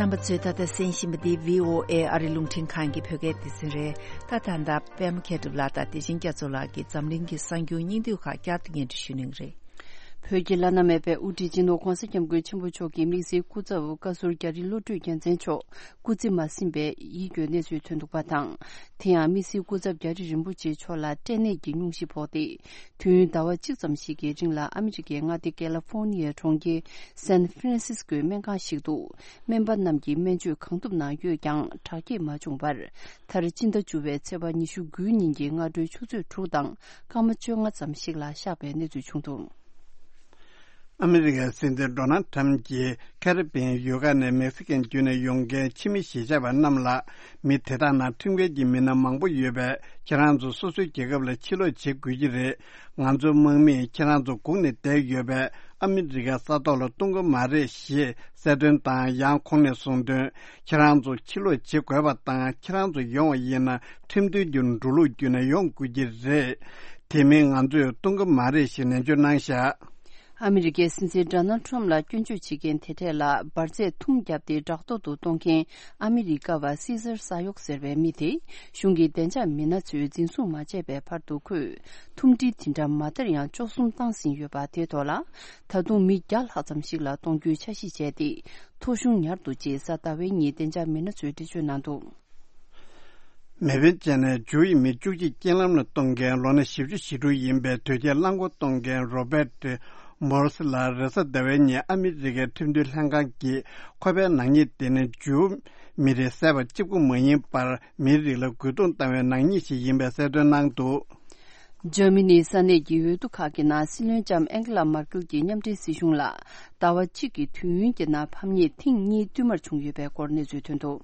རྣམ་པ་ཚོས་ད་ལྟ་གསན་བཞིན་པ་འདི་བྷི་ཨོ་ཨེ་ཨ་རི་རླུང་འཕྲིན་ཁང་གི་བོད་སྐད་སྡེ་ཚན་རེད། ད་ད་ལྟ་པད་མ་མཁས་གྲུབ་ལགས་དང་བདེ་ཆེན་རྒྱ་མཚོ་ལགས་ཀྱིས་འཛམ་གླིང་གི་གསར་འགྱུར་སྙིང་བསྡུས་ཁག་བསྐྱར་དུ་སྙན་སྒྲོན་ཞུ་གནང་གི་རེད། བོད་ཀྱི་བླ་ན་མེད་པའི་དབུ་ཁྲིད་སྤྱི་ནོར་༧གོང་ས་༧སྐྱབས་མགོན་ཆེན་པོ་མཆོག་གི་དམིགས་བསལ་སྐུ་ཚབ་བཀའ་ཟུར་རྒྱ་རི་བློ་གྲོས་རྒྱལ་མཚན་མཆོག་སྐུ་ཚེ་མ་ཟིན་པའི་ཡིད་སྐྱོའི་གནས་ཚུལ་ཐོན་འདུག་པ་དང་། དེ་ཡང་དམིགས་བསལ་སྐུ་ཚབ་རྒྱ་རི་རིན་པོ་ཆེ་མཆོག་ལ་སྐྲན་ནད་ཀྱི་སྙུང་གཞི་ཕོག་སྟེ། དུས་ཡུན་ཟླ་བ་གཅིག་ཙམ་ཞིག་གི་རིང་ལ་ཨ་མི་རི་ཀའི་མངའ་སྡེ་ཀེ་ལ་ཧྥོར་ནི་ཡའི་གྲོང་ཁྱེར་སན་ཧྥི་རན་སིས་ཀོའི་སྨན་ཁང་ཞིག་ཏུ་སྨན་པ་རྣམས་ཀྱིས་སྨན་བཅོས་གང་ཐུབ་གནང་ཡོད་ཀྱང་དྲག་སྐྱེད་མ་བྱུང་བར། མཐར་སྤྱི་ཟླ་བཅུ་བའི་ཚེས་པ་ཉི་ཤུ་དགུའི་ཉིན་གྱི་སྔ་དྲོའི་ཆུ་ཚོད་དྲུག་དང་སྐར་མ་བཅོ་ལྔ་ཙམ་ཞིག་ལ་གཤེགས་པའི་གནས་ཚུལ་བྱུང་འདུག། ཨ་མི་རི་ཀའི་སྲིད་འཛིན་ཌོ་ནལ་ཊམ་གྱིས་ཁེ་རི་བྷི་ཡན་ཡུལ་ཁག་ནས་མེག་སི་ཀན་བརྒྱུད་ནས་ཡོང་མཁན་ཕྱི་མི་གཞིས་ཆགས་པ་རྣམས་ལ། མི་དེ་དག་ནང་ཁྲིམས་འགལ་གྱི་མི་སྣ་མང་པོ་ཡོད་པས། ཁྱེད་རང་ཚོ་སོ་སོའི་རྒྱལ་ཁབ་ལ་ཕྱིར་ལོག་བྱེད་དགོས་ཀྱི་རེད། ང་ཚོའི་དམག་མིས་ཁྱེད་རང་ཚོ་སྒུག་ནས་བསྡད་ཡོད་པས། ཨ་མི་རི་ཀའི་ས་ཐོག་ལ་གཏོང་གི་མ་རེད་ཞེས་གསལ་སྟོན་དང་། ཡང་ཁོང་ནས་གསུངས་དོན། ཁྱེད་རང་ཚོ་ཕྱིར་ལོག་བྱེད་དགོས་པ་དང་། ཁྱེད་རང་ཚོ་ཡོང་བ་ཡིན་ན་ཁྲིམས་མཐུན་གྱི་འགྲོ་ལུགས་བརྒྱུད་ནས་ཡོང་དགོས་ཀྱི་རེད། དེ་མིན་ང་ཚོས་གཏོང་གི་མ་རེད་ཞེས་ནན་བརྗོད་གནང་བཞག། ཨ་མི་རི་ཀའི་སྲིད་འཛིན་ཌོ་ནལ་ཊམ་ལ་སྐྱོན་བརྗོད་བྱེད་མཁན་དེ་གྲས་ལ་འབར་རྫས་ཐུམ་བརྒྱབ་སྟེ་བྲག་ཐོག་ཏུ་གཏོང་མཁན་ཨ་མི་རི་ཀ་བ་སི་ཟར་ས་ཡོག་ཟེར་བའི་མི་དེ་གཞུང་གི་བདེ་འཇགས་མི་སྣ་ཚོས་འཛིན་བཟུང་མ་བྱས་པའི་བར་དུ་ཁོས་ཐུམ་སྒྲིལ་དེ་འདྲ་མ་མཐར་ཡང་བཅུ་གསུམ་བཏང་ཟིན་ཡོད་པ་དེའི་ཐོག་ལ། ད་དུང་མི་བརྒྱ་ལྷག་ཙམ་ཞིག་ལ་གཏོང་རྒྱུའི་འཆར་གཞི་བྱས་ཏེ། ཐོ་གཞུང་ཉར་འདུག་ཅེས་གཟའ་ཟླ་བའི་ཉིན་བདེ་འཇགས་མི་སྣ་ཚོས་འགྲེལ་བརྗོད་གནང་འདུག། མེ་འཕེན་བྱས་ནས་འཇུ་ཡི་མི་བཅུ་གཅིག་རྐྱེན་ལམ་ལ་གཏོང་མཁན་ལོ་ན་བཞི་བཅུ་ཞེ་དྲུག་ཡིན་པའི་དོས་སྐྱེལ་རླངས་འཁོར་གཏོང་མཁན་རོ་བེད་མོར་སི་ལ་རེས་གཟའ་ཟླ་བའི་ཉིན་ཨ་མི་རི་ཀའི་ཁྲིམས་མཐུན་ལྷན་ཁང་གིས་ཁོ་པའི་ནག་ཉེས་དེ་ནི་འཇུ་མི་རིགས་བསད་པ་གཅིག་པུ་མ་ཡིན་པར། མིའི་རིགས་ལ་རྒོལ་རྡུང་བཏང་བའི་ནག་ཉེས་ཤིག་ཡིན་པའི་གསལ་སྟོན་གནང་འདུག། འཇར་མ་ནིའི་ས་གནས་ཀྱི་འོས་བསྡུ་ཁག་གི་ནང་སྲིད་བློན་ལྕམ་ཨན་ཀེ་ལ་མར་ཀེལ་གྱི་མཉམ་འབྲེལ་སྲིད་གཞུང་ལ་ཟླ་བ་གཅིག་གི་དུས་ཡུན་གྱི་ནང་ཕམ་ཉེས་ཐེངས་གཉིས་བསྟུད་མར་བྱུང་ཡོད་པའི་སྐོར་གནས་ཚུལ་ཐོན་འདུག།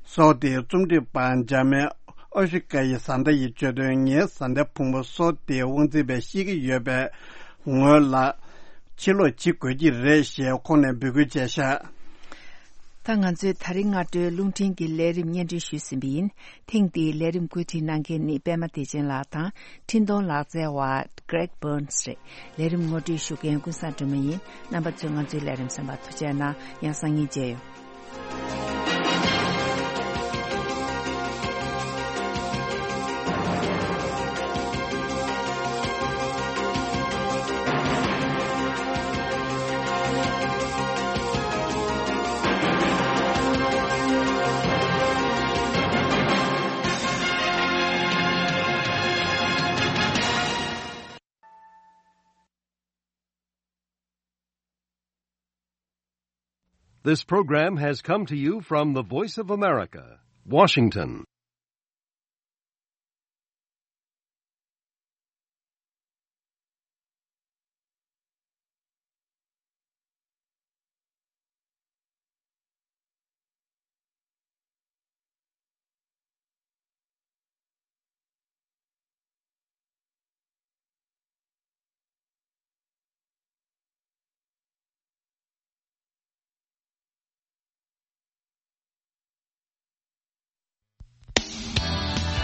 སོག་དེའི་རྩོམ་སྒྲིག་པ་འཇར་མན་ཨོ་ཤི་ཀ་ཡི་བཟའ་ཟླ་ཡིས་བརྗོད་དོན། ངའི་བཟའ་ཟླ་ཕུང་པོ་སོག་དེའི་དབང་འཛིན་པས་བཤིག་གི་ཡོད་པའི་ངོས་ལ་ཕྱིར་ལོག་བྱེད་དགོས་ཀྱི་རེད་ཞེས་ཁོང་ནས་འབོད་སྐུལ་བྱས་ཤག། ད་ང་ཚོས་ད་རིང་སྔ་དྲོའི་རླུང་འཕྲིན་གྱི་ལས་རིམ་སྙན་སྒྲོན་ཞུས་ཟིན་པ་ཡིན། ཐེངས་འདིའི་ལས་རིམ་བཀོད་སྒྲིག་གནང་མཁན་ནི་པད་མ་བདེ་ཆེན་ལགས་དང་། འཕྲིན་གཏོང་ལག་རྩལ་བ་Greg Burns་རེད། ལས་རིམ་ངོ་སྤྲོད་ཞུ་མཁན་ཀུན་བཟང་སྒྲོལ་མ་ཡིན། རྣམ་པ་ཚོས་ང་ཚོའི་ལས་རིམ་གསན་པར་ཐུགས་རྗེ་གནང་། ཡང་སང་ཉིན་མཇལ་ཡོང་། This program has come to you from the Voice of America, Washington.